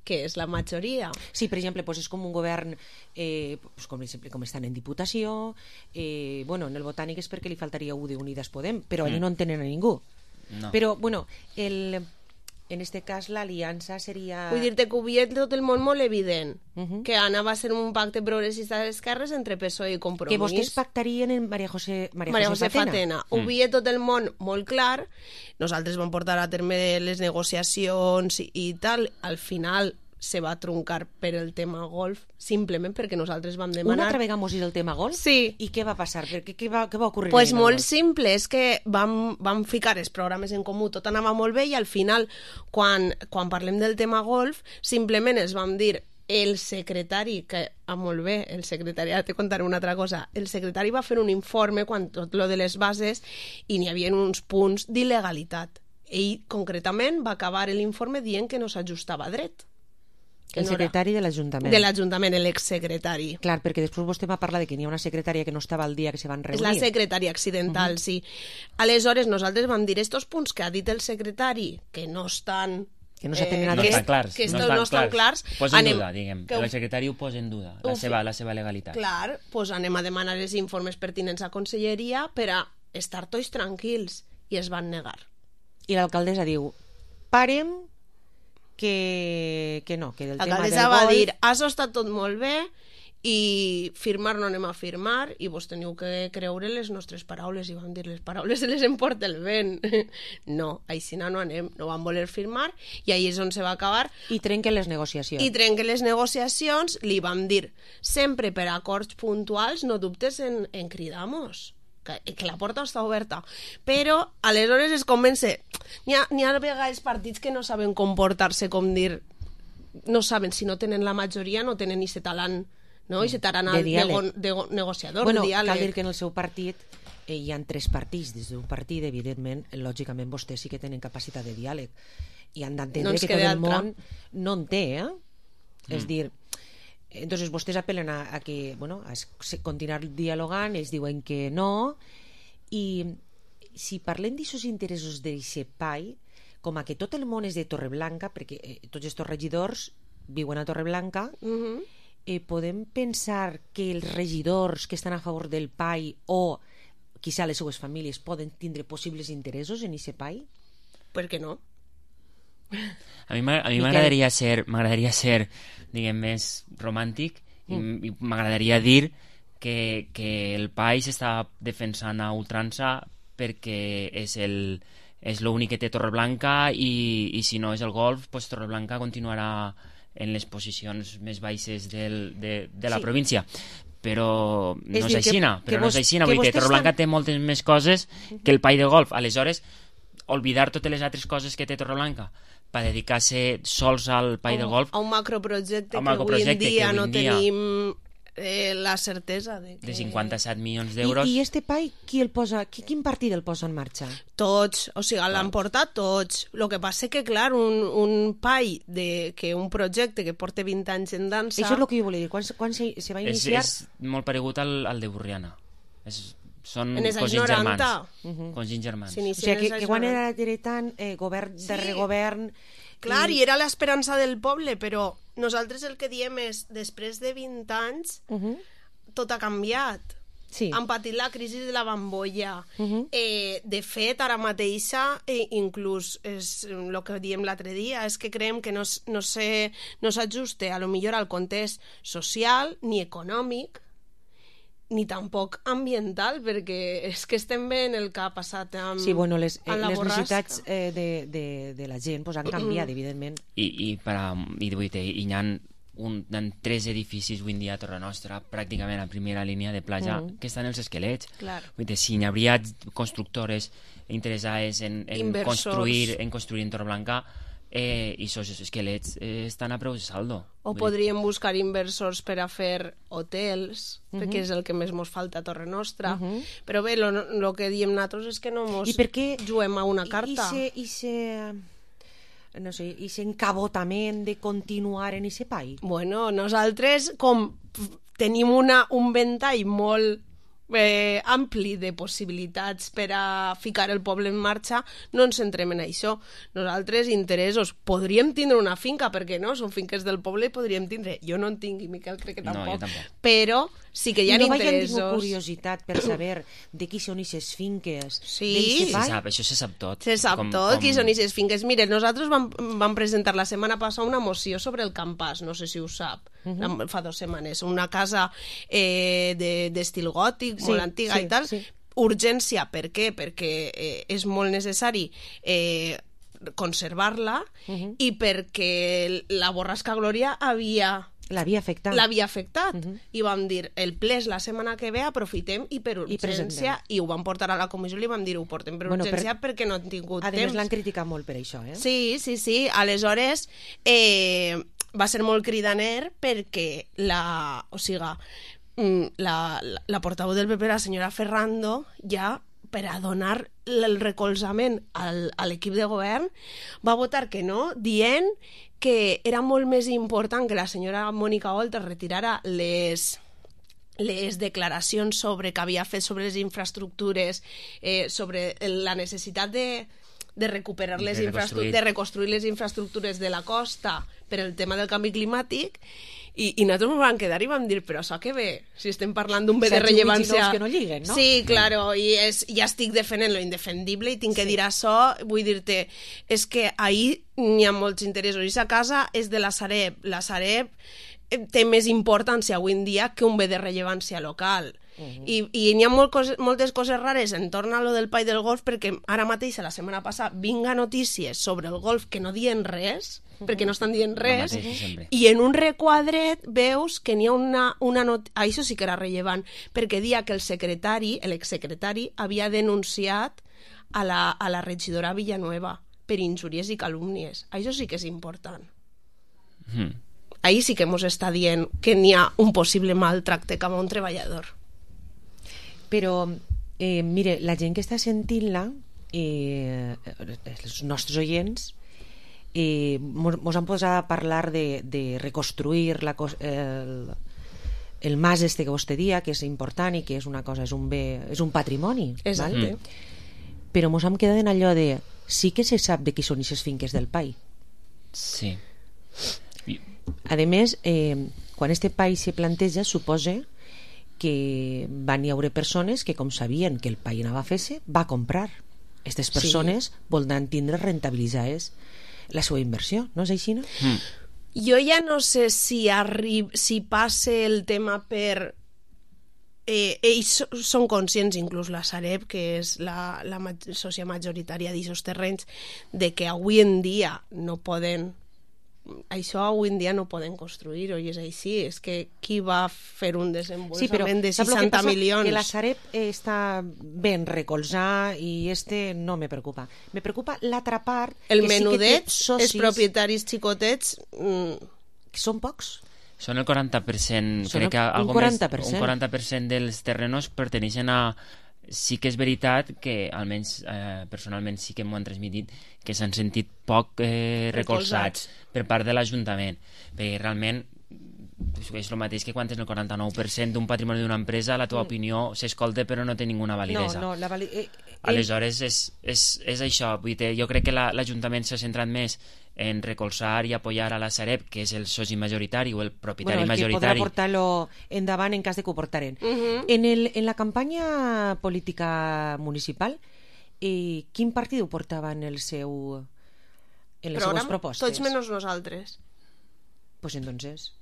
que és la majoria. Sí, per exemple, doncs és com un govern, eh, doncs com, com estan en Diputació, eh, bueno, en el Botànic és perquè li faltaria un de Unides Podem, però allà mm. no en tenen a ningú. No. Però, bueno, el... en este cas l'aliança seria... Vull dir-te que ho havia tot el món molt evident, uh -huh. que anava a ser un pacte progressista d'esquerres entre P S O E i Compromís. Que vostès pactarien en Maria José, Maria Maria José, José Fatena. Fatena. Mm. Ho havia tot el món molt clar, nosaltres vam portar a terme les negociacions i, i tal, al final se va truncar per el tema golf, simplement perquè nosaltres vam demanar... Una altra vegada mos ir el tema golf? Sí. I què va passar? Què, què, va, què va ocórrer? Pues molt simple, és que vam, vam ficar els programes en comú, tot anava molt bé i al final, quan, quan parlem del tema golf, simplement es vam dir el secretari, que ah, molt bé, el secretari, ara te contaré una altra cosa, el secretari va fer un informe quan tot lo de les bases i n'hi havia uns punts d'il·legalitat. Ell, concretament, va acabar l'informe dient que no s'ajustava dret. El secretari de l'Ajuntament. De l'Ajuntament, l'exsecretari. Clar, perquè després vostè m'ha parlat de que n'hi ha una secretària que no estava al dia que se van reunir. És la secretària accidental, uh -huh. sí. Aleshores, nosaltres vam dir estos punts que ha dit el secretari, que no estan... Que no s'atenen eh, a no estan clars. Que no, no, no estan clars. Posa en anem, duda, diguem. Que el secretari ho posa en duda, la seva, la seva legalitat. Clar, doncs anem a demanar els informes pertinents a Conselleria per a estar tots tranquils. I es van negar. I l'alcaldessa diu, parem... Que, que no, que del tema del golf... va dir, això està tot molt bé i firmar no anem a firmar i vos teniu que creure les nostres paraules, i vam dir, les paraules se les emporta el vent. No, així no anem, no vam voler firmar i ahí és on se va acabar. I trenquen les negociacions. I trenquen les negociacions, li vam dir, sempre per acords puntuals, no dubtes en, en cridar-nos. Que, que la porta està oberta, però aleshores es comença, n'hi ha, n'hi ha vegades partits que no saben comportar-se, com dir, no saben, si no tenen la majoria no tenen ni se talant, no? I se taran de, de, de negociador, bueno, de diàleg. Cal dir que en el seu partit eh, hi ha tres partits, des d'un partit evidentment, lògicament vostès sí que tenen capacitat de diàleg i han d'entendre no que tot el món no en té, eh? Mm. És dir, entonces vostès apel·len a, a que, bueno, a continuar dialogant, ells diuen que no, i si parlem d'aixòs interessos d'aquest pai, com a que tot el món és de Torreblanca, perquè eh, tots aquests regidors viuen a Torreblanca, uh -huh. eh, podem pensar que els regidors que estan a favor del pai o quizá les seues famílies poden tindre possibles interessos en aquest pai? Per què no? A mi m'agradaria ser, m'agradaria ser, diguem, més romàntic mm. i m'agradaria dir que, que el país està defensant a ultrança perquè és el és l'únic que té Torreblanca i, i si no és el golf, pues Torreblanca continuarà en les posicions més baixes del, de, de la sí. província. Però no és, és aixina, però no és aixina, vull dir que Torreblanca estan... té moltes més coses que el pai de golf. Aleshores, oblidar totes les altres coses que té Torreblanca per dedicar-se sols al pai de golf a un macroprojecte, a un macroprojecte que avui en dia que no dia... tenim eh, la certesa de, que... de cinquanta-set milions d'euros. I, I este pai, qui el posa, qui, quin partit el posa en marxa? Tots, o sigui, l'han portat tots. El que passa que, clar, un, un pai de, que un projecte que porta vint anys en dansa... Això és el que jo volia dir, quan, quan se, se va iniciar... És, és molt paregut al, al de Burriana. És... Són cosins germans. Uh -huh. Cosins germans. O sigui, que, que quan era heretant, eh, govern sí. de regovern, Clar, i era l'esperança del poble, però nosaltres el que diem és, després de vint anys, uh -huh. tot ha canviat. Sí. Han patit la crisi de la bombolla. Uh-huh. eh, de fet, ara mateixa, eh, inclús és el que diem l'altre dia, és que creiem que no, no s'ajuste no a lo millor al context social ni econòmic ni tampoc ambiental, perquè és que estem veient el que ha passat amb, sí, bueno, les, eh, amb la les borrasca. necessitats eh, de, de, de la gent pues, han canviat, evidentment. I, i, per a, i, i hi ha un, en tres edificis avui en dia a Torre Nostra, pràcticament a primera línia de platja, mm. que estan els esquelets. Claro. Vull dir, si hi hauria constructores interessades en, en construir en construir en Torreblanca, eh, i aquests esquelets eh, estan a preu de saldo. O Vull podríem buscar inversors per a fer hotels, Uh-huh. perquè és el que més mos falta a Torre Nostra. Uh-huh. Però bé, el que diem nosaltres és que no mos I per què juguem a una carta. I se... I se... no sé, i s'encabotament de continuar en aquest país? Bueno, nosaltres com tenim una, un ventall molt eh, ampli de possibilitats per a ficar el poble en marxa, no ens centrem en això. Nosaltres, interessos, podríem tindre una finca, perquè no? Són finques del poble i podríem tindre. Jo no en tinc, i Miquel crec que tampoc. No, jo tampoc. Però sí que hi ha no interessos. No vaig curiositat per saber de qui són aquestes finques. Sí, se sap, això se sap tot. Se sap com, tot, com... qui són aquestes finques. Mire, nosaltres vam, vam presentar la setmana passada una moció sobre el Campàs, no sé si ho sap, uh-huh. fa dues setmanes. Una casa eh, d'estil gòtic, sí, molt antiga sí, i tal. Sí. Urgència, per què? Perquè eh, és molt necessari eh, conservar-la uh-huh. i perquè la borrasca Glòria havia... L'havia afectat. L'havia afectat. Uh-huh. I vam dir, el ple és la setmana que ve, aprofitem i per urgència, i, i ho vam portar a la comissió i li vam dir, ho portem per bueno, urgència per... perquè no han tingut a temps. A més, l'han criticat molt per això, eh? Sí, sí, sí. Aleshores, eh, va ser molt cridaner perquè la... O sigui, la, la, la portaveu del P P, la senyora Ferrando, ja per a donar el recolzament al, a l'equip de govern, va votar que no, dient que era molt més important que la senyora Mònica Oltra retirara les, les declaracions sobre que havia fet sobre les infraestructures, eh, sobre la necessitat de, de recuperar les de infraestructures, de reconstruir les infraestructures de la costa per el tema del canvi climàtic. I, i nosaltres ens vam quedar i vam dir, però això què ve? Si estem parlant d'un bé de rellevància... que no lliguen, no? Sí, claro, i és, ja estic defendent lo indefendible i tinc que sí. dir això. Vull dir-te, és que ahir n'hi ha molts interessos. I aquesta casa és de la Sareb. La Sareb té més importància avui en dia que un bé de rellevància local. Uh-huh. I, i n'hi ha molt coses, moltes coses rares entorn a lo del Pai del Golf, perquè ara mateix, la setmana passada, vinga notícies sobre el golf que no diuen res, uh-huh. perquè no estan dient res, uh-huh. i en un requadret veus que n'hi ha una, una not... ah, això sí que era rellevant, perquè dia que el secretari, l'exsecretari, havia denunciat a la, a la regidora Villanueva per injúries i calúmnies. Això sí que és important. Uh-huh. Ahí sí que mos està dient que n'hi ha un possible maltracte cap a un treballador. Però, eh, mire, la gent que està sentint-la, eh, els nostres oients, eh, mos, mos han posat a parlar de, de reconstruir la, el, el mas este que vostè dia, que és important i que és una cosa, és un bé, és un patrimoni. Exacte. Mm. Però mos hem quedat en allò de sí que se sap de qui són aquestes finques del pai. Sí. A més, eh, quan este país se planteja, suposa que van hi haure persones que, com sabien que el país anava a fer-se, va comprar. Aquestes persones sí. voldran tindre rentabilitzades la seva inversió, no és així, no? Mm. Jo ja no sé si, arri... si passe el tema per... Eh, ells són conscients, inclús la Sareb, que és la, la sòcia majoritària d'aquests terrenys, de que avui en dia no poden... això avui en dia no poden construir, oi, és així, és que qui va fer un desenvolupament sí, però, de seixanta milions? Que la Sareb està ben recolzar i este no me preocupa. Me preocupa l'altra part... El menudet, sí els propietaris xicotets... Mm. Que són pocs. Són el quaranta per cent, són crec que un quaranta per cent. Més, un quaranta per cent dels terrenos perteneixen a... Sí que és veritat que, almenys eh, personalment sí que m'ho han transmitit, que s'han sentit poc eh, recolzats per part de l'Ajuntament, perquè realment és el mateix que quan és el quaranta-nou per cent d'un patrimoni d'una empresa, la teva Mm. opinió s'escolta però no té ninguna validesa. No, no, la vali... eh, eh, Aleshores, és, és, és això. Vull dir, jo crec que la- l'Ajuntament s'ha centrat més en recolzar i apoyar a la Sareb, que és el soci majoritari o el propietari bueno, el que podrà majoritari. portar-lo endavant en cas de que ho portaren. Mhm. en, el, en la campanya política municipal, eh, quin partit ho portava en el seu en les Programa, seues propostes? tots menys nosaltres. Pues entonces...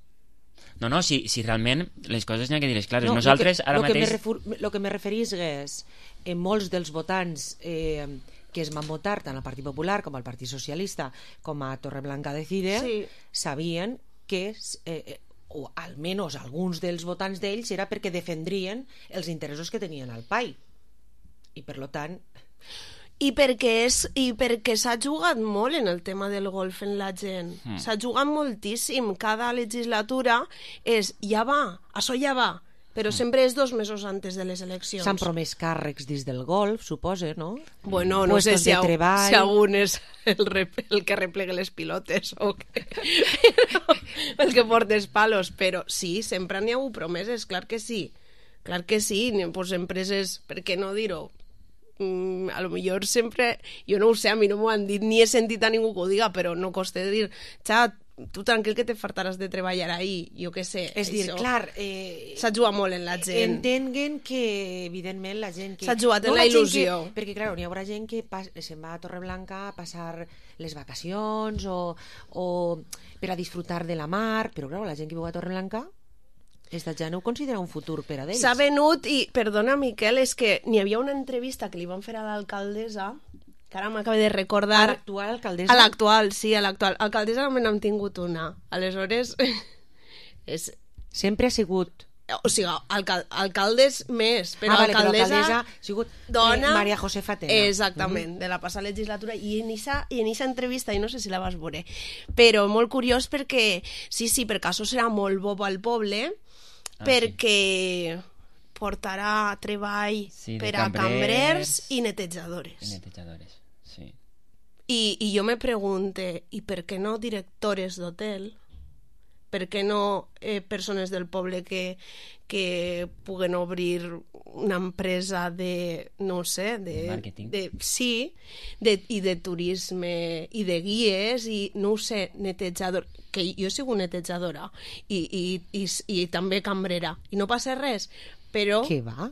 No, no, si, si realment les coses n'hi ha que dir-les clares. No, Nosaltres, lo que, ara lo mateix... Que me refer, lo que me referís és en molts dels votants eh, que es van votar tant al Partit Popular com al Partit Socialista com a Torreblanca Decide, Sí. sabien que eh, eh, o almenys alguns dels votants d'ells era perquè defendrien els interessos que tenien al P A I i per lo tant I perquè, és, i perquè s'ha jugat molt en el tema del golf en la gent. Mm. S'ha jugat moltíssim. Cada legislatura és ja va, això ja va, però sempre és dos mesos antes de les eleccions. s'han promès càrrecs dins del golf, supose, no? Bueno, no sé Puestos si, de a, treball. si algun és el, rep, el que replegue les pilotes o que, el que portes palos, però sí, sempre n'hi ha hagut promeses, clar que sí. Clar que sí, ni- pues empreses, per què no dir-ho? Mm, a lo millor sempre, jo no ho sé, a mi no m'ho han dit, ni he sentit a ningú que ho diga, però no costa de dir, xat, tu tranquil que te fartaràs de treballar ahí, jo què sé. És dir, això. clar... Eh, S'ha jugat molt en la gent. Entenguen que, evidentment, la gent que... S'ha jugat en la gent il·lusió. Que, perquè, clar, n'hi haurà gent que pas, se'n va a Torreblanca a passar les vacacions o, o per a disfrutar de la mar, però, clar, la gent que viu a Torreblanca esta ja no ho considera un futur per a d'ells. S'ha venut i, perdona Miquel, és que n'hi havia una entrevista que li van fer a l'alcaldessa, que ara m'acabo de recordar... A l'actual alcaldessa? A l'actual, sí, a l'actual. Alcaldessa només n'hem tingut una. Aleshores, és... Sempre ha sigut... O sigui, alcal alcaldes més, però Ah, vale, però alcaldessa... alcaldessa ha sigut, eh, dona... Maria José Fatena. Exactament, de la passada legislatura. I en esa, i en esa entrevista, i no sé si la vas veure, però molt curiós perquè, sí, sí, per això serà molt bo al poble, Ah, perquè portarà treball Sí, de per a cambrers cambrers i netejadores. I netejadores, sí. I, i jo me pregunte, i per què no directores d'hotel? Per què no eh, persones del poble que, que puguen obrir una empresa de, no sé, de... De màrqueting. De, sí, de, i de turisme, i de guies, i no ho sé, netejador, que jo he sigut netejadora, i, i, i, i també cambrera, i no passa res, però... Què va?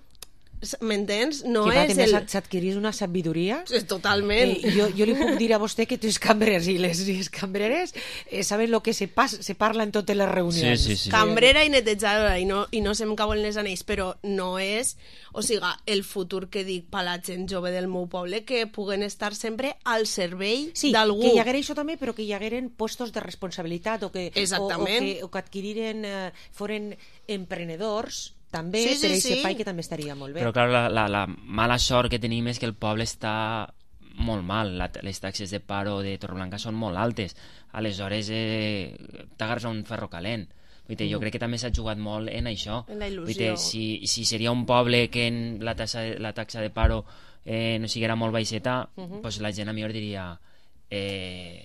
M'entens? No que va, és també el... s'adquirís una sabidoria. Totalment. Eh, jo, jo li puc dir a vostè que els cambrers i les, les cambreres eh, saben el que se, pas, se parla en totes les reunions. Sí, sí, sí. Cambrera i netejadora, i no, i no se'm cauen les anells, però no és, o sigui, el futur que dic per la gent jove del meu poble, que puguen estar sempre al servei sí, d'algú. que hi haguera això també, però que hi hagueren puestos de responsabilitat o que, Exactament. o, o que, o que adquiriren, eh, foren emprenedors també, Sí, sí, per a aquest sí. pai que també estaria molt bé. Però clar, la, la, la mala sort que tenim és que el poble està molt mal. La, les taxes de paro de Torreblanca són molt altes. Aleshores, eh, t'agarres a un ferro calent. Vull dir, jo Mm. crec que també s'ha jugat molt en això. En la il·lusió. Vull dir, si, si seria un poble que en la taxa, la taxa de paro eh, no siguera molt baixeta, Mhm. pues la gent a millor diria... Eh,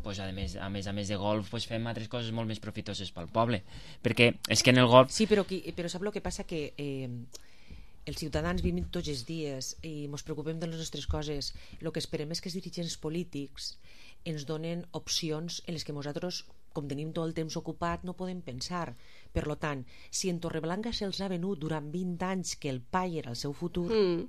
pues a més, a més a més de golf pues fem altres coses molt més profitoses pel poble, perquè és que en el golf Sí, però, qui, però sap el que passa? Que eh, els ciutadans vivim tots els dies i ens preocupem de les nostres coses. El que esperem és que els dirigents polítics ens donen opcions en les que nosaltres, com tenim tot el temps ocupat, no podem pensar. Per lo tant, si en Torreblanca se'ls ha venut durant vint anys que el P A I era el seu futur... Mm.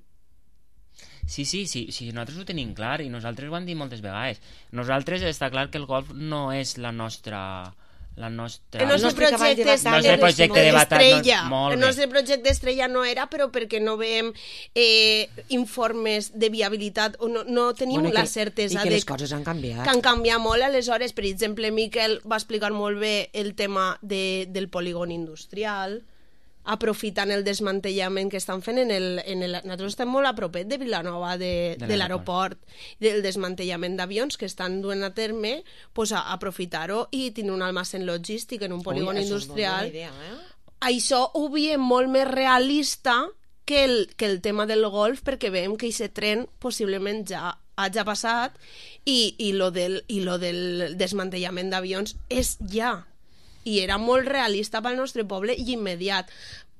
Sí, sí, sí, sí, nosaltres ho tenim clar i nosaltres ho hem dit moltes vegades. Nosaltres està clar que el golf no és la nostra... La nostra... El nostre projecte, el nostre projecte de batalla, estrella. no, molt el bé. nostre projecte estrella no era, però perquè no veiem eh, informes de viabilitat o no, no tenim Bueno, i que- la certesa i que de les coses han canviat. que han canviat molt. Aleshores, per exemple, Miquel va explicar molt bé el tema de, del polígon industrial, aprofitant el desmantellament que estan fent en el, en el... Nosaltres estem molt a propet de Vilanova, de, De de l'aeroport, del desmantellament d'avions que estan duent a terme, pues, a aprofitar-ho i tenir un almacén logístic en un polígon Ui, això és molt industrial. bona idea, eh? Això ho veiem molt més realista que el, que el tema del golf, perquè veiem que aquest tren possiblement ja hagi passat i, i, lo del, i lo del desmantellament d'avions és ja. i era molt realista pel nostre poble i immediat.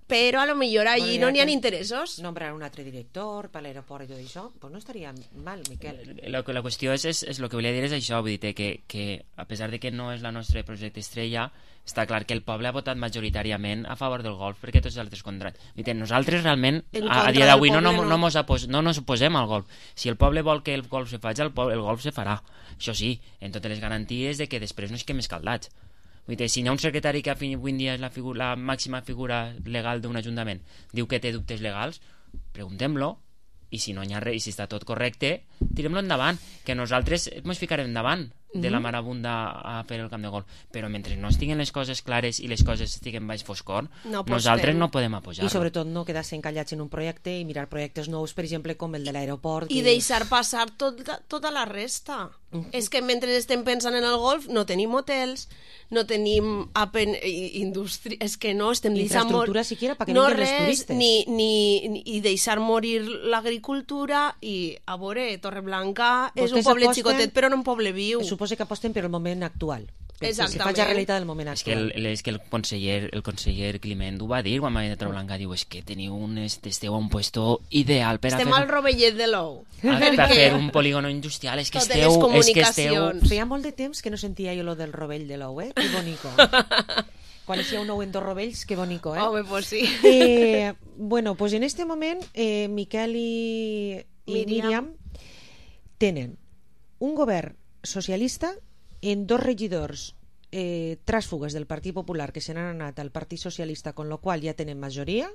Però a lo millor allí bueno, no n'hi ha interessos. Nombrar un altre director per l'aeroport i tot això, pues no estaria mal, Miquel. La, la qüestió és, és, és el que volia dir és això, vull dir que, que a pesar de que no és la nostre projecte estrella, està clar que el poble ha votat majoritàriament a favor del golf, perquè tots els altres contra. Vull dir, nosaltres realment a, a dia d'avui no, no, no, mos apos, no nos oposem al golf. Si el poble vol que el golf se faci, el, poble, el golf se farà. Això sí, en totes les garanties de que després no es quedem escaldats. Vull dir, si hi ha un secretari que avui en dia és la, figura, la màxima figura legal d'un ajuntament, diu que té dubtes legals, preguntem-lo, i si no hi ha res, i si està tot correcte, tirem-lo endavant, que nosaltres ens ficarem endavant de la marabunda a fer el camp de golf, però mentre no estiguen les coses clares i les coses estiguen baix foscor, no nosaltres no podem apujar-lo. I sobretot no quedar-se encallats en un projecte i mirar projectes nous, per exemple, com el de l'aeroport. I que... deixar passar tot, tota la resta. Uh-huh. És que mentre estem pensant en el golf no tenim hotels, no tenim apen... indústria, és que no, estem deixant infraestructura siquiera para que no vinguen els turistes. Ni, ni, ni, i deixar morir l'agricultura i a veure, Torreblanca és un poble aposten, xicotet però no un poble viu. Suposo que aposten per el moment actual. Exactament. Si faig la realitat del moment actual. És que el, és que el conseller, el conseller Climent ho va dir quan va venir a Torreblanca, diu, és que teniu un, esteu a un puesto ideal per estem a fer... al rovellet de l'ou. A, per fer un polígono industrial, és que totes esteu... les és que esteu... Feia molt de temps que no sentia jo lo del rovell de l'ou, eh? Que bonico. Quan hi ha un ou en dos rovells, que bonico, eh? Home, pues sí. Eh, bueno, pues en este moment, eh, Miquel i, i Míriam. Míriam tenen un govern socialista en dos regidors eh, tràsfugues del Partit Popular que se n'han anat al Partit Socialista, con lo qual ja tenen majoria,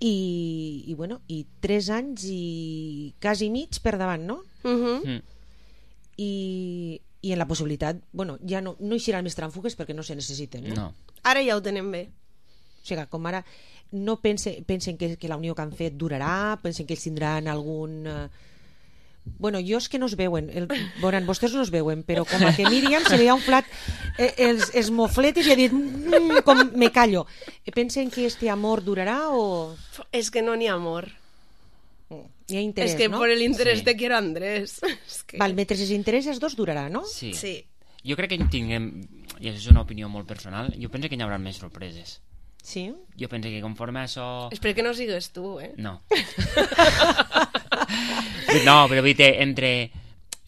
i, i bueno, i tres anys i quasi mig per davant, no? Uh-huh. Mm. I, i en la possibilitat, bueno, ja no, no hi seran més trànsfugues perquè no se necessiten, no? No. Ara ja ho tenen bé. O sigui, com ara no pense, pensen que, que la unió que han fet durarà, pensen que ells tindran algun... Eh, bueno, jo és que no es veuen, el, bueno, vostès no es veuen, però com a que Míriam se li ha inflat eh, els, els mofletes i ha dit mmm, com me callo. Pensen que este amor durarà o...? És que no n'hi ha amor. Hi ha interès, és que no? per l'interès Sí. te quiero Andrés. És que... Val, mentre els interès els dos durarà, no? Sí. Sí. Jo crec que tinguem, i això és una opinió molt personal, jo penso que hi haurà més sorpreses. Sí? Jo penso que conforme a això... Espero que no sigues tu, eh? No. No, però vull dir, entre...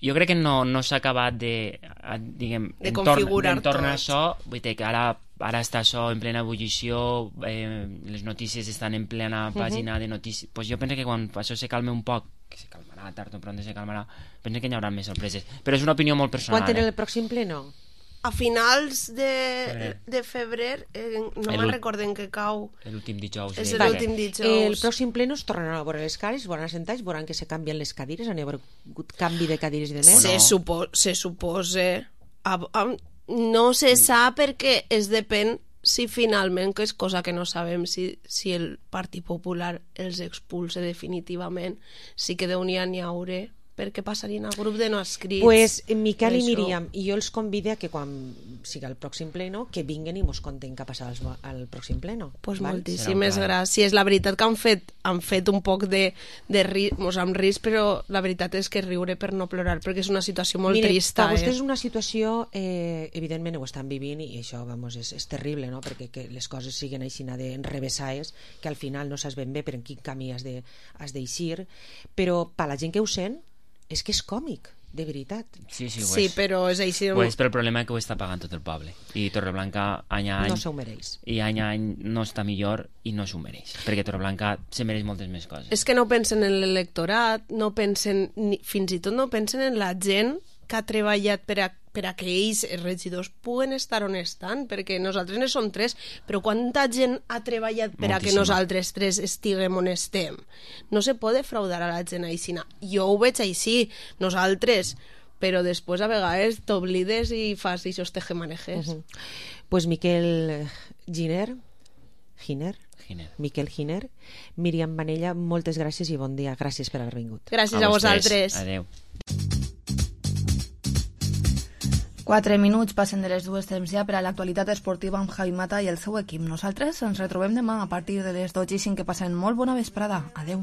Jo crec que no, no s'ha acabat de... Diguem, de entorn, configurar entorn a tot. això, vull dir que ara, ara està això en plena ebullició, eh, les notícies estan en plena pàgina uh-huh. de notícies... Pues jo penso que quan això se calme un poc, que se calmarà, tard o pront se calmarà, penso que hi haurà més sorpreses. Però és una opinió molt personal. Quan tenen eh? el pròxim pleno? A finals de, de febrer, eh, no me'n recorden que cau. L'últim dijous. És de... l'últim dijous. El pròxim pleno es tornaran a veure les cares, veuran assentats, veuran que se canvien les cadires, han hagut canvi de cadires i de més. Se, no? supo, se supose... A, a, no se sap perquè es depèn si finalment, que és cosa que no sabem, si, si el Partit Popular els expulsa definitivament, sí que d'on hi ha n'hi hauré, perquè passarien al grup de no escrits. Pues Miquel i Míriam, i jo els convido a que quan siga el pròxim pleno, que vinguen i mos conten què passarà al, al pròxim pleno. Pues val? moltíssimes gràcies. La veritat que han fet, han fet un poc de, de ri, mos amb risc, però la veritat és que riure per no plorar, perquè és una situació molt Mire, trista. Per vostès eh? és una situació, eh, evidentment ho estan vivint, i això vamos, és, és terrible, no? Perquè que les coses siguen així d'enrevessades, que al final no saps ben bé per en quin camí has de, has d'eixir, però per la gent que ho sent, és que és còmic, de veritat. Sí, sí, ho sí és. però és així. Ho és, però el problema és que ho està pagant tot el poble. I Torreblanca, any a any... No s'ho mereix. I any a any no està millor i no s'ho mereix. Perquè Torreblanca se mereix moltes més coses. És que no pensen en l'electorat, no pensen, ni, fins i tot no pensen en la gent que ha treballat per a, per a que ells, els regidors, puguen estar on estan, perquè nosaltres ne som tres, però quanta gent ha treballat per a que nosaltres tres estiguem on estem? No se pot defraudar a la gent així. Jo ho veig així, nosaltres, però després a vegades t'oblides i fas aquests tejemanejes. Uh-huh. Pues Miquel Giner, Giner, Giner. Miquel Giner, Míriam Manella, moltes gràcies i bon dia. Gràcies per haver vingut. Gràcies a, a vosaltres. Adéu. Quatre minuts passen de les dues temps ja per a l'actualitat esportiva amb Javi Mata i el seu equip. Nosaltres ens retrobem demà a partir de les dotze i cinc, que passen molt bona vesprada. Adeu.